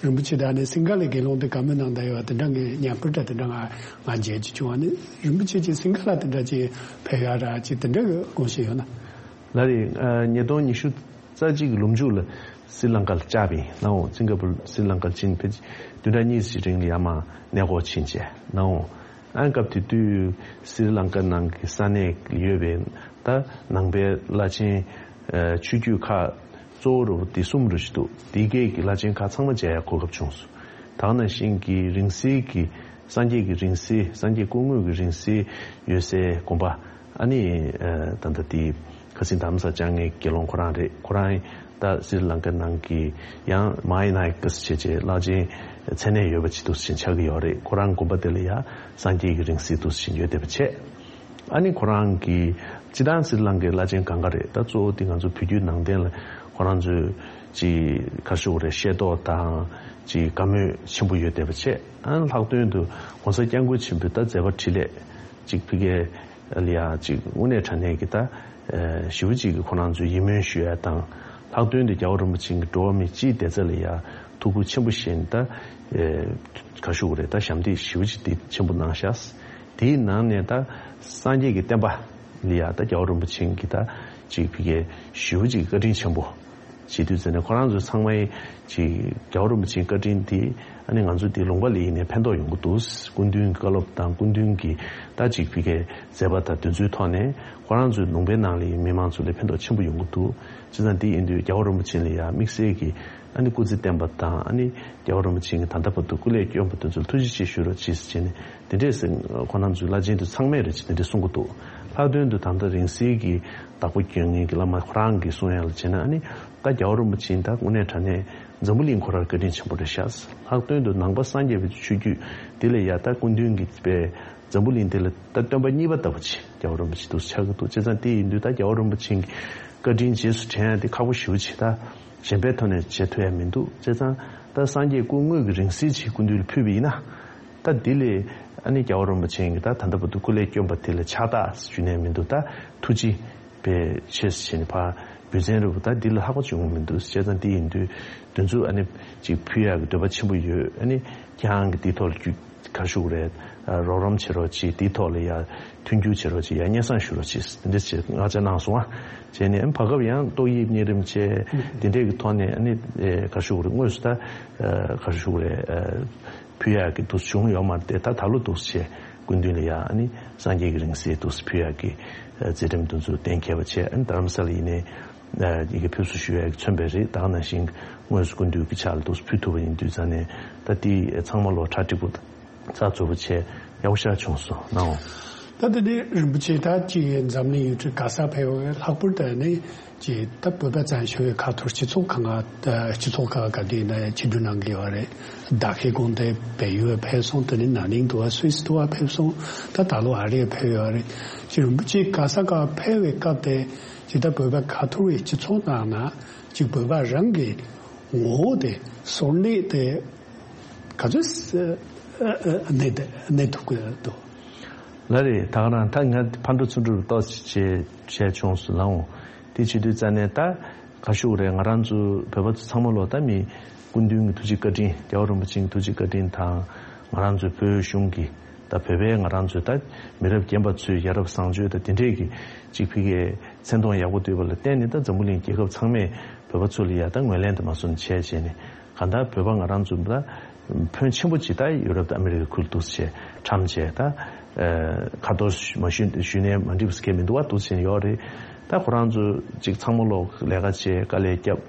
རིན་པོ་ཆེ་ད་ནི་སིང་ག་ལའི་དགེ་སློང་དེ་བཀའ་མོལ་གནང་བསྡད་ཡོད་པ་དེ་འདྲ་ངས་ཉན་པར་འདྲ་དེ་འདྲ་ང་ང་མཇལ་རྒྱུ་བྱུང་བ། ནི་རིན་པོ་ཆེ་ཅིག་སིང་ག་ལ་དེ་འདྲ་ཅིག་ཕེབས་ཡ་ར་ཅིག་དེ་འདྲ་གི་དགོངས་བཞེས་ཡོད་ན། ལགས་རེད། ཉིས་སྟོང་ཉི་ཤུ་རྩ་གཅིག་གི་ལོ་མཇུག་ལ་སི་རི་ལང་ཀར་བཅར་བ་ཡིན་ནའོ། སིང་ག་པུར་སི་རི་ལང་ཀར་ཕྱིན། ཕལ་ཆེར་བདུན་ཕྲག་གཉིས་ཀྱི་རིང་ལ་ཡར་མར་གནས་སྐོར་ཕྱིན་བྱས་ནའོ། ཨ་སྐབས་དེ་དུས་སི་རི་ལང་ཀ་ནང་གི་ས་གནས་ཡོད་པའི་ད་ནང་པའི་བླ་ཆེན་ཨ་ཆོས་བརྒྱུད་ཁག་གཙོ་བོ་རུ་དེ་གསུམ་རུ་ཞིག་འདུག་དེ་གའི་གི་བླ་ཆེན་ཁག་ཚང་མ་མཇལ་ཡ་གོ་སྐབས་བྱུང་སོང་། ད་ག་ནང་བཞིན་གྱི་རིང་བསྲེལ་གྱི་སངས་རྒྱས་ཀྱི་རིང་བསྲེལ། སངས་རྒྱས་སྐུ་དངོས་ཀྱི་རིང་བསྲེལ་ཡོད་སའི་དགོན་པ། ཨ་ནི་ཨ་ད་ལྟ་དེ་ཁ་སང་རྡ་རམ་ས་བཅར་མཁན་དགེ་སློང་ཁོ་རང་རེད། ཁོ་རང་ད་སི་རི་ལང་ཀ་ནང་གི་ཡང་མ་ཧཱ་ཡ་ན་ཀ་ཟེར་བྱས་བླ་ཆེན་མཚན་གནས་ཡོད་པ་ཅིག་འདུག་སེ་ཆགས་ཀྱི་ཡོད་རེད། ཁོ་རང་དགོན་པ་དེ་ལ་ཡ་སངས་རྒྱས་ཀྱི་རིང་བསྲེལ་འདུག་སེ་ཡོད་བསྡད་པ་བྱས། ཨ་ནི་ཁོ་རང་གི་སྤྱིར་བཏང་སི་རི་ལང་ཀའི་བླ་ཆེན་གང་ག་རེད། ད་གཙོ་བོ་དེ་ང་ཚོ་བོད་བརྒྱུད་ནང་བསྟན་ལ་ཁོ་རང་ཚོས་ཅིག་ག་རེ་ཞུ་དགོས་རེད། ཤེས་རྟོགས་དང་ཅིག་བཀའ་མོལ་ཆེན་པོ་ཡོད་བསྡད་པ་བྱས། ཨ་ནི་ལྷག་དོན་དུ་༸གོང་ས་༸སྐྱབས་མགོན་ཆེན་པོས་ད་མཛད་པ་འཕྲིན་ལས་ཅིག་ཕ་གིའི་ལ་ཡ་ཅིག་དངོས་གནས་དྲང་གནས་ཀྱི་ད་ཞེ་པོ་ཅིག་གི་ཁོ་རང་ཚོས་ཡིད་སྨོན་ཞུ་ཡ་དང་། ལྷག་དོན་དུ་རྒྱལ་བ་རིན་པོ་ཆེ་གི་འགྲོ་བ་མི་སྤྱིའི་བདེ་རྩ་ལ་ཡ་ཐུགས་ཁུར་ཆེན་པོ་བཞེས་ནས་ད་ག་རེ་ཞུ་དགོས་རེད། ད་ཞབས་འདེགས་ཞེ་པོ་ཅིག་དེ་ཆེན་པོ་གནང་ཤག་དེའི་ནང་ནས་ད་སངས་རྒྱས་ཀྱི་བསྟན་པ་ལ་ཡ་ད་རྒྱལ་བ་རིན་པོ་ཆེ་གིས་ད་ཅིག་ཕ་གིའི་ཞེ་པོ་ཅིག་བཀའ་དྲིན་ཆེན་པོ་བྱེད་དུས་ཙམ་ནས། ཁོ་རང་ཚོ་ཚང་མའི་ཅིག་རྒྱལ་བ་རིན་པོ་ཆེའི་བཀའ་དྲིན་དེ་ཨ་ནི་ང་ཚོ་འདི་ལུང་པ་ལ་ཡིན་ནའི་ཕན་ཐོགས་ཡོང་གི་འདུག་སྐུ་མདུན་གྱི་བཀའ་སློབ་དང་སྐུ་མདུན་གྱི་ད་ཅིག་ཕ་གིའི་མཛད་པ་དང་དེ་ཚོའི་ཐོག་ནས་ཁོ་རང་ཚོའི་ལུང་པའི་ནང་ལ་ཡིན་མི་མང་ཚོ་ལ་ཕན་ཐོགས་ཆེན་པོ་ཡོང་གི་འདུག་བྱས་ཙང་འདི་ཡིན་དུས་རྒྱལ་བ་རིན་པོ་ཆེ་ལ་ཡ་དམིགས་བསལ་གྱི་ཨ་ནི་སྐུ་ཚེ་བརྟན་པ་དང་། ཨ་ནི་རྒྱལ་བ་རིན་པོ་ཆེ་གིས་ད་ལྟ་བར་དུ་སྐུ་ལས་བསྐྱོན་པ་དེ་ཚོར་ཐུགས་རྗེ་ཆེ་ཞུ་རོགས་གྱིས་ཟེར་བྱས་ནས་དེ་འདྲས་ཟེར་ཁོ་རང་ཚོའི་བླ་ཆེན་དེ་ཚང་མས་རེད་ཅེས་དེ་འདྲས་གསུང་གི་འདུག་ལྷག་དོན་དུ་ད་ལྟ་རིང་བསྲེལ་གྱི་བདག་པོ་སྐྱོན་མཁན་གྱི་བླ་མ་ཁོ་རང་གིས་གསུང་ཡ་ལ་བྱས་ན། ཨ་ནི་ད་རྒྱལ་བ་རིན་པོ་ཆེ་ད་དངོས་གནས་དྲང་གནས་འཛམ་བུ་གླིང་ཁོ་རང་བཀའ་དྲིན་ཆེན་པོ་རེད་ཤག་ལྷག་དོན་དུ་ནང་པ་སངས་རྒྱས་པའི་ཆོས་བརྒྱུད་འདི་ལ་ཡ་ད་སྐུ་མདུན་གྱིས་པའི་འཛམ་བུ་གླིང་འདི་ལ་ད་སྟོན་པ་གཉིས་པ་ལྟ་བུ་ཅིག་རྒྱལ་བ་རིན་པོ་ཆེ་འདུག་ཆགས་ཀྱི་འདུག་བྱས་ཙང་དེ་ཡིན་དུས་ད་རྒྱལ་བ་རིན་པོ་ཆེ་གི་བཀའ་དྲིན་རྗེས་སུ་དྲན་ཡ་དེ་ཁག་པོ་ཞེ་པོ་ཅིག་ད་གཞན་པའི་ཐོག་ནས་བྱེད་ཐུབ་ཡ་མི་འདུག་བྱས་ཙང་ད་སངས་རྒྱས་སྐུ་དངོས་ཀྱི་རིང་བསྲེལ་ཅིག་སྐུ་མདུན་ལ་ཕུལ་བ་ཡིན་ན། ད་འདི་ལས་ཨ་ནི་རྒྱལ་བ་རིན་པོ་ཆེ་གིས་ད་ད་ལྟ་བར་དུ་སྐུ་ལས་བསྐྱོན་པ་དེ་ལ་ཕྱག་རྟགས་ཞུ་ནས་མི་འདུག་ད་ཐུགས་རྗེ་པའི་ཆེད་ཟེར་ནས་ཕར་འབུལ་ཚན་རེད་པ། ད་འདི་ལ་ལྷག་པ་བྱུང་མི་འདུག་བྱས་ཙང་འདི་ཡིན་དུས་འདི་ཚོ་ཨ་ནི་ཅིག་ཕུལ་ཡག་གི་འདོད་པ་ཆེན་པོ་ཡོད། ཨ་ནི་ཁྱེད་རང་གིས་འདིའི་ཐོག་ལ་རྒྱུ་ག་ཞུ་དགོས་རེད། ཨ་རོགས་རམ་བྱེད་རོགས་བྱེད། འདིའི་ཐོག་ལ་ཡ་མཐུན་འགྱུར་བྱེད་རོགས་བྱེད། ཡ་སྙན་སེང་ཞུ་རོགས་བྱེད། འདི་འདྲ་བྱེད་མངགས་བྱ་གནང་སོང་ཨ། བྱས་ནས་ཨ་ནི་བར་སྐབས་ཡང་ཏོག་དབྱིབས་གཉན་རིམས་བཅས་འདི་འདྲས་ཀྱི་ཐོག་ནས་ཨ་ནི་ཨེ་ག་ཞུ་དགོས་རེད། དངོས་སུ་ད་ཨ་ག་ཞུ་དགོས་རེད། ཨ་ཕུལ་ཡག་གི་འདུག་བྱུང་ཡོད་མ་རེད་དེ། ད་ད་ལོ་འདུག་བྱས་སྐུ་མདུན་ལ་ཡ་ཨ་ནི་སངས་རྒྱས་ཀྱི་རིང་བསྲེལ་འདུག་ཕུལ་ཡག་གི་ཨ་མཛད་རིམ་འདི་ཚོ་གཏན་འཁེལ་བ་བྱས། ཨ་ནི་རྡ་རམ་ས་ལ་ཡིན་ནའི་ཨ་ཡི་གེ་ཕེབས་བསུ་ཞུ་ཡག་གི་མཚོན་པ་རེད། ད་ག་ནང་བཞིན་དངོས་སུ་སྐུ་མདུན་གྱི་ཕྱག་ལ་འདུག་ཕུལ་ཐུབ་པ་ཡིན་དུས་ཙང་ནས་ད་འདི་ཚང་མ་ལོ་གྲ་སྒྲིག་པོ་ཚགས་ཚུད་པོ་བྱས་ཡག་པོ་ཞེ་དྲག་བྱུང་སོང་གནང་འོང་། ད་དེ་ནས་རིན་པོ་ཆེ་ད་ཅིག་འཛམ་གླིང་ཡུལ་གྲུ་ག་ས་ཕེབས་པའི་ལྷག་པར་དུ་ནི་ཅིག་ད་བོད་པ་བཙན་བྱོལ་བའི་ཁ་ཐོར་སྤྱི་ཚོགས་ཁག་ང་སྤྱི་ཚོགས་ཁག་ག་དུས་ན་ཆིག་སྒྲིལ་གནང་གི་ཡོད་རེད། བདག་ཁའི་དགོངས་དོན་བལ་ཡུལ་བ་ཕེབས་སོང་། དེ་ནས་ན་ནིང་དུ་བ་སུད་སི་དུ་བ་ཕེབས་སོང་། ད་ད་ལོ་ཨ་རིར་ཕེབས་ཡོད་རེད། ཅིག་རིན་པོ་ཆེ་ག་ས་ག་ཕེབས་པའི་སྐབས་དེ་ཅིག་ད་བོད་པ་ཁ་ཐོར་བའི་སྤྱི་ཚོགས་ནང་ན་ཅིག་བོད་པ་རང་གི་ངོ་བོ་དེ་སོར་གནས་དེ་ག་ཚོད་གནས་གནས་ཐུབ་ཀྱི་འདུག་ལགས་རེད། ད་ག་རང་ད་ང་ཕར་འགྲོ་ཚུར་འགྲོ་ཏོག་ཙམ་བྱས་བྱས་བྱུང་སོང་ལགས་འོང་། དེ་བྱེད་དུས་ཙ་ནས་ད་ག་ཞུ་དགོས་རེད། ང་རང་ཚོ་བོད་པ་ཚོ་ཚང་མ་ལོ་ད་མི་སྐུ་མདུན་གྱི་ཐུགས་རྗེ་བཀའ་དྲིན། རྒྱལ་བ་རིན་པོ་ཆེའི་ཐུགས་རྗེ་བཀའ་དྲིན་དང་། ང་རང་ཚོའི་བོད་གཞུང་གི་ད་བོད་པའི་ང་རང་ཚོའི་ད་མི་རབས་རྒན་པ་ཚོའི་ཡ་རབས་བཟང་སྤྱོད་ད་དེ་འདྲས་ཀྱི་ཅིག་ཕ་གིའི་མཚན་མཐོང་ཡག་པོ་བསྟོད་པ་ལ་བརྟེན་ནས་ད་འཛམ་བུ་གླིང་རྒྱལ་ཁབ་ཚང་མས་བོད་པ་ཚོ་ལ་ཡ་ད་ངོས་ལེན་དུ་མ་སོང་བྱས་བྱས་ནས། གང་ལྟར་བོད་པ་ང་རང་ཚོ་ད་ཕོན་ཆེན་པོ་ཅིག་ད་ཡུ་རོབ་དང་ཨ་མི་རི་ཀའི་ཁུལ་འདུག་སེ་བྱས་ཁྲམ་བྱས་ད་ཁ་ཐོར་མ་ཞུ་ཞུས་ནས་མ་འགྲིག་པ་ཟེར་མཁན་མི་འདུག་བ། འདུག་སེ་ཡོད་རེད། ད་ཁོ་རང་ཚོ་ཅིག་ཚང་མ་ལོག་ལས་ཀ་བྱས་དཀའ་ལས་བརྒྱབ།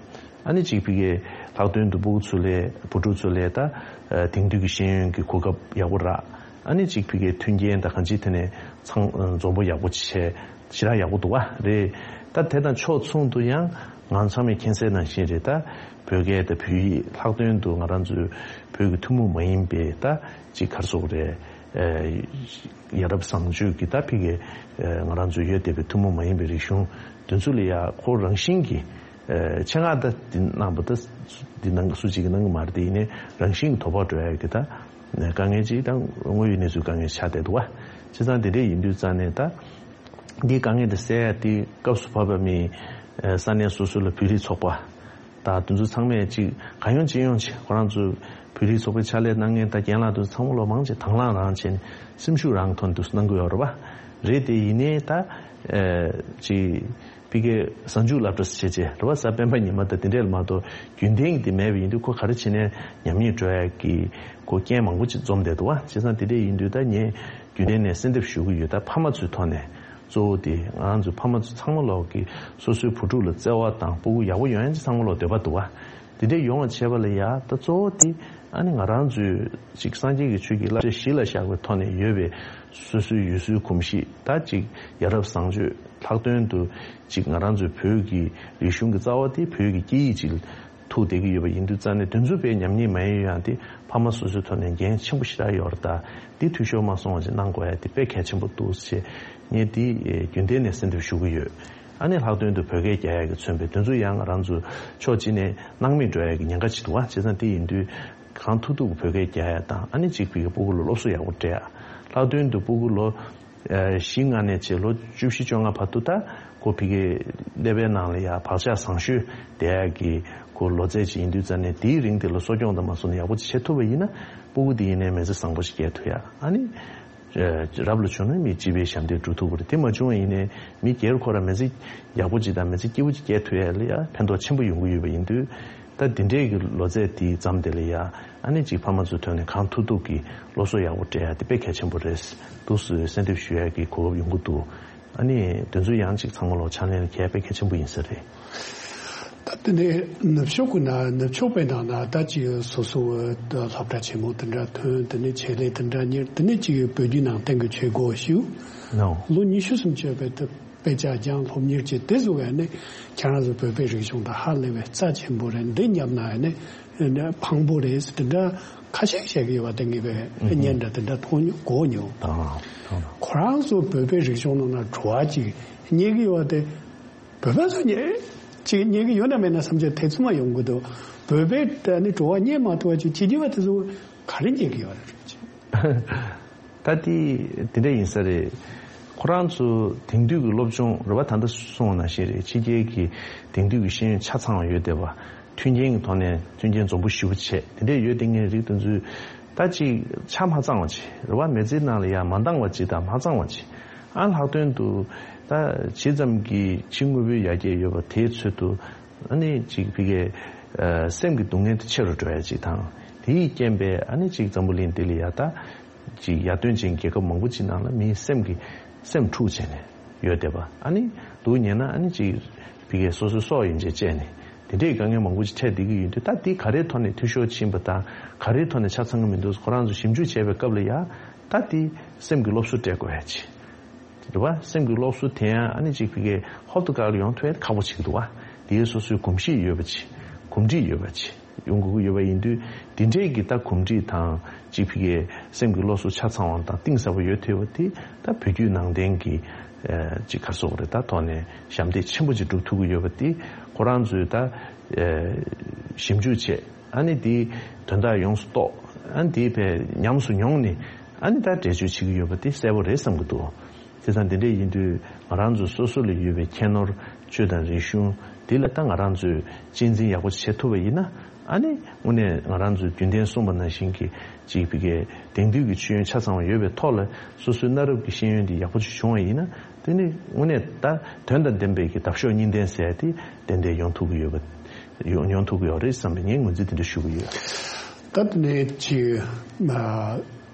ཨ་ནི་ཅིག་ཕ་གིའི་ལྷག་དོན་དུ་སྤུ་གུ་ཚོ་ལས་བུ་ཕྲུག་ཚོ་ལས་ད་དེང་དུས་ཀྱི་ཤེས་ཡོན་གྱི་གོ་སྐབས་ཡག་པོ་རག། ཨ་ནི་ཅིག་ཕ་གིའི་མཐུན་རྐྱེན་དང་གང་ཅིའི་ཐད་ནས་ཚང་འཛོམས་པོ་ཡག་པོ་བྱས། ཞེ་དྲག་ཡག་པོ་འདུག་བ་རེད། ད་དེ་དང་ཕྱོགས་མཚུངས་དུ་ཡང་ང་ཚང་མས་མཁྱེན་གསལ་ནང་བཞིན་རེད། ད་བོད་སྐད་དང་བོད་ཡིག་ལྷག་དོན་དུ་ང་རང་ཚོའི་བོད་ཀྱི་ཐུན་མོང་མ་ཡིན་པའི་ད་ཅིག་ག་རེ་ཟེར་དགོས་རེད། ཨ་ཡ་རབས་བཟང་སྤྱོད་ཀྱི་ད་ཕ་གིའི་ཨ་ང་རང་ཚོའི་ཡོད་བསྡད་པའི་ཐུན་མོང་མ་ཡིན་པའི་རིག་གཞུང་དེ་ཚོ་ལ་ཡ་ཁོ་རང་བཞིན་གྱིས་ཨ་ཆེད་མངགས་ད་འདི་གནང་བ་ད་འདི་གནང་སུ་གཅིག་གིས་གནང་གི་མ་རེད། དེ་ཡིན་ནའི་རང་བཞིན་གྱིས་དོ་ཕོག་འགྲོ་ཡ་གི་ད་དཀའ་ངལ་ཅིག་ད་དངོས་ཡོད་གནས་ཚུལ་དཀའ་ངལ་ཆགས་བསྡད་འདུག་བ། བྱས་ཙང་དེ་འདྲས་ཡིན་དུས་ཙང་ནས་ད། འདིའི་དཀའ་ངལ་འདི་སེལ་ཡ་དེ་སྐབས་སུ་བབས་པ་མི་ས་གནས་སོ་སོ་ལ་བོད་རིགས་ཚོགས་པ་དང་དེ་ཚོ་ཚང་མས་ཅིག་གང་ཡོང་ཅི་ཡོང་ཅིག་ཁོ་རང་ཚོ་བོད་རིགས་ཚོགས་པའི་ཕྱག་ལས་གནང་མཁན་དང་རྒན་ལགས་དེ་ཚོ་ཚང་མ་ལོ་མང་ཆེ་དང་བླངས་རང་བྱས་ནས་སེམས་ཤུགས་རང་ཐོག་ནས་དུ་གནང་གི་ཡོད་རེད་པ། རེད་དེ་ཡིན་ནའི་ད་ཅིག་ཕ་གིའི་གཟའ་མཇུག་སློབ་གྲྭ་བྱས་རྗེས་རེད་པ། གཟའ་སྤེན་པ་ཉི་མ་དང་དེ་འདྲས་ལ་མ་གཏོགས་རྒྱུན་ལྡན་གྱི་དེ་མེད་པ་ཡིན་དུས་ཁོ་ག་རེ་བྱས་ནས་ཉམས་ཉེས་འགྲོ་ཡ་གི་ཁོ་རྐྱེན་མང་པོ་ཅིག་འཛོམས་བསྡད་འདུག་བ། བྱས་ཙང་དེ་འདྲས་ཡིན་དུས་ད་ངས་རྒྱུན་ལྡན་ནས་གསལ་འདེབས་ཞུ་གི་ཡོད། ད་ཕ་མ་ཚོའི་ཐོག་ནས་གཙོ་བོ་དེ་ང་རང་ཚོའི་ཕ་མ་ཚོ་ཚང་མ་ལོག་གི་སོ་སོའི་བུ་ཕྲུག་ལ་བརྩེ་བ་དང་སྤུ་གུ་ཡག་པོ་ཡོང་ཡ་ཅིག་ཚང་མ་ལོག་འདོད་པ་འདུག་བ། དེ་འདྲས་ཡོང་བ་བྱས་པ་ལ་ཡ་ད་གཙོ་བོ་དེ་ཨ་ནི་ང་རང་ཚོའི་ཅིག་སངས་རྒྱས་ཀྱི་ཆོས་ཀྱི་བསླབ་བྱ་གཞི་ལ་བཞག་པའི་ཐོག་ནས་ཡོད་པའི་སོ་སོའི་ཡུལ་སྲོལ་གོམས་གཤིས་ད་ཅིག་ཡ་རབས་བཟང་སྤྱོད་ལྷག་དོན་དུ་ཅིག་ང་རང་ཚོའི་བོད་ཀྱི་རིག་གཞུང་གི་རྩ་བ་དེ་བོད་ཀྱི་སྐད་ཡིག་ཅིག་ཐུག་བསྡད་ཀྱི་ཡོད་པ་ཡིན་དུས་ཙང་ནས་དེ་ཚོ་དཔེ་ཉམས་ཉེས་མ་ཡོང་ཡ་དེ་ཕ་མ་སོ་སོའི་ཐོག་ནས་འགན་ཆེན་པོ་ཞེ་དྲག་ཡོད་རེད། ད་འདི་འཐུས་ཤོར་མ་སོང་བ་ཅིག་གནང་དགོས་ཡ་དེ་དཔེ་གལ་ཆེན་པོ་འདུག་ཅེས་ངས་འདི་རྒྱུན་ལྡན་ནས་གསལ་འདེབས་ཞུ་གི་ཡོད། ཨ་ནི་ལྷག་དོན་དུ་བོད་སྐད་རྒྱག་ཡ་གི་མཚོན་པའི་དེ་ཚོ་ཡང་ང་རང་ཚོ་ཕྱོགས་གཅིག་ནས་སྣང་མེད་འགྲོ་ཡ་གི་ཉེན་ཁ་ཅིག་འདུག་བ། བྱས་ཙང་དེ་ཡིན་དུས་གང་ཐུབ་ཐུབ་བོད་སྐད་རྒྱག་ཡ་དང་ཨ་ནི་གཅིག་ཕ་གི་སྤུ་གུ་ལ་སློབ་གསོ་ཡག་པོ་སྤྲད་ཡ། ལྷག་དོན་དུ་སྤུ་གུ་ལོ་བཞི་ལྔ་ནས་བྱས་ལོ་བཅུ་བཞི་བཅོ་ལྔ་བར་དུ་ད་ཁོ་ཕ་གིའི་ཀླད་པའི་ནང་ལ་ཡ་བག་ཆགས་བཟང་ཤོས་བསྡད་ཡ་གི་ཁོ་ལོ་ཚད་ཅིག་ཡིན་དུས་ཙང་ནས་དེའི་རིང་དེ་ལ་གསོ་སྐྱོང་དང་མ་སོང་ནས་ཡག་པོ་ཅིག་བྱེད་ཐུབ་པ་ཡིན་ན་སྤུ་གུ་དེ་ཡིན་ནའི་མི་ཚེ་བཟང་པོ་ཞིག་སྐྱེལ་ཐུབ་ཡ། ཨ་ནི། རབ་ལ་བྱུང་ན་མི་སྤྱི་པའི་ཞབས་འདེགས་སྒྲུབ་ཐུབ་པ་རེད། དེ་མ་བྱུང་བ་ཡིན་ནའི་མི་སྒེར་ཁོ་རང་མི་ཚེ་ཡག་པོ་ཅིག་དང་མི་ཚེ་སྐྱིད་པོ་ཅིག་སྐྱེལ་ཐུབ་ཡ་ལ་ཡ་ཕན་ཐོགས་ཆེན་པོ་ཡོང་གི་ཡོད་པ་ཡིན་དུས། ད་འདི་འདྲའི་གི་ལོ་ཚད་དེའི་མཚམས་དེ་ལ་ཡ་ཨ་ནི་ཅིག་ཕ་མ་ཚོའི་ཐོག་ནས་གང་ཐུབ་ཐུབ་ཀྱི་སློབ་གསོ་ཡག་པོ་སྤྲད་ཡ་དེ་དཔེ་གལ་ཆེན་པོ་རེད་འདུག་ཟེར་གསལ་འདེབས་ཞུ་ཡ་གི་གོ་སྐབས་ཡོང་གི་འདུག་ཨ་ནི་དེ་ཚོ་ཡང་ཅིག་ཚང་མ་ལོག་ཕྱག་ལེན་ལ་འཁེལ་དཔེ་གལ་ཆེན་པོ་ཡིན་ས་རེད། ད་ དེ་ནས་ནུབ་ཕྱོགས་ཀྱི་ན་ནུབ་ཕྱོགས་པའི་ནང་ན་ད་ཅིག་སོ་སོ་སློབ་གྲྭ་ཆེན་མོ་དེ་འདྲ་ཐོན། དེ་ནས་ཆེད་ལས་དེ་འདྲ་གཉེར། དེ་ནས་ཅིག་བོད་བརྒྱུད་ནང་བསྟན་གྱི་ཆོས་སྒོ་ཞུགས། ལོ་ཉི་ཤུ་སུམ་ཅུ་བའི་དུ་དཔེ་ཆ་སྦྱང་། སློབ་གཉེར་བྱས། དེ་ཚོ་ག་ནས་ཁྱེད་རང་ཚོ་བོད་པའི་རིག་གཞུང་དང་ཧ་ལས་པའི་རྩ་ཆེན་པོ་རེད། འདི་བསྙབ་ན་ནས་ཕངས་པོ་རེད་ཟེར་དེ་འདྲ་ཁ་ཤས་བཤད་ཀྱི་ཡོད་པ། དེ་ངས་བས་བརྙན་འདྲ་དེ་འདྲ་མཐོང་མྱོང་། གོ་མྱོང་། ཁོ་རང་ཚོ་བོད་པའི་རིག་གཞུང་ནང་ན་བྲོ་བ་ཅིག་རྙེད་ཀྱི་ཡོད་པ་དེ། བོད་པ་ཚོ་ཉེ་ཅིག་ཉེ་གི་ཡོད་ན་མེད་ན་བསམ་རྒྱུ་དེ་ཚོ་མ་ཡོང་གི་འདུག་བོད་པའི་ད་ནི་བྲོ་བ་རྙེད་མ་ཐུབ་པ་ཅིག་བྱེད་རྒྱུ་བ་དེ་ཚོ་ག་རེ་རྙེད་ཀྱི་ཡོད་རེད་ཅིག་ད་དེ་དེ་འདྲ་ཡིན་ས་རེད། ཁོ་རང་ཚོ་དེང་དུས་ཀྱི་སློབ་སྦྱོང་རེད་བ། ད་ལྟ་གསུངས་པ་ནང་བཞིན་རེད། ཕྱི་རྒྱལ་གྱི་དེང་དུས་ཀྱི་ཤེས་ཡོན་ཆ་ཚང་བ་ཡོད་བསྡད་པ། མཐུན་རྐྱེན་གྱི་ཐོག་ནས་མཐུན་རྐྱེན་འཛོམས་པོ་ཞེ་པོ་བྱས། དེ་འདྲ་ཡོད་དེ་ངས་རིག་དོན་ཚོའི་ད་ཅིག་ཆ་མ་ཚང་བ་ཅིག་རེད་བ། མི་ཚེའི་ནང་ལ་ཡང་མ་འདང་བ་ཅིག་དང་མ་ཚང་བ་ཅིག་ཨ་ལྷག་དོན་དུ་ད་ཇི་ཙམ་གྱིས་ཕྱི་དངོས་པོའི་ཡར་རྒྱས་ཡོད་པ་དེའི་ཚོད་དུ། ཨ་ནི་ཅིག་ཕ་གིའི་ཨ་སེམས་ཀྱི་སྡུག་བསྔལ་དེ་ཆེ་རུ་འགྲོ་ཡ་ཅིག་དང་། དེ་ཡིས་རྐྱེན་པས་ཨ་ནི་ཅིག་འཛམ་བུ་གླིང་འདི་ལ་ཡ་ད་ཅིག་ཡར་ཐོན་ཅན་རྒྱལ་ཁབ་མང་པོ་ཅིག་ནང་ལ་མིའི་སེམས་ཀྱི་སེམས་འཁྲུག་བྱས་ནས་ཡོད་བསྡད་པ། ཨ་ནི་སྡུག་བསྔལ་ན་ཨ་ནི་ཅིག་ཕ་གིའི་སོ་སོའི་སྲོག་ཡན་ཆད་བཅད་ནས། དེ་འདྲའི་དཀའ་ངལ་མང་པོ་ཅིག་འཕྲད་བསྡད་ཀྱི་ཡོད་དུས། ད་འདི་ག་རེའི་ཐོག་ནས་འཐུས་ཤོར་ཕྱིན་པ་དང་། ག་རེའི་ཐོག་ནས་ཆ་ཚང་གི་མི་འདུག་ཁོ་རང་ཚོ་ཞིབ་འཇུག་བྱས་པའི་སྐབས་ལ་ཡ་ད་འདི་སེམས་ཀྱི་སློབ་གསོ་སྤྲད་དགོས་ཡ་ཅིག་རེད་བ། སེམས་ཀྱི་སློབ་གསོ་དེ་ཡང་ཨ་ནི་ཅིག་ཕ་གིའི་ཧོབ་ཏེ་ག་ལ་ཡོང་ཐུབ་ཡ་དེ་ཁག་པོ་ཅིག་འདུག་བ། དེའི་སོ་སོའི་གོམས་གཤིས་ཡོད་པ་ཅིག་གོམས་འདྲིས་ཡོད་པ་ཅིག་ཡོང་དགོས་ཀྱི་ཡོད་པ་ཡིན་དུས། འདི་འདྲའི་གི་ད་གོམས་འདྲིས་དང་ཅིག་ཕ་གིའི་སེམས་ཀྱི་སློབ་གསོ་ཆ་ཚང་བ་དང་གཏིང་ཟབ་པོ་ཡོད་ཐུབ་པ་དེ་ད་བོད་བརྒྱུད་ནང་བསྟན་གྱི་ཨ་ཅིག་ག་རེ་ཟེར་དགོས་རེད། ད་ཐོག་ནས་ཞབས་འདེགས་ཆེན་པོ་ཅིག་སྒྲུབ་ཐུབ་ཀྱི་ཡོད་པ་དེ་ཁོ་རང་ཚོས་ད་ཨ་ཞིབ་འཇུག་བྱས། ཨ་ནི་དེའི་དོན་དག་ཡོངས་སུ་རྟོགས། ཨ་ནི་དེའི་ཕར་ཉམས་སུ་མྱོང་ནས་ཨ་ནི་ད་འགྲེལ་བརྗོད་བྱེད་ཀྱི་ཡོད་པ་དེ་གསལ་པོ་རེད་བསམ་གྱི་འདུག་བྱས་ཙང་དེ་འདྲ་ཡིན་དུས་ང་རང་ཚོ་སོ་སོ་ལ་ཡོད་པའི་ཁྱད་ནོར། ཆོས་དང་རིག་གཞུང་འདི་ལ་ད་ང་རང་ཚོས་གཅེས་འཛིན་ཡག་པོ་བྱེད་ཐུབ་པ་ཡིན་ན། ཨ་ནི་དངོས་གནས་ང་རང་ཚོའི་རྒྱུན་ལྡན་གསུངས་པ་ནང་བཞིན་གྱི་ཅིག་ཕ་གིའི་དེང་དུས་ཀྱི་ཤེས་ཡོན་ཆ་ཚང་བ་ཡོད་པའི་ཐོག་ལ་སོ་སོའི་གནའ་རབས་ཀྱི་ཤེས་ཡོན་འདི་ཡག་པོ་ཅིག་བྱུང་བ་ཡིན་ན། དེ་ནི་དངོས་གནས་ད་དོན་དང་ལྡན་པའི་གི་འདབ་གཤོག་གཉིས་ལྡན་ཟེར་ཡ་དེ་ཏན་ཏན་ཡོང་ཐུབ་ཀྱི་ཡོད་པ། ཡོང་ཡོང་ཐུབ་ཀྱི་ཡོད་རེད་བསམ་པའི་ངས་ངོས་འཛིན་དེ་འདྲ་ཞུ་གི་ཡོད། ད་དེ་ནས་ཅིག་ཨ།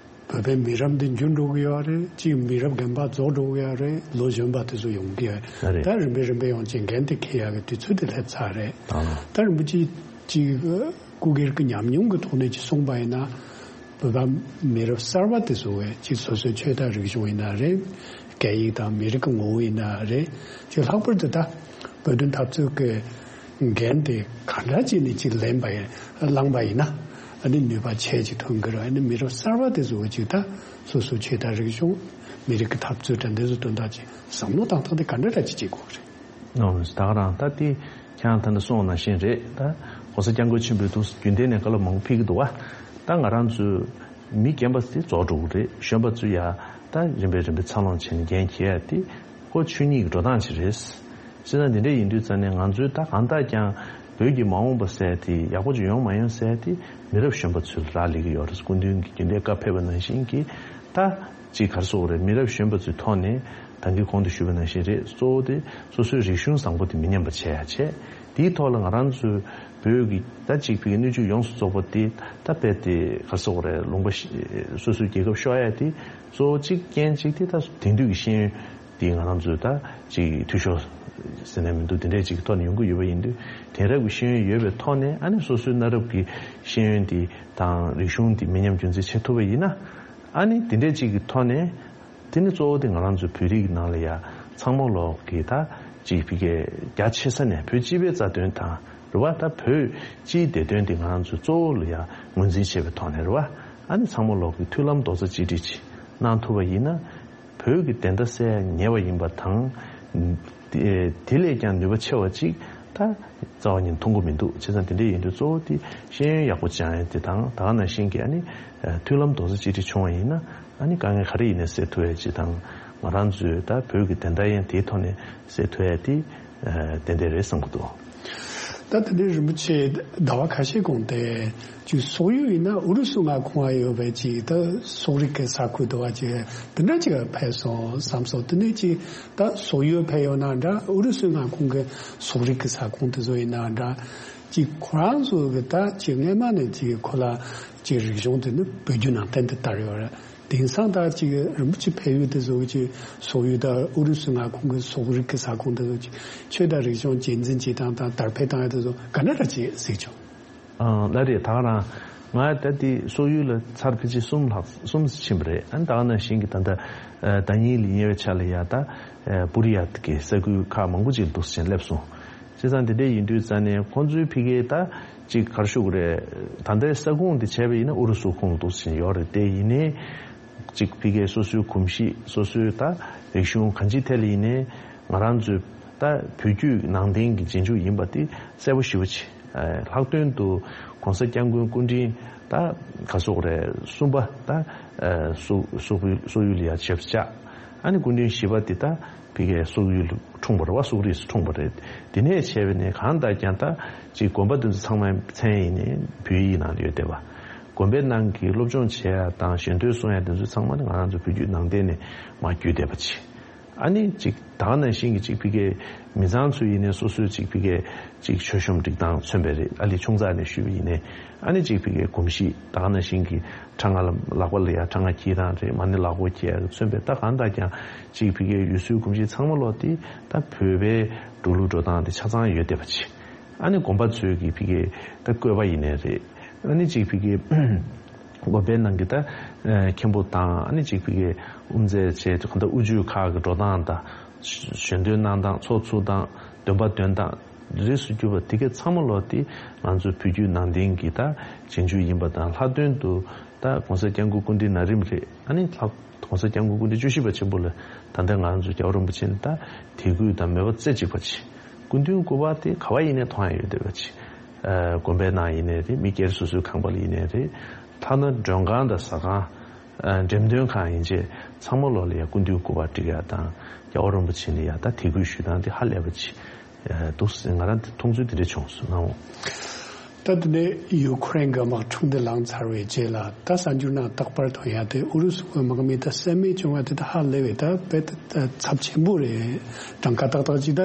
བོད་པའི་མི་རབས་འདི་འགྱུར་འགྲོ་གི་ཡོད་རེད། ཅིག་མི་རབས་རྒན་པ་རྫོགས་འགྲོ་གི་ཡོད་རེད། ལོ་གཞོན་པ་དེ་ཚོ་ཡོང་གི་ཡོད་རེད། ད་རིམ་པས་རིམ་པས་ཡོང་ཅིག་འགན་དེ་འཁྱེར་ཡག་གི་དུས་ཚོད་དེ་སླེབས་ཚར་རེད། ད་རིན་པོ་ཆེ་ཅིག་སྐུ་སྒེར་གྱི་ཉམས་མྱོང་གི་ཐོག་ནས་ཅིག་གསུངས་པ་ཡིན་ན། བོད་པ་མི་རབས་གསར་པ་དེ་ཚོ་བས་ཅིག་སོ་སོའི་ཆོས་དང་རིག་གཞུང་ཡིན་ན་རེད། སྐད་ཡིག་དང་མི་རིགས་ཀྱི་ངོ་བོ་ཡིན་ན་རེད། ཅིག་ལྷག་པར་དུ་ད་བོད་དོན་འཐབ་རྩོད་ཀྱི་འགན་དེ་ག་འདྲ་བྱས་ནས་ཅིག་ལེན་པ་ཡིན། བླངས་པ་ཡིན་ན་ཨ་ནི་ནུས་པ་ཆེ་ཅིག་ཐོན་གི་རེད། ཨ་ནི་མི་རབས་གསར་པ་དེ་ཚོ་གིས་ཅིག་ད་སོ་སོའི་ཆོས་དང་རིག་གཞུང་། མི་རིགས་ཀྱི་འཐབ་རྩོད་དང་འདི་ཚོ་དོན་དག་ཅིག་བསམ་བློ་བཏང་སྟངས་དེ་ག་འདྲ་འདྲ་ཅིག་བྱེད་དགོས་རེད། ནོ། ད་ག་རང་ད་དེ་ཁྱེད་རང་ད་ལྟ་གསུངས་པ་ནང་བཞིན་རེད། ད་༸གོང་ས་༸སྐྱབས་མགོན་ཆེན་པོས་འདུག་རྒྱུན་ལྡན་ནས་བཀའ་སློབ་མང་པོ་ཕེབས་ཀྱི་འདུག་བ། ད་ང་རང་ཚོའི་མི་རྒན་པ་དེ་རྫོགས་འགྲོ་གི་རེད། གཞོན་པ་ཚོས་ཡ་ད་རིམ་པས་རིམ་པས་འཚར་ལོངས་བྱས་ནས་འགན་འཁྱེར་ཡ་དེ་ཁོ་ཆོས་ཉིད་ཀྱི་འགྲོ་སྟངས་ཅིག་རེད། བྱས་ཙང་འདི་འདྲ་ཡིན་དུས་ཙང་ནས་ང་ཚོས་ད་གང་ལྟར་ཀྱང་བོད་ཀྱི་མ་འོངས་པ་ཟེར་དེ་ཡག་པོ་ཅིག་ཡོང་མ་ཡོང་ཟེར་དེ་མི་རབས་གཞོན་པ་ཚོས་རག་ལས་ཀྱི་ཡོད་རེད། སྐུ་མདུན་གྱིས་རྒྱུན་ལས་བཀའ་ཕེབས་པ་ནང་བཞིན་གྱི་ད་ཅིག་ག་རེ་ཟེར་དགོས་རེད། མི་རབས་གཞོན་པ་ཚོའི་ཐོག་ནས་ད་གིན་གོང་དུ་ཞུས་པ་ནང་བཞིན་རེད། གཙོ་བོ་དེ་སོ་སོའི་རིག་གཞུང་བཟང་པོ་དེ་མི་ཉམས་པ་བྱེད་ཡ་བྱས། དེའི་ཐོག་ལ་ང་རང་ཚོའི་བོད་ཀྱི་ད་ཅིག་བོད་ཀྱི་སྣོད་བཅུད་ཡོངས་སུ་རྫོགས་པ་དེ་ད་རྦད་དེ་ག་རེ་ཟེར་དགོས་རེད། ལུང་པ་ཤི་སོ་སོའི་རྒྱལ་ཁབ་ཤོར་ཡ་དེ་གཙོ་བོ་གཅིག་རྐྱེན་གཅིག་དེ་ད་དེང་དུས་ཀྱི་ཤེས་ཡོན་དེ་ང་རང་ཚོས་ད་ཅིག་འཐུས་ཤོར་ཟེར་ནས་མི་འདུག་དེ་འདྲས་ཅིག་གི་ཐོག་ནས་ཡོང་གི་ཡོད་པ་ཡིན་དུས། དེང་རབས་ཀྱི་ཤེས་ཡོན་ཡོད་པའི་ཐོག་ནས་ཨ་ནི་སོ་སོའི་གནའ་རབས་ཀྱི་ཤེས་ཡོན་དེ་དང་རིག་གཞུང་དེ་མི་ཉམས་རྒྱུན་འཛིན་བྱེད་ཐུབ་པ་ཡིན་ན། ཨ་ནི་དེ་འདྲས་ཅིག་གི་ཐོག་ནས། དེ་ནི་གཙོ་བོ་དེ་ང་རང་ཚོའི་བོད་རིགས་ནང་ལ་ཡ་ཚང་མ་ལོག་གི་ད་ཅིག་ཕ་གིའི་རྒྱ་ཆེ་ས་ནས་བོད་སྤྱི་པའི་རྩ་དོན་དང་རེད་བ། ད་བོད་སྤྱིའི་བདེ་དོན་དེ་ང་རང་ཚོའི་གཙོ་བོ་ལ་ཡ་ངོས་འཛིན་བྱས་པའི་ཐོག་ནས་རེད་བ། ཨ་ནི་ཚང་མ་ལོག་གི་མཐུན་ལམ་རྡོག་རྩ་གཅིག་སྒྲིལ་ཅིག་གནང་ཐུབ་པ་ཡིན་ན། བོད་ཀྱི་བདེན་མཐའ་གསལ་ཉེ་བ་ཡིན་པ་དང་། དེ་དེ་ལས་ཀྱང་ནུས་པ་ཆེ་བ་ཅིག་ད་རྩ་བ་ཉིད་མཐོང་གི་མི་འདུག་བྱས་ཙང་དེ་འདྲ་ཡིན་དུས་གཙོ་བོ་དེ་ཤེས་ཡོན་ཡག་པོ་སྦྱང་ཡ་དེ་དང་། ད་ག་ནང་བཞིན་གྱི་ཨ་ནི་མཐུན་ལམ་རྡོག་རྩ་གཅིག་སྒྲིལ་བྱུང་བ་ཡིན་ན། ཨ་ནི་དཀའ་ངལ་ག་རེ་ཡིན་ནའི་སེལ་ཐུབ་ཡ་ཅིག་དང་། ང་རང་ཚོའི་ད་བོད་ཀྱི་བདེན་མཐའ་ཡང་དེའི་ཐོག་ནས་སེལ་ཐུབ་ཡ་དེ་ཏན་ཏན་རེད་བསམ་གྱི་འདུག་ད་དེ་ནས་རིན་པོ་ཆེ་ཟླ་བ་ཁ་ཤས་གོང་དེ་ཅིག་སོག་ཡུལ་ཡིན་ན་ཨུ་རུ་སུ་མངའ་ཁོངས་ཡོད་པའི་ཅིག་ད་སོག་རིགས་ཀྱི་ས་ཁུལ་དུ་བ་ཅིག་དེ་འདྲ་ཅིག་ཕེབས་སོང་བསམ་སོང་། དེ་ནས་ཅིག་ད་སོག་ཡུལ་ཕེབས་ཡོང་ན་འདྲ། ཨུ་རུ་སུའི་མངའ་ཁོངས་ཀྱི་སོག་རིགས་ཀྱི་ས་ཁོངས་དེ་ཚོ་ཡིན་ན་འདྲ། ཅིག་ཁོ་རང་ཚོ་གི་ད་ཅིག་སྔས་མ་ནས་ཅིག་ཁོ་ལ་ཅིག་རིག་གཞུང་དེ་ནི་བོད་བརྒྱུད་ནང་བསྟན་དུ་དར་ཡོད་རེད། དེང་སང་ད་ཅིག་རིན་པོ་ཆེ་ཕེབས་ཡུལ་དེ་ཚོ་གི་སོག་ཡུལ་དང་ཨུ་རུ་སུ་མངའ་ཁོངས་ཀྱི་སོག་རིགས་ཀྱི་ས་ཁོངས་དེ་ཚོ་ཆོས་དང་རིག་གཞུང་གཅེས་འཛིན་བྱེད་སྟངས་དང་དར་འཕེལ་བཏང་ཡ་དེ་ཚོ་ག་འདྲ་ར་ཅིག་གཟིགས་བྱུང་། ཨ་ལགས་རེད། ད་ག་རང་ང་ད་དེ་སོག་ཡུལ་ལ་ཚར་ཕལ་ཆེར་གསུམ་ལྷག་གསུམ་ཕྱིན་པ་རེད། ཨ་ནི་ད་ག་ནང་བཞིན་གྱི་ད་ལྟ་ཨ་ཟླ་ཉིན་ལ་ཉེ་བའི་ཆར་ལ་ཡ་ད་ཨ་པུ་རི་ཡ་གི་ས་ཁུལ་ཁག་མང་པོ་ཅིག་འདུག་སེ་བྱས་ནས་སླེབས་སོང་། བྱས་ཙང་དེ་འདྲ་ཡིན་དུས་ཙང་ནས་ཁོང་ཚོའི་ཕ་གིའི་ད་ཅིག་ག་རེ་ཞུ་དགོས་རེད། ད་ལྟའི་ས་ཁོངས་དེ་བྱས་པ་ཡིན་ན་ཨུ་རུ་སུ་ཁོངས་འདུག་སེ་ཡོད་རེད། དེ་ཡིན་ནའི་ཅིག་ཕ་གིའི་སོ་སོའི་གོམས་གཤིས་སོ་སོའི་ད་རིག་གཞུང་གང་ཅིའི་ཐད་ལ་ཡིན་ནའི་ང་རང་ཚོའི་ད་བོད་བརྒྱུད་ནང་བསྟན་གྱི་རྗེས་འཇུག་ཡིན་པ་དེ་གསལ་པོ་ཞེ་པོ་ཅིག་ལྷག་དོན་དུ་༸གོང་ས་༸སྐྱབས་མགོན་སྐུ་ཕྲེང་ད་ག་སོག་རེད་གསུམ་པ་ད་སོག་སོག་པོའི་སོག་ཡུལ་ལ་ཡ་ཆབས་བཅག་ཨ་ནི་སྐུ་ཕྲེང་བཞི་པ་དེ་ད་ཕ་གིའི་སོག་ཡུལ་འཁྲུངས་པ་རེད་བ། སོག་རིས་སུ་འཁྲུངས་པ་རེད། དེ་ནས་བྱས་པ་ནས་གང་ལྟར་ཀྱང་ད་ཅིག་དགོན་པ་དེ་ཚོ་ཚང་མའི་མཚན་ཡིན་ནའི་བོད་ཡིག་ནང་ལ་ཡོད་བསྡད་པ། དགོན་པའི་ནང་གི་སློབ་སྦྱོང་བྱེད་ཡ་དང་ཞལ་འདོན་གསུང་ཡ་དེ་ཚོ་ཚང་མ་ནི་ང་རང་ཚོ་བོད་བརྒྱུད་ནང་བསྟན་ནས་མར་བརྒྱུད་བསྡད་པ་ཅིག་ཨ་ནི་ཅིག་ད་ག་ནང་བཞིན་གྱི་ཅིག་ཕ་གིའི་མི་ཚང་ཚོ་ཡིན་ནའི་སོ་སོའི་ཅིག་ཕ་གིའི་ཅིག་མཆོད་གཤོམ་སྒྲིག་སྟངས་མཚོན་པ་རེད། ཨ་ལི་ཆུང་ཙག་ནས་ཞུས་པ་ཡིན་ནའི་ཨ་ནི་ཅིག་ཕ་གིའི་གོམས་གཤིས་ད་ག་ནང་བཞིན་གྱི་ཁྲ་རྔ་ལ་ལག་པ་ལ་ཡ་ཁྲ་རྔ་འཁྱེར་སྟངས་རེད། མ་ཎི་ལག་མགོ་འཁྱེར་ཡ་མཚོན་པའི་ད་གང་ལྟར་ཀྱང་ཅིག་ཕ་གིའི་ཡུལ་སྲོལ་གོམས་གཤིས་ཚང་མ་ལོག་དེ་ད་བོད་པའི་འགྲོ་ལུགས་འགྲོ་སྟངས་དེ་ཆ་ཚང་ཡོད་བསྡད་པ་ཅིག་ཨ་ནི་དགོན་པ་ཚོའི་གི་ཕ་གིའི་ད་བཀོད་པ་ཡིན་ནའི་རེད། ཨ་ནི་ཅིག་ཕ་གིའི་དགོན་པའི་ནང་གི་ད་མཁན་པོ་དང་ཨ་ནི་ཅིག་ཕ་གིའི་དབུ་མཛད་བཅས་གང་ལྟར་དབུ་ཆོས་ཁག་གི་འགྲོ་སྟངས་དང་ཞལ་འདོན་གནང་སྟངས་ཚོགས་ཚུགས་སྟངས་འདོན་པ་འདོན་སྟངས་རིས་སུ་གྱུར་པ་དེ་ག་ཚང་མ་ལོག་དེ་ང་ཚོའི་བོད་བརྒྱུད་ནང་བསྟན་གྱི་ད་རྗེས་འཇུག་ཡིན་པ་དང་ལྷག་དོན་དུ་ད་༸གོང་ས་༸སྐྱབས་མགོན་སྐུ་ཕྲེང་ན་རིམ་རེད། ཨ་ནི་ལྷག་༸གོང་ས་༸སྐྱབས་མགོན་སྐུ་ཕྲེང་བཅུ་བཞི་པ་ཆེན་པོ་ལ་ད་ལྟ་ང་ཚོ་རྒྱལ་བ་རིན་པོ་ཆེ་ནས་ད་དད་གུས་དང་མོས་པ་རྩེ་གཅིག་པ་བྱེད། སྐུ་མདུན་སྐུ་པར་དེ་ག་བ་ཡིན་ནའི་མཐོང་ཡ་ཡོད་བསྡད་པ་བྱེད། ཨ་དགོན་པའི་ནང་ཡིན་ནའི་རེད། མི་སྒེར་སོ་སོའི་ཁང་པ་ལ་ཡིན་ནའི་རེད། ཐ་ན་མགྲོན་ཁང་དང་ཟ་ཁང་། ཨ་འགྲེམས་སྟོན་ཁང་ཡིན་བྱས་ཚང་མ་ལོག་ལ་ཡ་སྐུ་མདུན་སྐུ་པར་སྒྲིག་ཡ་དང་རྒྱལ་བ་རིན་པོ་ཆེ་ལ་ཡ་ད་དད་གུས་ཞུ་སྟངས་དེ་ཧ་ལས་པ་བྱེད། ཨ་འདུག་ཟེར་ང་རང་དེ་མཐོང་ཚུལ་དེ་འདྲ་བྱུང་སོང་ནའོ། ད་དེ་ནས་ཡུ་ཁུ་རེན་གྱི་དམག་འཁྲུག་འདི་ལངས་ཚར་བའི་རྗེས་ལ་ད་གསར་འགྱུར་ནང་རྟག་པར་ཐོན་ཡ་དེ་ཨུ་རུ་སུ་གི་དམག་མི་ད་བསད་རྨས་བྱུང་བ་དེ་ད་ཧ་ལས་པའི་ད་དཔེ་ད་ཚབས་ཆེན་པོ་རེད། གྲངས་ཀ་ཏག་ཏག་ཅིག་ད་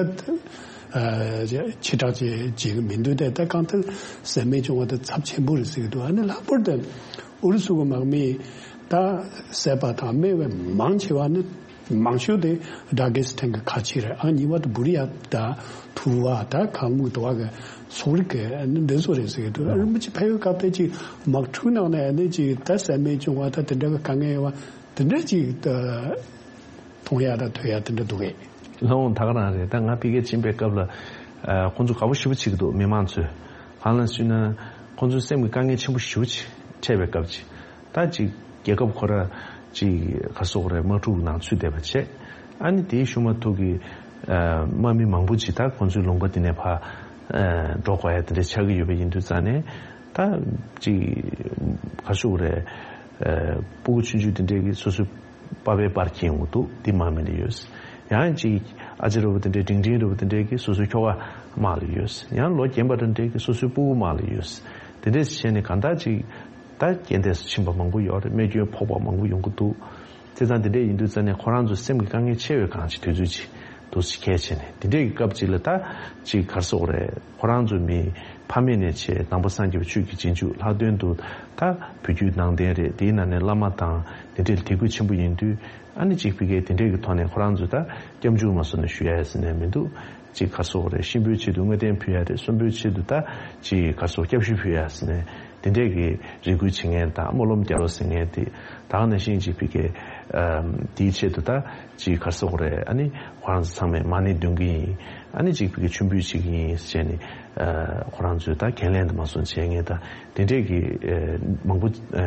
ཨ་ཆེ་དྲགས་ཅིག་བརྗེད་གི་མི་འདུག་དེ་ད་གང་ལྟར་བསད་རྨས་བྱུང་བ་དེ་ཚབས་ཆེན་པོ་རེད་ཟེར་གི་འདུག་ཨ་ནི་ལྷག་པར་དུ་ཨུ་རུ་སུ་གི་དམག་མི་ད་བསད་པ་དང་རྨས་པ་མང་ཆེ་བ་ནི། མང་ཤོས་དེ་ཌ་གེ་སི་ཐན་གྱི་ཁ་ཆེ་རེད། ཨ་གཉིས་པ་དེ་བུ་རི་ཡ་དང་ཐུ་བ་དང་གང་མུག་དུ་བ་གི་སོག་རིགས་ཀྱི་ནི་འདི་ཚོ་རེད་ཟེར་གི་འདུག་རིན་པོ་ཆེ་ཕེབས་པའི་སྐབས་དེ་ཅིག་དམག་འཁྲུག་ནང་ནས་ནི་ཅིག་ད་བསད་རྨས་བྱུང་བ་ད་དེ་འདྲ་གི་དཀའ་ངལ་ཡོད་བ་དེ་འདྲ་ཅིག་ད་མཐོང་ཡ་ད་ཐོས་ཡ་དེ་འདྲ་འདུག་གས། ལགས་འོང་ད་ག་རང་རེད། ད་ང་ཕ་གིར་ཕྱིན་པའི་སྐབས་ལ་ཨ་ཁོང་ཚོ་དགའ་པོ་ཞེ་པོ་བྱེད་ཀྱི་འདུག་མི་མང་ཚོས་གང་ལ་ཞུས་ན་ཁོང་ཚོའི་སེམས་ཀྱི་དཀའ་ངལ་ཆེན་པོ་ཞེ་པོ་ཅིག་འཕྲད་པའི་སྐབས་ཅིག་ད་ཅིག་རྒྱལ་ཁབ་ཁོ་ར་ཅིག་ག་སོག་རེད་དམག་འཁྲུག་ནང་ཚུད་བསྡད་པ་བྱས། ཨ་ནི་དེའི་ཤུལ་མ་ཐུག་གི་ཨ་དམག་མི་མང་པོ་ཅིག་ད་ཁོང་ཚོའི་ལུང་པ་དེ་ནས་ཕར་ཨ་འགྲོ་དགོས་ཡ་དེ་འདྲ་ཆགས་ཀྱི་ཡོད་པ་ཡིན་དུས་ཙང་ནས་ད་ཅིག་ག་སོག་རེད་ཨ་སྤུ་གུ་ཆུང་ཆུང་དེ་འདྲས་ཀྱིས་སོ་སོའི་པ་ཕའི་པར་འཁྱེར་ཡོང་གི་འདུག་འདི་དམག་མི་ལ་ཡོད། ཡང་ཅིག་ཨ་ཅེ་རེད་བ་དེ་འདྲས་འབྲིང་འབྲིང་རེད་བ་དེ་འདྲས་ཀྱིས་སོ་སོའི་ཁྱོ་ག་དམག་ལ་ཡོད། ཡང་ལོ་རྒན་པ་དེ་འདྲས་ཀྱིས་སོ་སོའི་སྤུ་གུ་དམག་ལ་ཡོད། དེ་འདྲས་བྱས་ནས་གང་ལྟར་ཅིག་ད་རྐྱེན་འདས་སུ་ཕྱིན་པ་མང་པོ་ཡོད་རེད། རྨས་སྐྱོན་ཕོག་པ་མང་པོ་ཡོང་གི་འདུག་བྱས་ཙང་དེ་འདྲས་ཡིན་དུས་ཙང་ནས་ཁོ་རང་ཚོ་སེམས་ཀྱི་དཀའ་ངལ་ཆེ་བའི་སྒང་ཅིག་དུས་ཚོད་ཅིག་འདུག་སེ་གལ་ཆེ་ནས་དེ་འདྲས་ཀྱི་སྐབས་ཅིག་ལ་ད་ཅིག་ག་རེ་ཟེར་དགོས་རེད། ཁོ་རང་ཚོ་མི་ཕ་མེས་ནས་བྱས་དང་པོ་སངས་རྒྱས་པའི་ཆོས་ཀྱི་རྗེས་འཇུག་ལྷག་དོན་དུ་ད་བོད་བརྒྱུད་ནང་བསྟན་རེད། དེའི་ནང་ནས་བླ་མ་དང་དེ་འདྲས་ལ་དད་གུས་ཆེན་པོ་ཡིན་དུས་ཨ་ནི་ཅིག་ཕ་གིའི་དེ་འདྲས་ཀྱི་ཐོག་ནས་ཁོ་རང་ཚོ་ད་སྐྱབས་འཇུག་མ་སོང་ན་ཞུ་ཡ་ཟེར་ནས་མི་འདུག་ཅིག་ག་རེ་ཟེར་དགོས་རེད། གཤིན་པོའི་ཆེད་དུ་བསྔོ་རྟེན་ཕུལ་ཡ་རེད། གསོན་པོའི་ཆེད་དུ་ད་ཅིག་ག་རེ་ཟེར་སྐྱབས་ཞུ་ཕུལ་ཡ་ཟེར་ནས་དེ་འདྲས་ཀྱི་རེ་སྐུལ་བྱེད་མཁན་དང་སྨོན་ལམ་རྒྱག་རོགས་ཟེར་མཁན་དེ་ད་ག་ནང་བཞིན་ཅིག་ཕ་གིའི་ཨ་དེའི་ཆེད་དུ་ད་ཅིག་ག་རེ་ཟེར་དགོས་རེད། ཨ་ནི་ཁོ་རང་ཚོ་ཚང་མས་མ་ཎི་འདོན་གྱི་ཡིན། ཨ་ནི་ཅིག་ཕ་གིའི་མཆོད་འབུལ་བྱེད་ཀྱི་ཡིན་ཟེར་ནས་ཨ་ཁོ་རང་ཚོས་ད་འགན་ལེན་དུ་མ་སོང་བྱེད་མཁན་དང་དེ་འདྲས་ཀྱི་ཨ་མང་པོ་ཨ་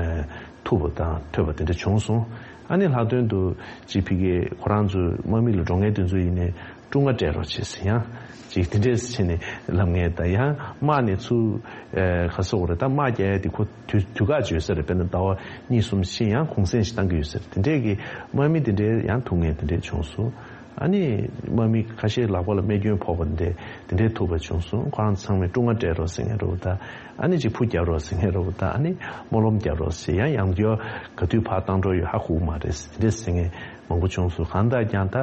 ཐུག་པ་དང་ཐོས་པ་དེ་འདྲ་བྱུང་སོང་། ཨ་ནི་ལྷག་དོན་དུ་ཅིག་ཕ་གིའི་ཁོ་རང་ཚོ་དམག་མི་ལ་འགྲོ་མཁན་དེ་ཚོ་ཡིན་ནའི་སྲུང་བ་སྤྲད་རོགས་བྱེད་ཟེར་ཡང་ཅིག་དེ་འདྲས་བྱས་ནས་ལབ་མཁན་དང་ཡང་དམག་ནས་ཚུར་ཨེ་ག་རེ་ཟེར་དགོས་རེད། ད་དམག་རྒྱག་ཡ་དེ་ཁོ་དུས་དུས་བཀག་ཅིག་ཡོད་ས་རེད། དཔེར་ན་ཟླ་བ་གཉིས་གསུམ་ཕྱིན་ཡང་གུང་སེང་ཞིག་བཏང་གི་ཡོད་ས་རེད། དེ་འདྲས་ཀྱི་དམག་མི་དེ་འདྲས་ཡང་ཐུག་མཁན་དེ་འདྲས་བྱུང་སོང་། ཨ་ནི་དམག་མི་ཁ་ཤས་ལག་པ་ལ་རྨས་སྐྱོན་ཕོག་པ་དེ་འདྲས་དེ་འདྲས་ཐུག་པ་བྱུང་སོང་། ཁོ་རང་ཚང་མས་སྲུང་བ་སྤྲད་རོགས་ཟེར་མཁན་རེད་བ། ད་ཨ་ནི་ཅིག་ཕུ་རྒྱག་རོགས་ཟེར་མཁན་རེད་བ། ད་ཨ་ནི་སྨོན་ལམ་རྒྱག་རོགས་ཟེར་ཡང་ཡང་བསྐྱར་ག་དུས་ཕར་བཏང་འགྲོ་ཡོད་ཧ་གོ་གི་མ་རེད་དེ་འདྲས་ཟེར་མཁན་མང་པོ་བྱུང་སོང་། གང་ལྟར་ཀྱང་ད།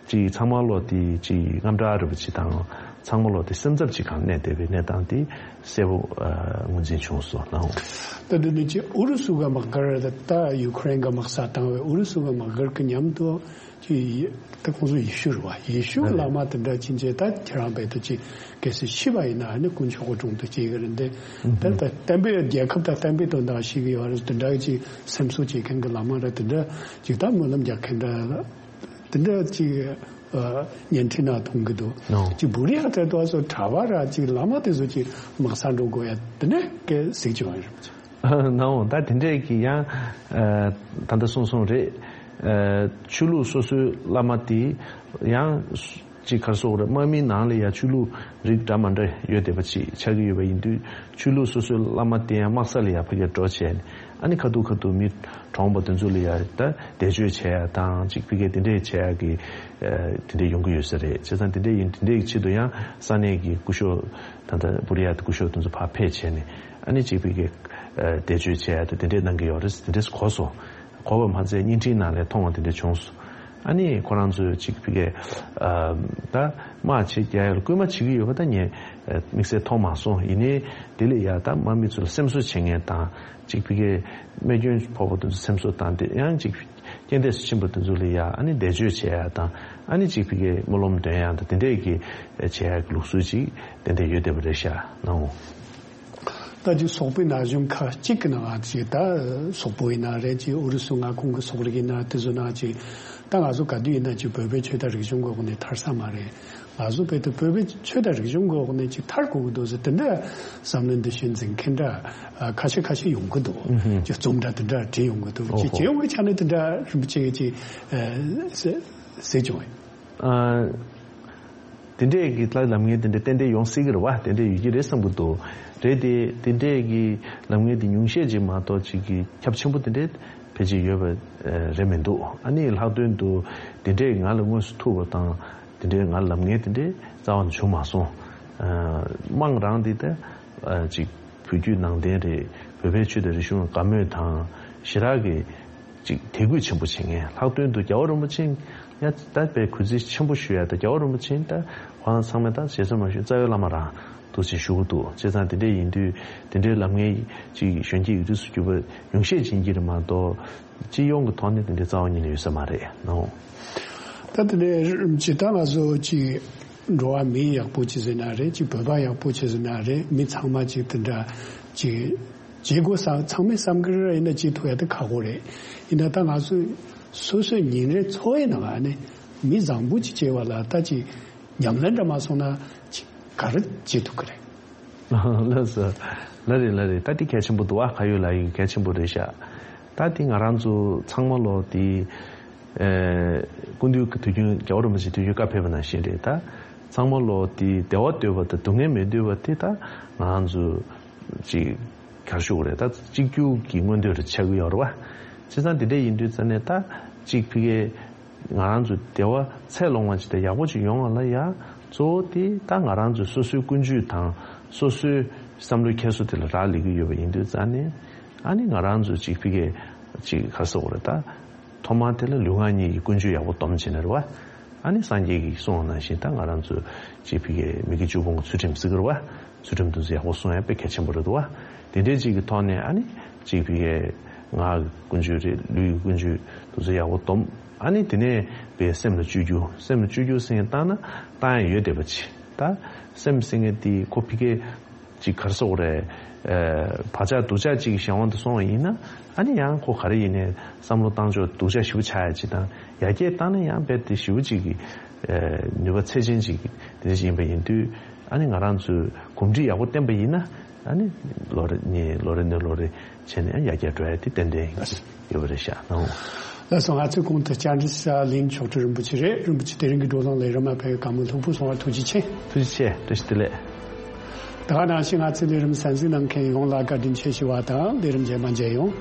ཅིག་ཚང་མ་ལོག་དེ་ཅིག་དངངས་སྐྲག་རེད་པ་ཅིག་དང་ ཚང་མ་ལོ་དེ་སེམས་འཚབ་ཅིག་གང་གནས་བསྡད་པའི་གནས་སྟངས་དེ་གསལ་པོ་ཨ་ངོས་འཛིན་བྱུང་སོང་ལགས། ད་འདི་ནི་ཅི་ཨུ་རུ་སུ་གི་དམག་སྒར་ད་ཡུ་ཁུ་རེན་གི་དམག་ས་བཏང་བའི་ཨུ་རུ་སུ་གི་དམག་སྒར་གི་མཉམ་དུ་ཅི་ད་ཁོང་ཚོ་ཡེ་ཤུ་རེད་བ། ཡེ་ཤུ་གི་བླ་མ་དེ་འདྲ་ཕྱིན་ཆད་ད་ཁྱེད་རང་བལ་དུ་ཅི་གལ་སྲིད་ཤི་བ་ཡིན་ན་ཨ་ནི་དཀོན་མཆོག་གི་དྲུང་དུ་སྐྱེལ་གི་རེད་འདི། ད་ད་བསྟན་པའི་རྒྱལ་ཁབ་དང་བསྟན་པའི་དོན་དག་ཤི་གི་ཡོད་རེད། དེ་འདྲ་གི་ཅི་སེམས་གསོ་བྱེད་མཁན་གི་བླ་མ་ར་དེ་འདྲ་ཅི་ད་སྨོན་ལམ་རྒྱག་མཁན་འདྲ། དེ་འདྲ་ཅིག་ཨ་བརྙན་འཕྲིན་ནང་མཐོང་གི་འདུག་ཅིག་བུ་རི་ཡ་དེ་དོ་སོ་གྲྭ་པ་ར་ཅིག་བླ་མ་དེ་ཚོ་ཅིག་དམག་ས་འགྲོ་དགོས་ཡ་དེ་འདྲ་སྐད་ཟིག་བྱུང་བ་རེད། ནའོ་ད་དེ་འདྲས་ཀྱི་ཡང་ཨ་ད་ལྟ་གསུངས་སོང་རེད། ཨ་ཆོས་ལུགས་སོ་སོའི་བླ་མ་དེ་ཡང་ཅིག་ག་རེ་ཟེར་དགོས་རེད། དམག་མིའི་ནང་ལ་ཡ་ཆོས་ལུགས་རིགས་འདྲ་མ་འདྲ་ཡོད་བསྡད་པ་ཅིག་ཆགས་ཀྱི་ཡོད་པ་ཡིན་དུས། ཆོས་ལུགས་སོ་སོའི་བླ་མ་དེ་ཡང་དམག་ས་ལ་ཡ་ཕ་གིར་འགྲོ་བྱས་ནས་ཨ་ནི་ཁ་ཐུག་ཁ་ཐུག་མི་གྲོངས་པ་དེ་ཚོ་ལ་ཡ་ད་འདས་མཆོད་བྱས་ཡ་དང་ཅིག་ཕ་གིར་དེ་འདྲས་བྱས་ཡ་གི་ཨ་དེ་འདྲས་ཡོང་གི་ཡོད་ས་རེད། བྱས་ཙང་དེ་འདྲས་ཡིན་དེ་འདྲས་ཀྱི་ཆེད་དུ་ཡང་ས་གནས་ཀྱི་སྐུ་ཞབས་ད་ལྟ་བུ་རི་ཡ་དེ་སྐུ་ཞབས་དེ་ཚོ་ཕར་ཕེབས་བྱས་ནས་ཨ་ནི་ཅིག་ཕ་གིར་ཨ་འདས་མཆོད་བྱས་ཡ་དེ་དེ་འདྲས་གནང་གི་ཡོད་རེད། དེ་འདྲས་གོ་སོང་། གོ་བ་མ་ཚད་བརྙན་འཕྲིན་ནང་ལ་མཐོང་བ་དེ་འདྲ་བྱུང་སོང་། ཨ་ནི་ཁོ་རང་ཚོས་ཅིག་ཕ་གིར་ཨ་ད་དམག་བྱེད་རྒྱག་ཡ་ལ་སྐུལ་མ་བྱེད་ཀྱི་ཡོད་པ་ད་ངས་ཨ་དམིགས་བསལ་མཐོང་མ་སོང་། ཡིན་ནའི་དེ་ལས་ཡ་ད་དམག་མི་ཚོ་ལ་སེམས་གསོ་བྱེད་མཁན་དང་ཅིག་ཕ་གིར་རྨས་སྐྱོན་ཕོག་པ་དེ་ཚོ་སེམས་གསོ་དང་དེ་ཡང་ཅིག་རྐྱེན་འདས་སུ་ཕྱིན་པ་དེ་ཚོ་ལ་ཡ་ཨ་ནི་འདས་མཆོད་བྱེད་ཡ་དང་ཨ་ནི་ཅིག་ཕ་གིར་སྨོན་ལམ་འདོན་ཡ་དང་དེ་འདྲས་ཀྱི་བྱེད་ཡ་གི་ལུགས་སྲོལ་ཅིག་དེ་འདྲས་ཡོད་བསྡད་པ་རེད་ཤག་ནའོ། ད་ཅིག་སོག་པོའི་ན་གཞོན་ཁག་ཅིག་གི་ནང་ཅིག་ད་སོག་པོ་ཡིན་ན་རེད། ཅིག་ཨུ་རུ་སུ་མངའ་ཁོངས་ཀྱི་སོག་རིགས་ཡིན་ན་དེ་ཚོ་ནང་ཅིག་ད་ང་ཚོ་ག་དུས་ཡིན་ན་ཅིག་བོད་པའི་ཆོས་དང་རིག་གཞུང་གི་འོག་ནས་ཐར་ས་མ་རེད། ང་ཚོ་བོད་དུ་བོད་པའི་ཆོས་དང་རིག་གཞུང་གི་འོག་ནས་ཅིག་ཐར་དགོས་ཀྱི་འདུག་ཟེར་དེ་འདྲ་བསམ་བློ་འདི་ཤོད་འཛིན་མཁན་འདྲ་ཨ་ཁ་ཤས་ཁ་ཤས་ཡོང་གི་འདུག་ཅིག་རྩོམ་འདྲ་དེ་འདྲ་བྲིས་ཡོང་གི་འདུག་ཅིག་བྱེད་ཡོང་གི་ཆ་ནས་དེ་འདྲ་རིན་པོ་ཆེ་གིས་ཅིག་ཨ་ཟེར་ཟེར་བྱུང་བས། ཨ། དེ་འདྲས་ཀྱི་ད་ལམ་ངན་དེ་འདྲས་ཏན་ཏན་ཡོང་སྲིད་ཀྱི་རེད་བ། དེ་འདྲས་ཡོད་ཀྱི་རེད་བསམ་གྱི་འདུག་རེད་དེ་དེ་འདྲས་ཀྱི་ལམ་ངན་དེ་ཉུང་ཤས་ཅིག་མ་གཏོགས་ཅིག་གི་ཁྱབ་ཆེན་པོ་དེ་འདྲས་ཕལ་ཆེར་ཡོད་པ་རེད་མི་འདུག་ཨ་ནི་ལྷག་དོན་དུ་དེ་འདྲས་ང་ལ་དངོས་སུ་ཐུག་པ་དང་དེ་འདྲས་ང་ལ་ལམ་ངན་དེ་འདྲས་རྩ་བ་ནས་བྱུང་མ་སོང་། དམངས་རང་དེ་ད་ཅིག་བོད་བརྒྱུད་ནང་བསྟན་རེད། བོད་པའི་ཆོས་དང་རིག་གཞུང་ལ་དགའ་མོས་དང་ཞེ་དྲག་གི་ཅིག་དད་གུས་ཆེན་པོ་བྱེད་མཁན། ལྷག་དོན་དུ་རྒྱལ་བ་རིན་པོ་ཆེ་ཡ་ད་དཔེ་གུས་བརྩི་ཆེན་པོ་ཞུ་ཡ། ད་རྒྱལ་བ་རིན་པོ་ཆེ་ད་ཁོ་རང་ཚང་མས་ད་བྱས་ཙང་མ་ཞུ་རྩ་བའི་བླ་མ་རང་འདུག་ཅེས་ཞུ་གི་འདུག་བྱས་ཙང་དེ་འདྲས་ཡིན་དུས་དེ་འདྲའི་ལམ་ངན་ཅིག་གཞོན་སྐྱེས་ཡུལ་དུས་སུ་གྱུར་པ་ཉུང་ཤས་ཅིག་ཡིན་གྱི་རེད་མ་གཏོགས་སྤྱི་ཡོངས་ཀྱི་ཐོག་ནས་དེ་འདྲའི་རྩ་བ་ཉིད་ནས་ཡོད་ས་མ་རེད་ནོ། ད་དེ་ནས་ཇི་ལྟར་ང་ཚོ་ཅིག་འགྲོ་བ་མི་ཡག་པོ་ཅིག་ཟེར་ན་རེད། ཅིག་བོད་པ་ཡག་པོ་ཅིག་ཟེར་ན་རེད། མི་ཚང་མ་ཅིག་དེ་འདྲ་ཅིག་བྱེད་དགོས་ས་ཚང་མས་བསམ་གི་རེད། ཡིན་ན་བྱེད་ཐུབ་ཡ་དེ་ཁག་པོ་རེད། ཡིན་ན་ད་ང་ཚོས་སོ་སོའི་ཉིན་རེ་འཚོ་བའི་ནང་ནས་མི་བཟང་པོ་ཅིག་བྱེད་པ་ལ་ད་ཅིག་ཉམས་ལེན་འདྲ་མ་སོང་ན་ཅིག་ག་རེ་བྱེད་ཐུབ་ཀི་རེད། ལགས་སོ། ལགས་རེད་ལགས་རེད། ད་འདི་གལ་ཆེན་པོ་འདུག་བ། ཁ་ཡོད་ལག་ཡོད་གལ་ཆེན་པོ་རེད་ཤག་ད་འདི་ང་རང་ཚོ་ཚང་མ་ལོ་འདི་ཨེ་སྐུ་མདུན་གྱི་དུས་རྒྱུན་རྒྱལ་བ་རིན་པོ་ཆེ་དུས་རྒྱུན་བཀའ་ཕེབས་པ་ནང་བཞིན་རེད། ད་ཚང་མ་ལོ་འདི་བདེ་བ་འདོད་པ་དང་སྡུག་བསྔལ་མི་འདོད་པ་དེ་ད་ང་རང་ཚོ་ཅིག་ག་རེ་ཞུ་དགོས་རེད། ད་གཅིག་གྱུར་གྱི་མངོན་འདོད་རེ་ཆགས་ཀྱི་ཡོད་རེད་བ། བྱས་ཙང་འདི་འདྲ་ཡིན་དུས་ཙ་ནས་ད་གཅིག་ཕ་གིའི་ང་རང་ཚོ་བདེ་བ་ཚད་ལོངས་པ་ཅིག་དང་ཡག་པོ་ཅིག་ཡོང་བ་ལ་ཡ་གཙོ་བོ་དེ་ད་ང་རང་ཚོ་སོ་སོའི་ཀུན་སྤྱོད་དང་སོ་སོའི་བསམ་བློའི་འཁྱེར་སོ་དེ་ལ་རག་ལས་ཀྱི་ཡོད་པ་ཡིན་དུས་ཙ་ནས་ཨ་ནི་ང་རང་ཚོ་གཅིག་ཕ་གིའི་ཅིག་ག་རེ་ཟེར་དགོས་རེད། ད་ཐོག་མར་དེ་ལ་ལུས་ངག་གཉིས་ཀྱི་ཀུན་སྤྱོད་ཡག་པོ་སྡོམ་བྱས་ནས་རེད་བ། ཨ་ནི་སངས་རྒྱས་ཀྱིས་གསུངས་པ་ནང་བཞིན་ད་ང་རང་ཚོ་གཅིག་ཕ་གིའི་མི་དགེ་བཅུ་སྤོང་གི་ཚུལ་ཁྲིམས་ཟེར་གི་རེད་བ། ཚུལ་ཁྲིམས་དེ་ཚོ་ཡག་པོ་སྲུང་ཡ་དཔེ་གལ་ཆེན་པོ་རེད་འདུག་བ། དེ་འདྲའི་ཅིག་གི་ཐོག་ནས་ཨ་ནི་ཅིག་ཕ་གིའི་ངག་གི་ཀུན་སྤྱོད་རེད། ལུས་ཀྱི་ཀུན་སྤྱོད་དེ་ཚོ་ཡག་པོ་སྡོམ། ཨ་ནི་དེ་ནས་དཔེ་སེམས་ལ་བཅོས་བསྒྱུར། སེམས་ལ་བཅོས་བསྒྱུར་ཟེར་མཁན་བཏང་ན་བཏང་ཡ་ཡོད་བསྡད་པ་ཅིག་ད་སེམས་ཟེར་མཁན་དེ་ཁོ་ཕ་གིའི་ཅིག་ག་རེ་ཟེར་དགོས་རེད། ཨ་བག་ཆགས་སྡུག་ཅག་ཅིག་གི་གཞན་དབང་དུ་སོང་བ་ཡིན་ན་ཨ་ནི་ཡང་ཁོ་ག་རེ་ཡིན་ནའི་བསམ་བློ་བཏང་ཕྱོགས་སྡུག་ཅག་ཞེ་པོ་ཆགས་ཡ་ཅིག་དང་ཡར་རྒྱས་བཏང་ན་ཡང་རྦད་དེ་ཞེ་པོ་ཅིག་གི་ཨ་ནུས་པ་ཚད་ཅན་ཅིག་གི་དེ་འདྲ་ཅིག་ཡིན་པ་ཡིན་དུས་ཨ་ནི་ང་རང་ཚོས་གོམས་འདྲིས་ཡག་པོ་བསྟེན་པ་ཡིན་ན་ཨ་ནི་ལོ་རེ་ནས་ལོ་རེ་ནས་ལོ་རེ་བྱས་ནས་ཡར་རྒྱས་འགྲོ་ཡ་དེ་ཏན་ཏན་ཡིན་གྱི་ཡོད་པ་རེད་ཤག་ནོ། ལགས་སོ། ང་ཚོའི་གོང་དུ་བཅར་འདྲི་ཞུ་ས་གླིང་མཆོག་སྤྲུལ་རིན་པོ་ཆེ་རེད། རིན་པོ་ཆེ་དེ་རིང་གི་བགྲོ་གླེང་ལས་རིམ་མ་ཕེབས་པའི་བཀའ་མོལ་ལྷུག་པོ་གསུང་བར་ཐུགས་རྗེ་ཆེ། ཐུགས་རྗེ་ཆེ། བཀྲ་ཤིས་བདེ་ལེགས། ད་ག་ནང་བཞིན་ང་ཚོའི་ལས་རིམ་གསན་གཟིགས་གནང་མཁན་ཡོངས་ལ་བཀའ་དྲིན་ཆེ་ཞུ་བ་དང་ལས་རིམ་རྗེས་མ་མཇལ་ཡོང་།